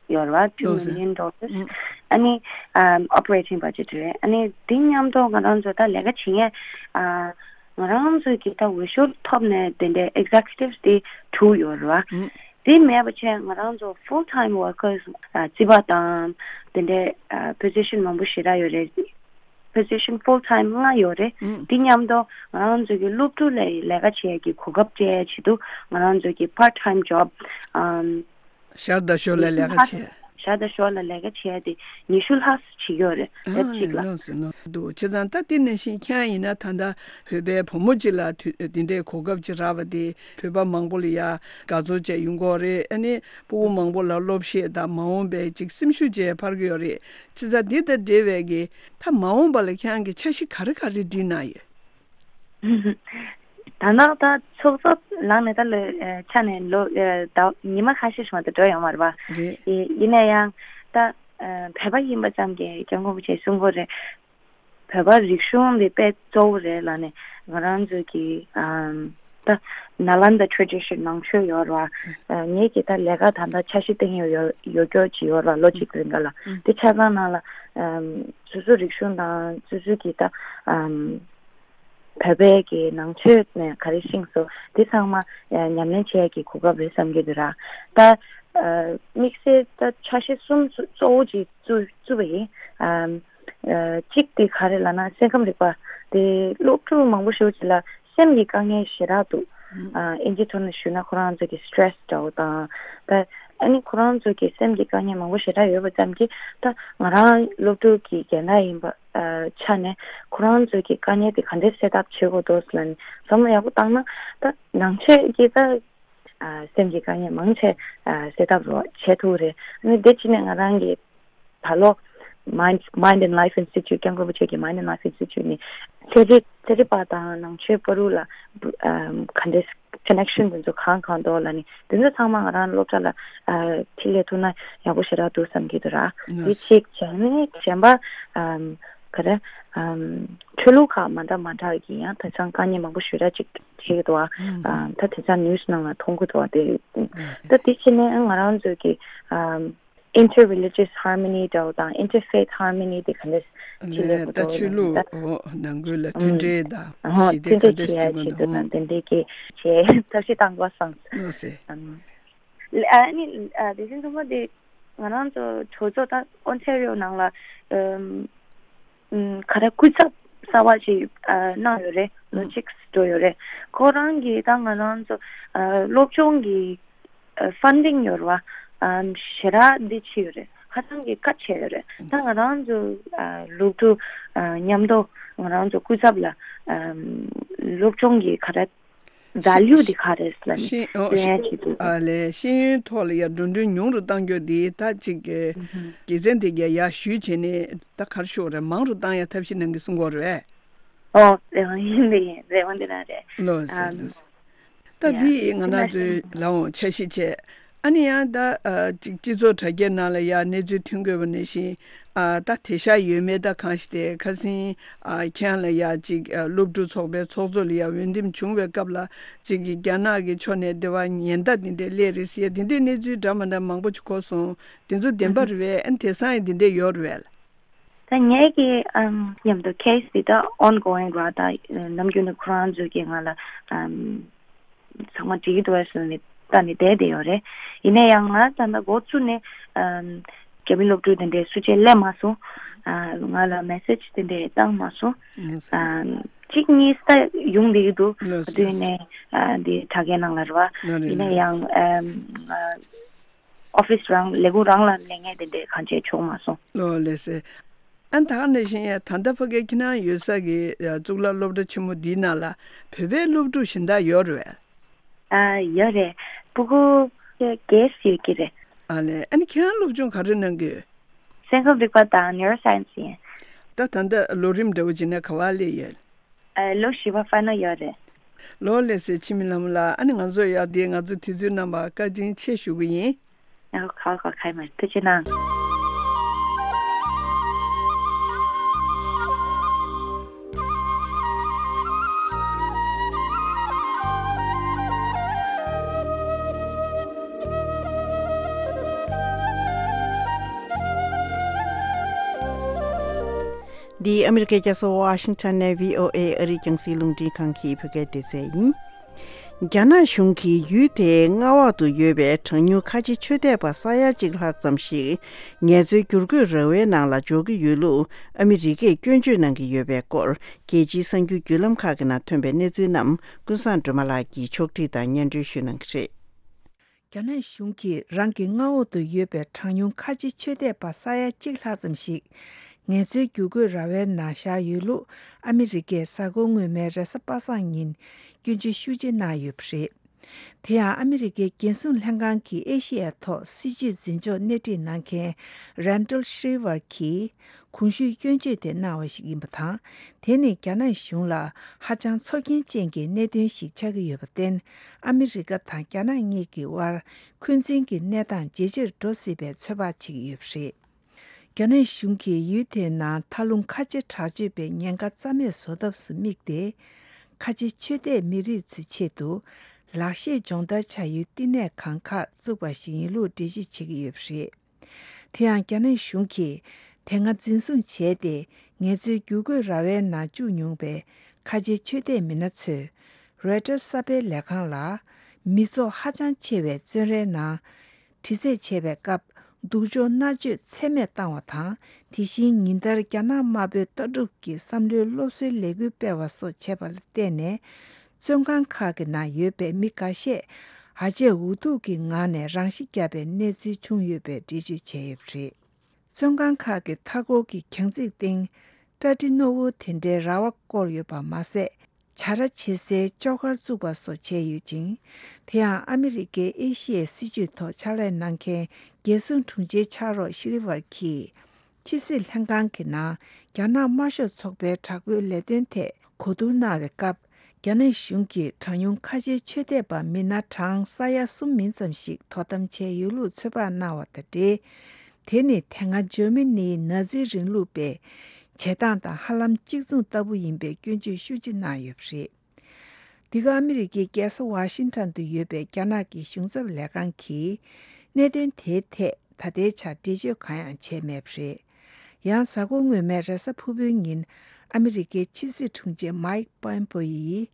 ཡོད་རེད་བ། two million dollars། ཨ་ནི་ཨ་operating budget རེད། ཨ་ནི་དེ་མཉམ་དུ་ང་རང་ཚོ་ད་ལས་ཀ་བྱེད་མཁན་ཨ་ང་རང་ཚོ་གི་ད་འོས་ཤོག་ཐོབ་ནས་དེ་འདྲའི་executives དེ་དྲུག་ཡོད་རེད་བ། དེ་མེད་པ་བྱས་ང་རང་ཚོ་full time workers ཨ་རྩིས་པ་དང་དེ་འདྲའི་ཨ་position མང་པོ་ཞེ་དྲག་ཡོད་རེད། position full time ལྔ་ཡོད་རེད། ཨུམ། འདི་མཉམ་དུ་ང་རང་ཚོ་གི་སློབ་ཕྲུག་ལ་ལས་ཀ་བྱེད་ཡས་ཀྱི་གོ་སྐབས་སྤྲད་ཡས་ཆེད་དུ་ང་རང་ཚོ་གི་part time job ཨམ་ཞར་དང་ཞོར་ལ་ལས་ཀ་བྱེད། ཞར་དང་ཞོར་ལ་ལས་ཀ་བྱེད་ཡས་དེ་ཉི་ཤུ་ལྷག་ཙམ་བྱེད་ཀྱི་ཡོད་རེད། ཨ་ལོ་ཙིག་ལ། ལོ་ཙིག་ལ་འདུག་བྱས་ཙང་ད་དེ་ནང་བཞིན་ཁྱེད་རང་ཡིན་ན་ད་ལྟ་བོད་པའི་བུ་མོ་གཅིག་ལ་དུས་དེ་འདྲའི་གོ་སྐབས་ཅིག་རག་པ་དེ་བོད་པ་མང་པོ་ལ་ཡ་དགའ་ཚོར་བཅས་ཡོང་གི་ཡོད་རེད། ཨ་ནི་སྤུ་གུ་མང་པོ་ལ་སློབ་གཞས་དང་མ་འོངས་པའི་ཅིག་སེམས་ཤུགས་བཅས་འཕར་གྱི་ཡོད་རེད། བྱས་ཙང་འདི་དང་འབྲེལ་བའི་གི་ད་མ་འོངས་པ་ལ་ཁྱེད་རང་གི་འཆར་གཞི་ག་རེ་ག་རེ་བསྒྲིགས་གནང་ཡོད། ད་ནང་ད་ཚོགས་གཙོ་ལངས་ནས་ད་ལོ་ཨ་ཆ་ནས་ལོ་ཨ་ཟླ་ཉི་མ་ཁ་ཤས་ཤིག་མ་གཏོགས་འགྲོ་ཡོད་མ་རེད་པ། རེད། ཡིན་ན་ཡང་ད་ཨ་བོད་པ་ཡིན་པ་ཙམ་གྱིས་སྐྱབས་མགོན་རིན་པོ་ཆེས་གསུང་གི་རེད། བོད་པ་རིག་གཞུང་འདི་དཔེ་གཙོ་བོ་རེད་ལབ་ནས་ང་རང་ཚོ་གི་ཨམ་ད་ནཱ་ལནྡཱ་tradition ནང་ཆོས་ཡོད་རེད་བ། ཨ་ངེད་ཀྱི་ད་ལས་ཀ་ད་ལྟ་འཆར་གཞི་བཏིང་ཡོད་ཡོད་ཡོད་སྐྱོར་གྱི་ཡོད་རེད་བ། ལོ་གཅིག་རིང་ག་ལ་དེ་ཆ་ཚང་ནང་ལ་ཨམ་སོ་སོ་རིག་གཞུང་དང་སོ་སོ་གི་ད་ཨམ་བོད་པའི་གི་ནང་ཆོས་ནས་ག་རེ་ཤེས་སོང་དེ་ཚང་མ་ཨ་ཉམས་ལེན་བྱེད་ཡས་ཀྱི་གོ་སྐབས་རེད་བསམ་གྱི་འདུག་ར། ད་ཨ་དམིགས་བསལ་ད་འཆར་གཞི་གསུམ་གཙོ་བོ་ཅིག་བཙུགས་བཙུགས་པ་ཡིན། ཨམ་ཨ་གཅིག་དེ་ག་རེ་ལབ་ན་སེམས་ཁམས་རིག་པ་དེ་སློབ་ཕྲུག་མང་པོ་ཞིག་ཅིག་ལ་སེམས་ཀྱི་དཀའ་ངལ་ཞེ་དྲག་འདུག་ཨ་ཨིན་ཇི་ཐོག་ནས་ཞུས་ན་ཁོ་རང་ཚོ་གི་stress འདྲ་བོ་དང་ད་ཨ་ནི་ཁོ་རང་ཚོ་གི་སེམས་ཀྱི་དཀའ་ངལ་མང་པོ་ཞེ་དྲག་ཡོད་པ་ཙམ་གྱིས་ད་ང་རང་སློབ་ཕྲུག་གི་རྒན་ལགས་ཡིན་པ་ཨ་ཆ་ནས་ཁོ་རང་ཚོ་གི་དཀའ་ངལ་དེ་ག་འདྲས་སེལ་ཐབས་བྱེད་དགོས་འདུག་ལབ་ནས་བསམ་བློ་ཡག་པོ་བཏང་ན་ད་ནང་ཆོས་ཀྱི་ད་ཨ་སེམས་ཀྱི་དཀའ་ངལ་མང་ཆེ་ཨ་སེལ་ཐབས་རོགས་བྱེད་ཐུབ་རེད། ཨ་ནི་དེ་ཕྱིན་ནས་ང་རང་གི་ད་ལོ་Mind Mind and Life Institute སྐྱབས་མགོན་རིན་པོ་ཆེ་གི་Mind and Life Institute ནས་ཚན་རིག་ཚན་རིག་པ་དང་ནང་ཆོས་བར་དུ་ལ་ཨམ་ག་འདྲས་connection དེ་ཚོ་གང་གང་འདུག་ལབ་ནས་དེ་ཚོ་ཚང་མ་ང་རང་སློབ་གྲྭ་ལ་ཨ་འཕྲི་ལས་ཐུབ་ན་ཡག་པོ་ཞེ་དྲག་འདུག་བསམ་གྱི་འདུག་ར། ལགས་དེ་སོ། གཅིག་བྱས་ནས་གཞན་པ་ཨམ་ག་རེ་ཨམ་ཆོས་ལུགས་ཁག་མ་འདྲ་མ་འདྲ་གི་ཡང་དེང་སང་དཀའ་ངལ་མང་པོ་ཞེ་དྲག་ཅིག་འཕྲད་ཀྱི་འདུག་ཨ། ཨམ་ད་དེང་སང་news ནང་ལ་མཐོང་གི་འདུག་ཨ། དེ་ཨམ་ད་དེ་ཕྱིན་ནས་ང་རང་ཚོ་གི་ཨམ་ inter religious harmony འདྲ་བོ་དང་inter faith harmony དེ་ག་འདྲ་ཞིག་ལས་ལས་ད་ཆོས་ལུགས་ད་འོ་ནང་ཁུལ་ལ་མཐུན་འབྲེལ་དང་ཞི་བདེ་ག་འདྲ་ཞིག་ཡོང་གི་འདུག་ཨང་། དེ་འདྲའི་གི་བྱས་ཐབས་ཤེས་བཏང་དགོས་བསམ། ལགས་སེ། ཨ་ནི་དེ་བཞིན་ཚང་མ་དེ་ང་རང་ཚོ་གྲོས་ཚོགས་ད་ཨོན་ཐེ་རི་ཡོ་ནང་ལ་ཨམ། ཨམ། ག་རེ་སྐུ་ཚབ་གསར་པ་ཞིག་ཨ། གནང་ཡོད་རེད། ལོ་ཨང་གཅིག་འགྲོ་ཡོད་རེད། ཁོ་རང་གིས་ད་ང་རང་ཚོ་ཨ། སློབ་སྦྱོང་གི་ཨ། ཕན་ཌིང་ཡོད་རེད་བ། ཨམ། ཞེ་དྲག་འདི་ཆེ་ཡོད་རེད། ཧ་ཅང་གི་གལ་ཆེ་ཡོད་རེད། ད་ང་རང་ཚོ་ཨ། སློབ་ཕྲུག་ཨ། མཉམ་དུ་ང་རང་ཚོ་སྐུ་ཚབ་ལ་ཨམ། སློབ་སྦྱོང་གི་ག་རེ་value དེ་ག་རེ་ལབ་ནས་ཤེས་ཨོ་སྟོན་ཡ་ཤེས་བྱེད་དགོས། ཨ་ལས་ཤེས་ཡོན་ཐོག་ལ་ཡ་འགྲོ་གྲོན་ཉུང་རུ་གཏང་རྒྱུ་དེ་ད་ཅིག་གི་ཨུ་ཧུམ། དགེ་མཚན་དེ་ག་ཡར་ཞུས་བྱས་ནས་ད་ག་རེ་ཞུ་དགོས་རེད། མང་རུ་གཏང་ཡ་ཐབས་ཤེས་གནང་གི་གསུང་གི་ཡོད་རེད། ཨོ་རེད་བ། ཡིན་པས་ཡིན། རེད་བ། འདི་རང་རེད། ལགས་སེ་ཨམ། ལགས་སེ། ད་ཡ་འདི་ང་རང་ཚོའི་ལ་འོང་འཆར་གཞི་བྱས། ཨ་ནི་ཡང་ད་ཨ་ཅིག་སྤྱི་ཚོགས་དྲ་རྒྱའི་ནང་ལ་ཡ་གནས་ཚུལ་ཐོན་དགོས་པ་ནང་བཞིན་ཨ་ད་དེ་ཤ་ཡོད་མེད་ད་གང་ཞིག་དེ་ཁ་སང་ཨ་ཁྱེད་ལ་ཡ་ཅིག་ཨ་སློབ་ཕྲུག་ཚོགས་པའི་ཚོགས་གཙོ་ལ་ཡ་འོས་འདེམས་བྱུང་བའི་སྐབས་ལ་ཅིག་གི་རྒྱ་ནག་གི་ཕྱོགས་ནས་དེ་བ་ཉེན་བརྡ་དེ་འདྲས་སླེབས་རེད་ཟེར་ཡ་དེ་འདྲས་གནས་ཚུལ་འདྲ་མ་འདྲ་མང་པོ་ཅིག་གོ་སོང་། དེ་ཚོ་བདེན་པ་རེད་པས། ཨ་ནི་དེང་སང་ཡང་དེ་འདྲས་ཡོད་རེད་པས། ད་ངའི་གི་ཨམ་མཉམ་དུ་ཁེ་སི་འདི་ད་ཨོན་གོ་ཝིང་རེད། ད་ནམ་རྒྱུན་ནས་ཁོ་རང་ཚོས་ཀྱིས་ང་ལ་ཨམ་ཚང་མ་འགྲིག་གི་འདུག་གས་ཟེར་ནས་ལྟ་ནས་བསྡད་བསྡད་ཡོད་རེད། ཡིན་ན་ཡང་ང་ད་ལྟ་འགོ་བཙུགས་ནས་ཨམ་རྒྱ་མི་སློབ་ཕྲུག་དེ་འདྲས་སུ་གཅིག་སླེབས་མ་སོང་། ཨ་ང་ལ་མེ་སེ་ཇི་དེ་འདྲས་བཏང་མ་སོང་། ཨམ་གཅིག་གཉིས་ད་ཡོང་བསྡད་ཀྱི་འདུག་ལགས་སོ། དེ་ནས་ཨ་འདི་དྲ་རྒྱའི་ནང་ལ་རེད་བ། ལགས་རེད། ཡིན་ན་ཡང་ཨམ་ཨ། ཨོ་ཕིས་རང་ལས་ཁུངས་རང་ལ་ལས་ངན་དེ་འདྲས་གང་བྱས་ཆོག་མ་སོང་། ལོ་ལེ་སེ། ཨ་ད་ག་ནང་བཞིན་ཡ་ད་ལྟ་ཕ་གི་ཁྱེད་རང་ཡོད་ས་གི་ཡ་གཙུག་ལག་སློབ་གྲྭ་ཆེན་མོ་འདིའི་ནང་ལ་བོད་པའི་སློབ་ཕྲུག་གཞན་དག་ཡོད་རེད་པས། ཨ་ཡོད་རེད། སྤུ་གུ་བརྒྱད་ཡོད་ཀྱི་རེད། ཨ་ལེ། ཨ་ནི་ཁྱེད་རང་སློབ་སྦྱོང་ག་རེ་གནང་གི་ཡོད། སེམས་ཁམས་རིག་པ་དང་ནིའུ་རོ་སའེན་སི་ཡིན། ད་ད་ལྟ་ལོ་རིམ་འདྲ་བོ་བྱས་ན་ག་པར་སླེབས་ཡོད། ཨ་ལོ་བཞི་པ་ཕ་ནལ་ཡར་རེད། ལོ་ལེགས་སེ་འཆི་མེད་ལྷ་མོ་ལགས། ཨ་ནི་ང་ཚོ་ཡ་དེ་ང་ཚོ་དུས་ཚོད་གནང་བར་བཀའ་དྲིན་ཆེ་ཞུ་གི་ཡིན། ཨ་ཁ་ཁ་ཁ་མ་ཐུགས་རྗེ་གནང་། འདི་ཨ་མི་རི་ཀའི་རྒྱལ་ས་ཝ་ཤིང་ཊོན་ནས་བྷི་ཨོ་ཨེ་ཨ་རིའི་རྒྱང་སྲིང་རླུང་འཕྲིན་ཁང་གི་བོད་སྐད་སྡེ་ཚན་ཡིན། རྒྱ་ནག་གཞུང་གིས་ཡུལ་དེའི་མངའ་འོག་ཏུ་ཡོད་པའི་གྲངས་ཉུང་ཁ་ཆེ་ཆོས་དད་པ་ས་ཡ་གཅིག་ལྷག་ཙམ་ཞིག་ངལ་རྩོལ་བསྒྱུར་བཀོད་ར་བའི་ནང་ལ་འཇོག་གི་ཡོད་ལུགས་ཨ་མི་རི་ཀས་སྐྱོན་བརྗོད་གནང་གི་ཡོད་པའི་སྐོར། རྒྱལ་སྤྱིའི་གསར་འགྱུར་བརྒྱུད་ལམ་ཁག་གི་ནང་ཐོན་པའི་གནས་ཚུལ་རྣམས་ཀུན་བཟང་སྒྲོལ་མ་ལགས་ཀྱིས་ཕྱོགས་བསྒྲིགས་དང་སྙན་སྒྲོན་ཞུ་གནང་གི་རེད། རྒྱ་ནག་གཞུང་གིས་རང་གི་མངའ་འོག་ཏུ་ཡོད་པའི་གྲངས་ཉུང་ཁ་ཆེ་ཆོས་དད་པ་ས་ཡ་གཅིག་ལྷག་ཙམ་ཞིག་ངལ་རྩོལ་བསྒྱུར་བཀོད་ར་བའི་ནང་བཞག་ཡོད་ལུགས་ཨ་མི་རི་ཀས་གཟའ་འཁོར་སྔོན་མའི་རེས་གཟའ་པ་སངས་ཉིན་སྐྱོན་བརྗོད་ཤུགས་ཆེ་གནང་ཡོད་པ་རེད། དེ་ཡང་ཨ་མི་རི་ཀའི་རྒྱལ་སྲུང་ལྷན་ཁང་གི་ཨེ་ཤི་ཡའི་ཐོག་སྲིད་བྱུས་འཛིན་ཕྱོགས་སྣེ་ཁྲིད་གནང་མཁན་རན་ཌལ་ཤི་རི་ཝར་གྱིས་གོང་ཞུས་སྐྱོན་བརྗོད་དེ་གནང་བ་ཞིག་ཡིན་པ་དང་། དེ་ནི་རྒྱ་ནག་གཞུང་ལ་ཧ་ཅང་ཚོར་སྐྱེན་ཅན་གྱི་གནད་དོན་ཞིག་ཆགས་ཀྱི་ཡོད་པར་བརྟེན། ཨ་མི་རི་ཀ་དང་རྒྱ་ནག་གཉིས་ཀྱི་དབར་འཁོན་འཛིན་གྱི་གནས་སྟངས་ཇེ་ཆེར་འགྲོ་སྲིད་པའི་ཚོད་དཔག་བྱེད་ཀྱི་ཡོད་པ་རེད། རྒྱ་ནག་གཞུང་གིས་ཡུལ་དེའི་ནང་མཐའ་ལྷུང་ཁ་ཆེ་དྲག་སྤྱོད་པའི་ཉེན་ཁ་རྩ་མེད་བཟོ་ཐབས་སུ་དམིགས་ཏེ། ཁ་ཆེ་ཆོས་དད་མི་རིགས་ཚོའི་ཆེད་དུ་ལག་ཤེས་སྦྱོང་བརྡར་བྱ་ཡུལ་བསྟི་གནས་ཁང་ཁག་བཙུགས་པ་ཞིག་ཡིན་ལུགས་འགྲེལ་བརྗོད་བྱེད་ཀྱི་ཡོད་པ་རེད། དེ་ཡང་རྒྱ་ནག་གཞུང་གིས་དེ་སྔ་འཛིན་བཟུང་བྱས་ཏེ་ངལ་རྩོལ་བསྒྱུར་བཀོད་ར་བའི་ནང་བཅུག་མྱོང་པའི་ཁ་ཆེ་ཆོས་དད་མི་སྣ་ཚོས་རོའི་ཊར་གསར་སྤེལ་ལས་ཁང་ལ། མི་ཚོགས་ཧ་ཅང་ཆེ་བའི་བཙོན་རའི་ནང་། དྲི་རྩད་བྱས་པའི་སྐབས་སྡུག་སྦྱོང་མནར་གཅོད་ཚད་མེད་བཏང་བ་དང་། དེ་བཞིན་ཉིན་ལྟར་རྒྱ་ནག་དམར་པོའི་ལྟ་གྲུབ་ཀྱི་བསམ་བློའི་སློབ་གསོའི་ལས་འགུལ་སྤེལ་བ་སོགས་བྱས་པ་ལ་བརྟེན་ནས། བཙོན་ཁང་ཁག་གི་ནང་ཡོད་པའི་མི་འགའ་ཤས་ཨ་ཅེ་འུ་ཐུག་གི་ངང་ནས་རང་ཤི་བརྒྱབ་པའི་གནས་ཚུལ་བྱུང་ཡོད་པའི་འགྲེལ་བརྗོད་བྱས་ཡོད་པ་རེད། བཙོན་ཁང་ཁག་གི་མཐའ་འཁོར་གྱི་གྱང་རྩིག་སྟེང་སྐྲ་གྲི་རྣོ་བོ་དེ་འདྲའི་ར་བ་བསྐོར་ཡོད་པ་མ་ཟད། བྱ་ར་བྱེད་སའི་ཅོག་ཁར་བཙུགས་པ་སོགས་བྱས་ཡོད་ཅིང་། དེ་ཡང་ཨ་མི་རི་ཀའི་ཨེ་ཤི་ཡའི་སྲིད་བྱུས་ཐོག་ཕྱག་ལས་གནང་མཁན་རྒྱལ་སྲུང་དྲུང་ཆེ་ཕྱག་རོགས་ཤི་རི་ཝར་གྱིས། ཕྱི་སྲིད་ལྷན་ཁང་གི་ནང་རྒྱ་ནག་དམར་ཤོག་ཚོགས་པའི་དྲག་པོའི་ལས་དོན་ཐད་གོ་བསྡུར་གནང་བའི་སྐབས། རྒྱ་ནག་གཞུང་གིས་གྲངས་ཉུང་ཁ་ཆེའི་ཆོས་དད་པ་མི་སྣ་གྲངས་ས་ཡ་གསུམ་མིན་ཙམ་ཞིག་དོ་དམ་བྱས་ཡོད་ལུགས་ཚོད་དཔག་གནང་བ་དང་འབྲེལ། དེ་ནི་དེ་སྔ་འཇར་མ་ནིའི་ནཱ་ཛི་རིང་ལུགས་པས་བྱེད་སྟངས་དང་ཧ་ལམ་གཅིག་མཚུངས་ལྟ་བུ་ཡིན་པའི་སྐྱོན་བརྗོད་ཤུགས་ཆེ་གནང་ཡོད་པ་རེད། འདི་ག་ཨ་མི་རི་ཀའི་རྒྱལ་ས་ཝ་ཤིང་ཊོན་དུ་ཡོད་པའི་རྒྱ་ནག་གི་གཞུང་ཚབ་ལས་ཁང་གིས་གནད་དོན་དེའི་ཐད་ ད་ལྟའི་ཆར་འགྲེལ་བརྗོད་གང་ཡང་བྱས་མེད་པ་རེད། ཡང་གཟའ་འཁོར་སྔོན་མའི་རེས་གཟའ་ཕུར་བུའི་ཉིན་ཨ་མི་རི་ཀའི་ཕྱི་སྲིད་དྲུང་ཆེ་མའིག་པོམ་པེ་ཡིས།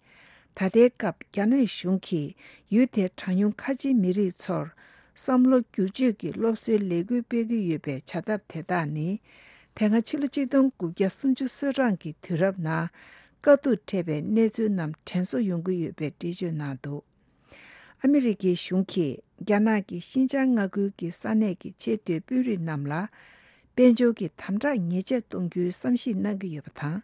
ད་ལྟའི་སྐབས་རྒྱ་ནག་གཞུང་གིས་ཡུལ་དེའི་གྲངས་ཉུང་ཁ་ཆེའི་མི་རིགས་ཚོར་བསམ་བློ་བསྒྱུར་བཅོས་ཀྱི་སློབ་གསོའི་ལས་འགུལ་སྤེལ་གྱི་ཡོད་པའི་བྱ་ཐབས་དེ་དག་ནི། དེ་སྔ་ཕྱི་ལོ་ཆིག་སྟོང་དགུ་བརྒྱ་སུམ་ཅུ་སོ་གྲངས་ཀྱི་དུས་རབས་ནང་དཀའ་སྡུག་འཕྲད་པའི་གནས་ཚུལ་རྣམས་དྲན་གསོ་ཡོང་གི་ཡོད་པའི་འགྲེལ་བརྗོད་གནང་འདུག་ཨ་མི་རི་ཀའི་གཞུང་གིས་རྒྱ་ནག་གི་ཤིན་ཅང་མངའ་ཁུལ་གྱི་ས་གནས་ཀྱི་ཆེས་མཐོའི་དཔོན་རིགས་རྣམས་ལ། དཔལ་འབྱོར་གྱི་དམ་དྲག་ཉེས་ཆད་གཏོང་རྒྱུའི་བསམ་གཞིག་གནང་གི་ཡོད་པ་དང་།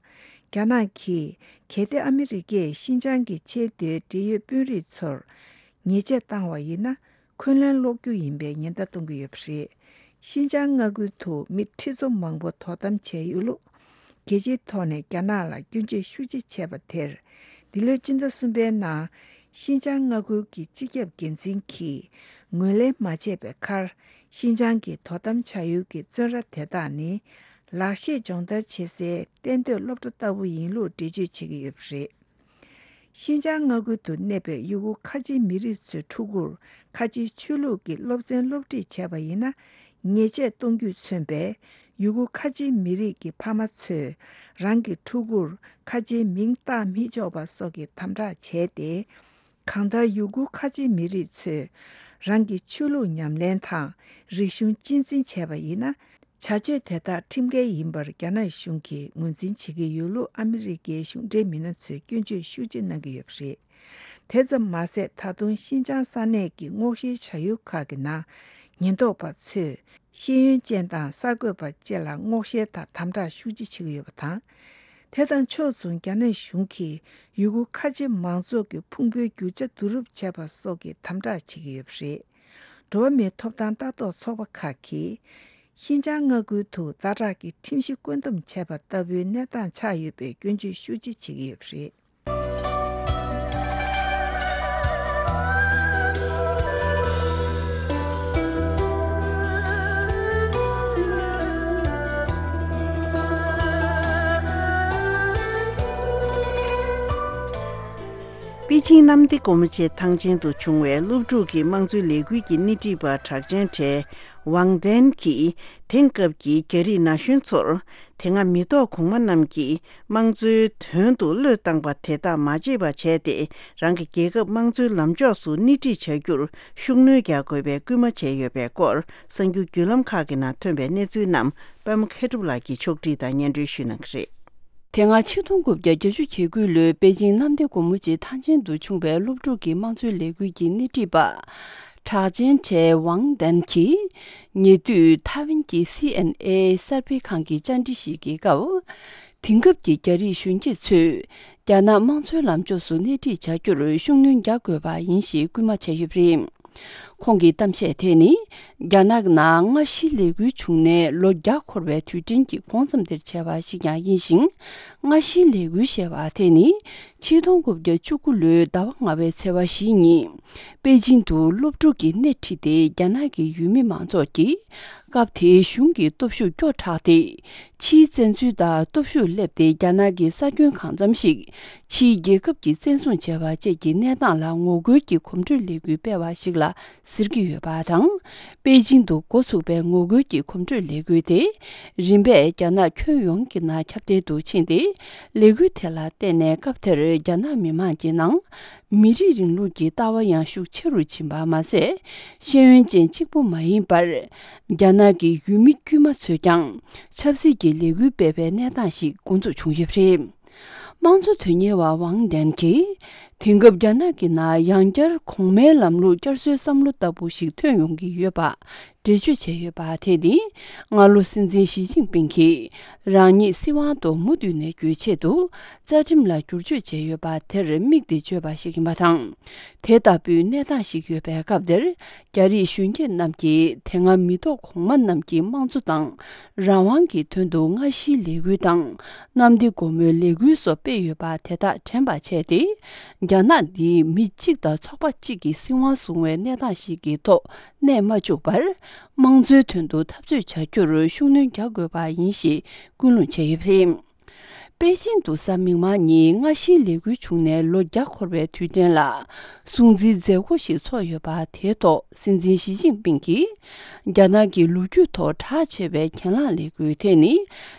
རྒྱ་ནག་གིས་གལ་ཏེ་ཨ་མི་རི་ཀས་ཤིན་ཅང་གི་ཆེས་མཐོའི་འབྲེལ་ཡོད་དཔོན་རིགས་ཚོར་ཉེས་ཆད་བཏང་བ་ཡིན་ན། འཁོན་ལན་སློག་རྒྱུ་ཡིན་པའི་ཉེན་བརྡ་གཏོང་གི་ཡོད་པ་རེད། ཤིན་ཅང་མངའ་ཁུལ་དུ་མི་ཁྲི་ཚོ་མང་པོ་དོ་དམ་བྱས་ཡོད་ལུགས། རྒྱལ་སྤྱིའི་ཐོག་ནས་རྒྱ་ནག་ལ་སྐྱོན་བརྗོད་ཤུགས་ཆེ་བྱས་པ་དེར། འདི་ལོའི་སྤྱི་ཟླ་གསུམ་པའི་ནང་། ཤིན་ཅང་མངའ་ཁུལ་གྱི་སྤྱི་ཁྱབ་འགན་འཛིན་གྱིས་ངོས་ལེན་མ་བྱས་པའི་ཁར། ཤིན་ཅང་གི་དོ་དམ་བྱ་ཡུལ་གྱི་བཙོན་ར་དེ་དག་ནི། ལག་ཤེས་སྦྱོང་བརྡར་བྱེད་སའི་གཏན་སྡོད་སློབ་གྲྭ་ལྟ་བུ་ཡིན་ལུགས་འགྲེལ་བརྗོད་བྱེད་ཀྱི་ཡོད་པ་རེད། ཤིན་ཅང་མངའ་ཁུལ་དུ་གནས་པའི་ཡུ་གུར་ཁ་ཆེའི་མི་རིགས་ཚོའི་ཕྲུ་གུར་ཁ་ཆེའི་ཆོས་ལུགས་ཀྱི་སློབ་ཚན་སློབ་ཁྲིད་བྱས་པ་ཡིན་ན། ཉེས་ཆད་གཏོང་རྒྱུས་མཚོན་པའི་ཡུ་གུར་ཁ་ཆེའི་མི་རིགས་ཀྱི་ཕ་མ་ཚོས་རང་གི་ཕྲུ་གུར་ཁ་ཆེའི་མིང་བཏགས་མི་ཆོག་པ་སོགས་ཀྱི་དམ་དྲག་བྱས་ཏེ། གང་ལྟར་ཡུ་གུར་ཁ་ཆེའི་མི་རིགས་ཚོས་རང་གི་ཆོས་ལུགས་ཉམས་ལེན་དང་རིག་གཞུང་གཅེས་འཛིན་བྱས་པ་ཡིན་ན། བྱ་སྤྱོད་དེ་དག་ཁྲིམས་འགལ་ཡིན་པར་རྒྱ་ནག་གཞུང་གིས་ངོས་འཛིན་བྱེད་ཀྱི་ཡོད་ལུགས་ཨ་མི་རི་ཀའི་གཞུང་འབྲེལ་མི་སྣ་ཚོས་སྐྱོན་བརྗོད་ཤུགས་ཆེ་གནང་གི་ཡོད་པ་རེད། དེ་ཙམ་མ་ཟད། ད་དུང་ཤིན་ཅང་ས་གནས་ཀྱི་སྔོག་བཤེར་བྱ་ཡུལ་ཁག་གི་ནང་ཉེན་རྟོག་པ་ཚོས་ཤེས་ཡོན་ཅན་དང་གསར་འགོད་པ་བཅས་ལ་སྔོག་བཤེར་དང་དམ་དྲག་ཤུགས་ཆེ་བྱེད་ཀྱི་ཡོད་པ་དང་། དེ་དང་ཕྱོགས་མཚུངས། རྒྱ་ནག་གཞུང་གིས་ཡུ་གུར་ཁ་ཆེ་མང་ཚོགས་ཀྱི་ཕུང་པོའི་རྒྱུ་ཆ་བསྡུ་རུབ་བྱས་པ་སོགས་ཀྱི་དམ་དྲག་བྱེད་ཀྱི་ཡོད་པ་རེད། འགྲོ་བ་མིའི་ཐོབ་ཐང་ལྟ་རྟོག་ཚོགས་པ་ཁག་གིས། ཤིན་ཅང་མངའ་ཁུལ་དུ་ཛ་དྲག་གི་ཁྲིམས་གཞི་བཀོད་འདོམས་བྱས་པ་ལྟ་བུའི་གནས་སྟངས་ཆགས་ཡོད་པའི་སྐྱོན་བརྗོད་ཤུགས་ཆེ་བྱེད་ཀྱི་ཡོད་པ་རེད། པེ་ཅིང་གནམ་བདེ་སྒོ་མོ་ཆེའི་ཐང་ཆེན་དུ་བྱུང་བའི་སློབ་ཕྲུག་གི་དམངས་གཙོའི་ལས་འགུལ་གྱི་སྣེ་ཁྲིད་པ་གྲགས་ཅན་གྲས་ཝང་ཏན་གྱིས། དེང་སྐབས་ཀྱི་རྒྱ་རིགས་ན་གཞོན་ཚོར་དེ་སྔ་མི་ཐོག་གོང་མ་རྣམས་ཀྱིས་དམངས་གཙོའི་དོན་དུ་བློས་བཏང་པ་དེ་དག་མ་བརྗེད་པ་བྱས་ཏེ། རང་གི་རྒྱལ་ཁབ་དམངས་གཙོའི་ལམ་ཕྱོགས་སུ་སྣེ་ཁྲིད་བྱ་རྒྱུར་ཤུགས་སྣོན་རྒྱག་དགོས་པའི་སྐུལ་མ་བྱས་ཡོད་པའི་སྐོར། གསར་འགྱུར་བརྒྱུད་ལམ་ཁག་གི་ནང་ཐོན་པའི་གནས་ཚུལ་རྣམས་པད་མ་མཁས་གྲུབ་ལགས་ཀྱིས་ཕྱོགས་སྒྲིག་དང་སྙན་སྒྲོན་ཞུས་གནང་གི་རེད། དེ་སྔ་ཆིག་སྟོང་དགུ་བརྒྱ་བརྒྱད་ཅུ་གྱ་དགུ་ལོའི་པེ་ཅིང་གནམ་བདེ་སྒོ་མོ་ཆེའི་ཐང་ཆེན་དུ་བྱུང་བའི་སློབ་ཕྲུག་གི་དམངས་གཙོའི་ལས་འགུལ་གྱི་སྣེ་ཁྲིད་པ། གྲགས་ཅན་གྲས་ཝང་ཏན་གྱིས། ཉེ་དུས་ཐའེ་ཝན་གྱི་སི་ཨེན་ཨེ་གསར་སྤེལ་ཁང་གི་བཅར་འདྲི་ཞིག་གི་སྐབས། དེང་སྐབས་ཀྱི་རྒྱ་རིགས་གཞོན་སྐྱེས་ཚོས་རྒྱ་ནག་དམངས་གཙོའི་ལམ་ཕྱོགས་སུ་སྣེ་ཁྲིད་བྱ་རྒྱུར་ཤུགས་སྣོན་རྒྱག་དགོས་པ་ཡིན་ཞེས་སྐུལ་མ་བྱས་ཡོད་པ་རེད། ཁོང་གི་གཏམ་བཤད་དེ་ནི། རྒྱ་ནག་ནང་སྔ་ཕྱིའི་ལས་འགུལ་བྱུང་ནས་ལོ་བརྒྱ་འཁོར་བའི་དུས་དྲན་གྱི་གོང་ཙམ་དེར་བྱས་པ་ཞིག་ཀྱང་ཡིན་ཞིང་། སྔ་ཕྱིའི་ལས་འགུལ་ཞེས་པ་དེ་ནི། ཆིག་སྟོང་དགུ་བརྒྱ་བཅུ་དགུ་ལོའི་ཟླ་བ་ལྔ་པའི་ཚེས་པ་བཞི་ཉིན། པེ་ཅིང་དུ་སློབ་ཕྲུག་གིས་སྣེ་ཁྲིད་དེ་རྒྱ་ནག་གི་ཡུལ་མི་མང་ཚོགས་ཀྱིས། སྐབས་དེའི་གཞུང་གི་སྟོབས་ཤུགས་སྐྱོ་དྲགས་ཏེ། ཕྱིའི་བཙན་འཛུལ་དང་སྟོབས་ཤུགས་སླེབས་ཏེ་རྒྱ་ནག་གི་ས་ཁྱོན་གང་འཚམ་ཞིག་ཕྱིའི་རྒྱལ་ཁབ་ཀྱིས་བཙན་བཟུང་བྱས་པ་བཅས་ཀྱི་གནས་སྟངས་ལ་ངོ་རྒོལ་གྱི་གོམ་བགྲོད་ལས་འགུལ་སྤེལ་བ་ཞིག་ལ་ཟེར་གྱི་ཡོད་པ་དང་། པེ་ཅིང་དུ་འགོ་ཚུགས་པའི་ངོ་རྒོལ་གྱི་གོམ་བགྲོད་ལས་འགུལ་དེ། རིམ་པས་རྒྱ་ནག་ཁྱོན་ཡོངས་ཀྱི་ནང་ཁྱབ་གདལ་དུ་ཕྱིན་ཏེ། ལས་འགུལ་དེ་ལ་བརྟེན་ནས་སྐབས་དེར་རྒྱ་ནག་མི་མང་གི་ནང་། མི་རིགས་རིང་ལུགས་ཀྱི་ལྟ་བ་ཡང་ཤུགས་ཆེ་རུ་ཕྱིན་པ་མ་ཟད། ཤེས་ཡོན་ཅན་གཅིག་པུ་མ་ཡིན་པར། རྒྱ་ནག་གི་ཡུལ་མི་དཀྱུས་མ་ཚོས་ཀྱང་ཆབ་སྲིད་ཀྱི་ལས་འགུལ་སྤེལ་བའི་གནས་སྟངས་ཤིག་འགོ་འཛུགས་བྱུང་ཡོད་པ་རེད། དམངས་གཙོ་དོན་གཉེར་བ་ཝང་ཏན་གྱིས། དེང་སྐབས་རྒྱ་ནག་གི་ནང་ཡང་བསྐྱར་གོང་མའི་ལམ་ལུགས་བསྐྱར་གསོའི་བསམ་བློ་ལྟ་བུ་ཞིག་ཐོན་ཡོང་གི་ཡོད་པ། འགྲེལ་བརྗོད་བྱས་ཡོད་པ་དེ་ནི། སྔ་ལོ་སྲིད་འཛིན་ཞི་ཅིན་ཕིང་གིས་རང་ཉིད་སྲིད་དབང་དུ་མུ་མཐུད་ནས་བསྐྱོད་ཆེད་དུ་རྩ་ཁྲིམས་ལ་བསྒྱུར་བཅོས་བྱས་ཡོད་པ་དེར་དམིགས་ཏེ་བརྗོད་པ་ཞིག་ཡིན་པ་དང་། དེ་ལྟ་བུའི་གནས་སྟངས་ཤིག་ཡོད་པའི་སྐབས་དེར། རྒྱ་རིགས་གཞོན་སྐྱེས་རྣམས་ཀྱིས་དེ་སྔ་མི་ཐོག་གོང་མ་རྣམས་ཀྱིས་དམངས་གཙོ་དང་། རང་དབང་གི་དོན་དུ་སྔ་ཕྱིའི་ལས་འགུལ་དང་། གནམ་བདེ་སྒོ་མོའི་ལས་འགུལ་སོགས་སྤེལ་ཡོད་པ་དེ་དག་དྲན་པ་བྱས་ཏེ། རྒྱ་ནག་འདིས་མི་གཅིག་དང་ཚོགས་པ་གཅིག་གིས་སྲིད་དབང་བཟུང་བའི་གནས་སྟངས་ཤིག་གི་ཐོག་གནས་མ་བཅུག་པར། དམངས་གཙོའི་དོན་དུ་འཐབ་རྩོད་བྱ་རྒྱུར་ཤུགས་སྣོན་རྒྱག་དགོས་པ་ཡིན་ཞེས་ཀུན་སློང་བྱས་ཡོད་པ་རེད། པེ་ཅིང་དུ་གཟའ་མིག་དམར་ཉིན་སྔ་ཕྱིའི་ལས་འགུལ་བྱུང་ནས་ལོ་བརྒྱ་འཁོར་བའི་དུས་དྲན་ལ་སྲུང་བརྩིའི་མཛད་སྒོ་ཞིག་ཚོགས་ཡོད་པ་དེའི་ཐོག་སྲིད་འཛིན་ཞི་ཅིན་ཕིང་གིས། རྒྱ་ནག་གི་ལོ་རྒྱུས་ཐོག་གྲགས་ཆེ་བའི་གྱེན་ལངས་ལས་འགུལ་དེ་ནི།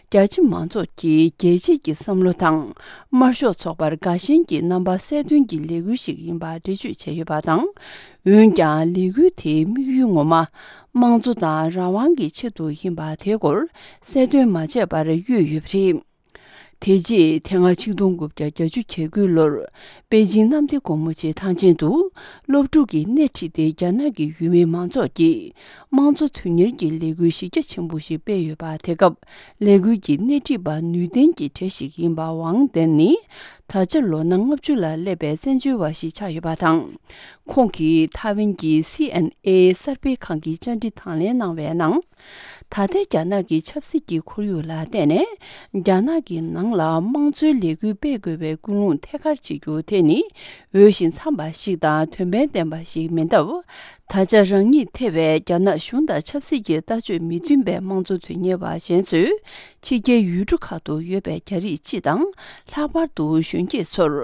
རྒྱ་ཆེ་མང་ཚོགས་ཀྱི་རྒྱལ་གཅེས་ཀྱི་བསམ་བློ་དང་། དམར་ཤོག་ཚོགས་པར་དགའ་ཞེན་གྱི་རྣམ་པ་གསལ་སྟོན་གྱི་ལས་འགུལ་ཞིག་ཡིན་པ་འགྲེལ་བརྗོད་བྱས་ཡོད་པ་དང་། འོན་ཀྱང་ལས་འགུལ་དེའི་དམིགས་ཡུལ་ངོ་མ། དམངས་གཙོ་དང་རང་དབང་གི་ཆེད་དུ་ཡིན་པ་དེའི་སྐོར་གསལ་སྟོན་མ་བྱས་པར་གཡོས་ཡོད་པ་རེད། དེ་རྗེས་དེ་སྔ་ཆིག་སྟོང་དགུ་བརྒྱ་བརྒྱད་ཅུ་གྱ་དགུ་ལོར་པེ་ཅིང་གནམ་བདེ་སྒོ་མོ་ཆེའི་ཐང་ཆེན་དུ་སློབ་ཕྲུག་གིས་སྣེ་ཁྲིད་དེ་རྒྱ་ནག་གི་ཡུལ་མི་མང་ཚོགས་ཀྱིས་དམངས་གཙོ་དོན་གཉེར་གྱི་ལས་འགུལ་གཞི་རྒྱ་ཆེན་པོ་ཞིག་སྤེལ་ཡོད་པ། དེ་སྐབས་ལས་འགུལ་གྱི་སྣེ་ཁྲིད་པ་ནུས་ལྡན་གྱི་གྲས་ཤིག་ཡིན་པ་ཝང་ཏན་ནི། ད་ཆ་ལོ་ན་ལྔ་བཅུ་ལ་སླེབས་པའི་བཙན་བྱོལ་བ་ཞིག་ཆགས་ཡོད་པ་དང་། ཁོང་གིས་ཐའེ་ཝན་གྱི་སི་ཨེན་ཨེ་གསར་སྤེལ་ཁང་གི་བཅར་འདྲི་དང་ལེན་གནང་བའི་ནང་། ད་ལྟའི་རྒྱ་ནག་གི་ཆབ་སྲིད་ཀྱི་ཁོར་ཡུག་ལ་བལྟས་ནས། རྒྱ་ནག་གི་ནང་ལ་དམངས་གཙོའི་ལས་འགུལ་སྤེལ་དགོས་པའི་ཀུན་སློང་ཐད་ཀར་བྱེད་རྒྱུ་དེ་ནི། འོས་ཤིང་འཚམས་པ་ཞིག་དང་དོན་ཕན་ལྡན་པ་ཞིག་མིན་སྟབས། ད་ཆ་རང་ཉིད་ཐེ་བའི་རྒྱ་ནག་གཞུང་དང་ཆབ་སྲིད་ཀྱི་ལྟ་སྤྱོད་མི་མཐུན་པའི་དམངས་གཙོ་དོན་གཉེར་བ་གཞན་ཚོས། ཕྱི་རྒྱལ་ཡུལ་གྲུ་ཁག་ཏུ་ཡོད་པའི་རྒྱ་རིགས་སྤྱི་དང་། ལྷག་པར་དུ་གཞོན་སྐྱེས་ཚོར།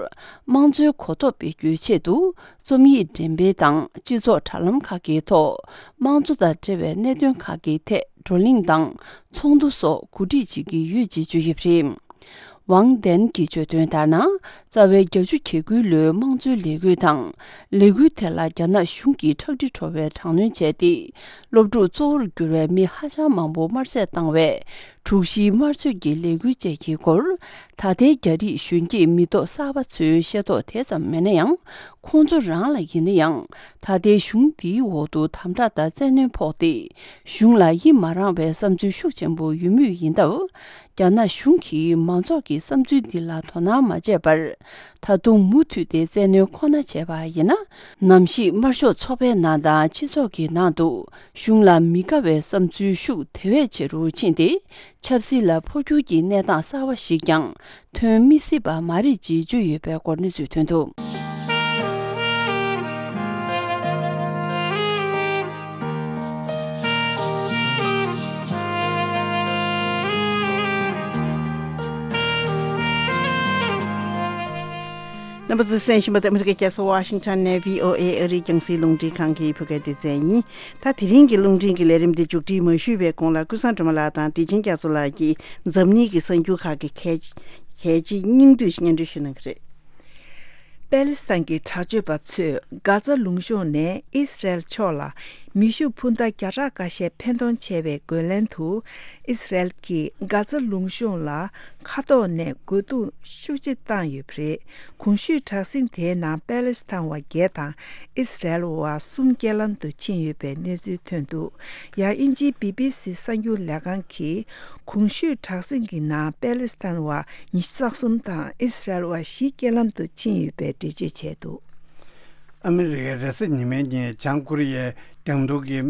དམངས་གཙོའི་གོ་རྟོགས་སྤེལ་རྒྱུའི་ཆེད་དུ། རྩོམ་ཡིག་འགྲེམས་སྤེལ་དང་སྤྱི་ཚོགས་དྲ་ལམ་ཁག་གི་ཐོག་དམངས་གཙོ་དང་འབྲེལ་བའི་གནད་དོན་ཁག་གི་ཐད་བགྲོ་གླེང་དང་ཚོགས་འདུ་སོགས་གོ་སྒྲིག་བྱེད་ཀྱི་ཡོད་ཅེས་བརྗོད་ཡོད་པ་རེད། ཝང་ཏན་གྱིས་བརྗོད་དོན་ལྟར་ན། རྩ་བའི་བརྒྱད་ཅུ་གྱ་དགུ་ལོའི་དམངས་གཙོའི་ལས་འགུལ་དང་། ལས་འགུལ་དེ་ལ་རྒྱ་ནག་གཞུང་གིས་ཁྲག་དྲི་བྲོ་བའི་དྲག་གནོན་བྱས་ཏེ། སློབ་ཕྲུག་གཙོ་བོར་གྱུར་བའི་མི་ཧ་ཅང་མང་པོ་དམར་གསོད་བཏང་བའི། དྲུག་བཞིའི་དམར་གསོད་ཀྱི་ལས་འགུལ་བཅས་ཀྱི་སྐོར། ད་ལྟའི་རྒྱ་རིགས་གཞོན་སྐྱེས་མི་ཐོག་གསར་པ་ཚོའི་ཤེས་རྟོགས་དེ་ཙམ་མེད་ན་ཡང་། ཁོང་ཚོ་རང་ལ་ཡིན་ན་ཡང་། ད་ལྟའི་གཞུང་འདིའི་འོག་ཏུ་དམ་དྲག་དང་བཙན་གནོན་ཕོག་སྟེ། གཞུང་ལ་ཡི་མ་རངས་པའི་བསམ་ཚུལ་ཤུགས་ཆེན་པོ་ཡོད་མུས་ཡིན་སྟབས། རྒྱ་ནག་གཞུང་གིས་མང་ཚོགས་ཀྱི་བསམ་ཚུལ་འདི་ལ་དོ་སྣང་མ་བྱས་པར། ད་དུང་མུ་མཐུད་དེ་བཙན་གནོན་ཁོ་ན་བྱས་པ་ཡིན་ན། ནམ་ཞིག་དམར་ཤོག་ཚོགས་པའི་ནང་དང་སྤྱི་ཚོགས་ཀྱི་ནང་དུ། གཞུང་ལ་མི་དགའ་བའི་བསམ་ཚུལ་ཤུགས་དེ་བས་ཆེ་རུ་ཕྱིན་ཏེ། ཆབ་སྲིད་ལ་འཕོ་འགྱུར་གྱི་གནས་སྟངས་གསར་བ་ཞིག་ཀྱང་ཐོན་མི་སྲིད་པ་མ་རེད་ཅེས་བརྗོད་ཡོད་པའི་སྐོར་གནས་ཚུལ་ཐོན་འདུག་རྣམ་པ་ཚོས་གསན་བཞིན་པ་དེ་ཨ་མི་རི་ཀའི་རྒྱལ་ས་ཝ་ཤིང་ཊོན་ནས་བྷི་ཨོ་ཨེ་ཨ་རིའི་རྒྱང་སྲིང་རླུང་འཕྲིན་ཁང་གི་བོད་སྐད་སྡེ་ཚན་ཡིན། ད་དེ་རིང་གི་རླུང་འཕྲིན་གྱི་ལས་རིམ་འདི་མཇུག་སྒྲིལ་མ་ཞུས་པའི་གོང་ལ་ཀུན་བཟང་སྒྲོལ་མ་ལགས་དང་བདེ་ཆེན་རྒྱ་མཚོ་ལགས་ཀྱིས་འཛམ་གླིང་གི་གསར་འགྱུར་ཁག་གི་གལ་གལ་ཆེའི་སྙིང་བསྡུས་སྙན་སྒྲོན་ཞུ་གནང་གི་རེད། པེ་ལི་སི་ཐན་གྱི་དྲག་སྤྱོད་པ་ཚོས་གྷ་ཛ་ལུང་གཤོང་ནས་ཨི་སི་རེལ་ཕྱོགས་ལ་མེ་ཤུགས་འཕུར་མདའ་བརྒྱ་ཕྲག་འགའ་ཤས་འཕེན་གཏོང་བྱས་པའི་རྒོལ་ལན་དུ། ཨི་སི་རེལ་གྱིས་གྷ་ཛ་ལུང་གཤོང་ལ་མཁའ་ཐོག་ནས་རྒོལ་རྡུང་ཤུགས་ཆེ་བཏང་ཡོད་པ་རེད། གོང་ཞུས་དྲག་ཟིང་དེའི་ནང་པེ་ལི་སི་ཐན་བ་བརྒྱད་དང་ཨི་སི་རེལ་བ་གསུམ་རྐྱེན་ལམ་དུ་ཕྱིན་ཡོད་པའི་གནས་ཚུལ་ཐོན་འདུག་ཡང་དབྱིན་ཇིའི་བི་བི་སི་གསར་འགྱུར་ལས་ཁང་གིས་གོང་ཞུས་དྲག་ཟིང་གི་ནང་པེ་ལི་སི་ཐན་བ་ཉི་ཤུ་རྩ་གསུམ་དང་ཨི་སི་རེལ་བ་བཞི་རྐྱེན་ལམ་དུ་ཕྱིན་ཡོད་པའི་འགྲེལ་བརྗོད་བྱས་འདུག་ཨ་མི་རི་ཀས་རེས་གཟའ་ཉི་མའི་ཉིན་བྱང་ཀོ་རི་ཡའི་རྒྱང་མདོག་གི་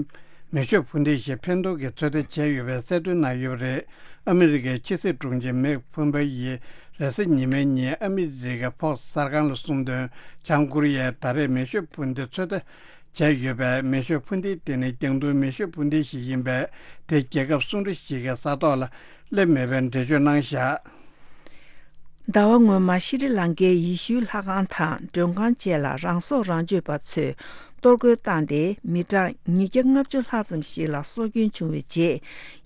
མེ་ཤུགས་འཕུར་མདེལ་ཞིག་འཕེན་གཏོང་གི་ཚོད་ལྟ་བྱས་ཡོད་པའི་གསལ་སྟོན་གནང་ཡོད་པ་རེད། ཨ་མི་རི་ཀའི་ཕྱི་སྲིད་དྲུང་ཆེ་མེག་ཕོམ་པེ་ཡིས་རེས་གཟའ་ཉི་མའི་ཉིན་ཨ་མི་རི་ཀའི་ཕོག་སི་གསར་ཁང་ལ་གསུངས་དོན། བྱང་ཀོ་རི་ཡས་ད་རེས་མེ་ཤུགས་འཕུར་མདེལ་ཚོད་ལྟ་བྱས་ཡོད་པས། མེ་ཤུགས་འཕུར་མདེལ་དེ་ནི་རྒྱང་མདོག་མེ་ཤུགས་འཕུར་མདེལ་ཞིག་ཡིན་པས། དེ་རྒྱལ་ཁབ་སུང་ཀྲི་ཞིག་གི་ས་ཐོག་ལ་སླེབས་མེད་པའི་འགྲེལ་བརྗོད་གནང་བཞག་ཟླ་བ་སྔོན་མ་ཤྲི་ལང་ཀའི་ཡེ་ཤུའི་ལྷ་ཁང་དང་མགྲོན་ཁང་བཅས་ལ་རང་སྲོག་རང་གཅོད་པ་ཚོས་གཏོར་རྒོལ་བཏང་སྟེ། མི་གྲངས་ཉིས་བརྒྱ་ལྔ་བཅུ་ལྷག་ཙམ་ཞིག་ལ་སྲོག་སྐྱོན་བྱུང་བའི་རྗེས།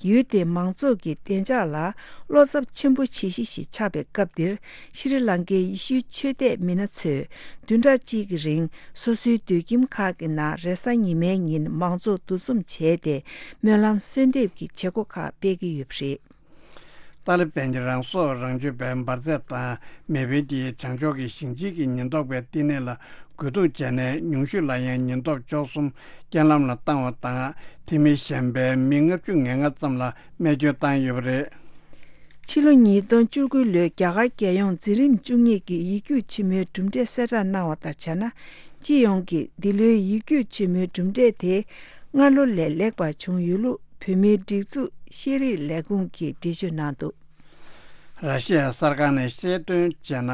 ཡུལ་དེའི་མང་ཚོགས་ཀྱི་བདེ་འཇགས་ལ་བློ་འཚབ་ཆེན་པོ་བྱེད་གཞི་ཞིག་ཆགས་པའི་སྐབས་འདིར། ཤྲི་ལང་ཀའི་ཡེ་ཤུའི་ཆོས་དད་མི་སྣ་ཚོས་བདུན་ཕྲག་གཅིག་གི་རིང་སོ་སོའི་སྡོད་ཁྱིམ་ཁག་གི་ནང་རེས་གཟའ་ཉི་མའི་ཉིན་མང་ཚོགས་འདུ་འཛོམས་བྱས་ཏེ། སྨོན་ལམ་གསོལ་འདེབས་ཀྱི་བྱེད་སྒོ་ཁག་སྤེལ་གྱི་ཡོད་པ་རེད། ཏཱ་ལི་བན་གྱིས་རང་སྲོག་རང་གཅོད་པའི་འབར་རྫས་དང་མེ་འཕེན་གྱིས་བྱང་ཕྱོགས་ཀྱི་ཞིང་ཆེན་གྱི་ཉེན་རྟོག་པའི་བསྟི་གནས་ལ་རྒོལ་རྡུང་བྱས་ནས། ཉུང་ཤོས་ལ་ཡང་ཉེན་རྟོག་བཅུ་གསུམ་རྐྱེན་ལམ་ལ་བཏང་བ་དང་། དེ་མིན་གཞན་པའི་མི་ལྔ་བཅུ་ང་ལྔ་ཙམ་ལ་རྨས་སྐྱོན་བཏང་ཡོད་པ་རེད། ཕྱི་ལོ་ཉིས་སྟོང་བཅུ་དགུ་ལོའི་རྒྱ་གར་རྒྱལ་ཡོངས་འཛིན་རིམ་བཅུ་གཉིས་ཀྱི་ཡིག་རྒྱུགས་ཆེན་མོའི་གྲུབ་འབྲས་གསལ་བསྒྲགས་གནང་བ་དང་སྦྱར་ན། སྤྱི་ཡོངས་ཀྱི་འདི་ལོའི་ཡིག་རྒྱུགས་ཆེན་མོའི་གྲུབ་འབྲས་དེ་སྔ་ལོ་ལས་ལེགས་པ་བྱུང་ཡོད་ལུགས། བོད་མིའི་སྒྲིག་འཛུགས་ཤེས་རིག་ལས་ཁུངས་ཀྱིས་འགྲེལ་བརྗོད་གནང་འདུག་ར་ཤི་ཡའི་གསར་ཁང་ནས་བཤད་དོན་བྱས་ན།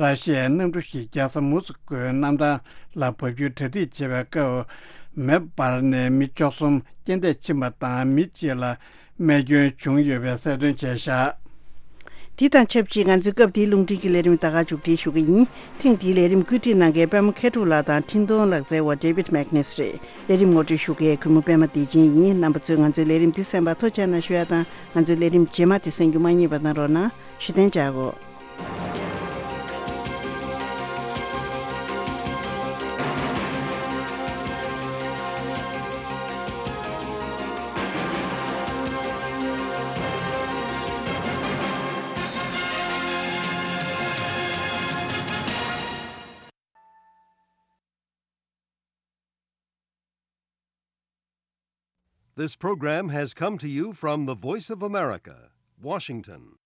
ར་ཤི་ཡའི་གནམ་གྲུ་ཞིག་རྒྱལ་ས་མུ་སི་ཀོའི་གནམ་ཐང་ལ་འབབ་རྒྱུའི་གྲ་སྒྲིག་བྱེད་པའི་སྐབས། མེ་འབར་ནས་མི་བཅུ་གསུམ་རྐྱེན་འདས་ཕྱིན་པ་དང་། མི་གཅིག་ལ་རྨས་སྐྱོན་བྱུང་ཡོད་པའི་གསལ་སྟོན་བྱས་བཞག་འདི་དང་ཆབས་ཅིག་ང་ཚོའི་སྐབས་འདིའི་རླུང་འཕྲིན་གྱི་ལས་རིམ་ད་ག་མཇུག་སྒྲིལ་ཞུ་གི་ཡིན། ཐེངས་འདིའི་ལས་རིམ་བཀོད་སྒྲིག་གནང་མཁན་པད་མ་མཁས་གྲུབ་ལགས་དང་འཕྲིན་གཏོང་ལག་རྩལ་བ་David Magnus་རེད། ལས་རིམ་ངོ་སྤྲོད་ཞུ་མཁན་གུས་མོ་པད་མ་བདེ་ཆེན་ཡིན། རྣམ་པ་ཚོས་ང་ཚོའི་ལས་རིམ་འདི་གསན་པར་ཐུགས་རྗེ་གནང་ཞུ་ཡ་དང་། ང་ཚོའི་ལས་རིམ་རྗེས་མ་དེ་གསན་རྒྱུ་མ་བསྙེལ་བ་གནང་རོགས་གནང་། བཞུགས་གདན་འཇགས་གོ། This program has come to you from the Voice of America, Washington.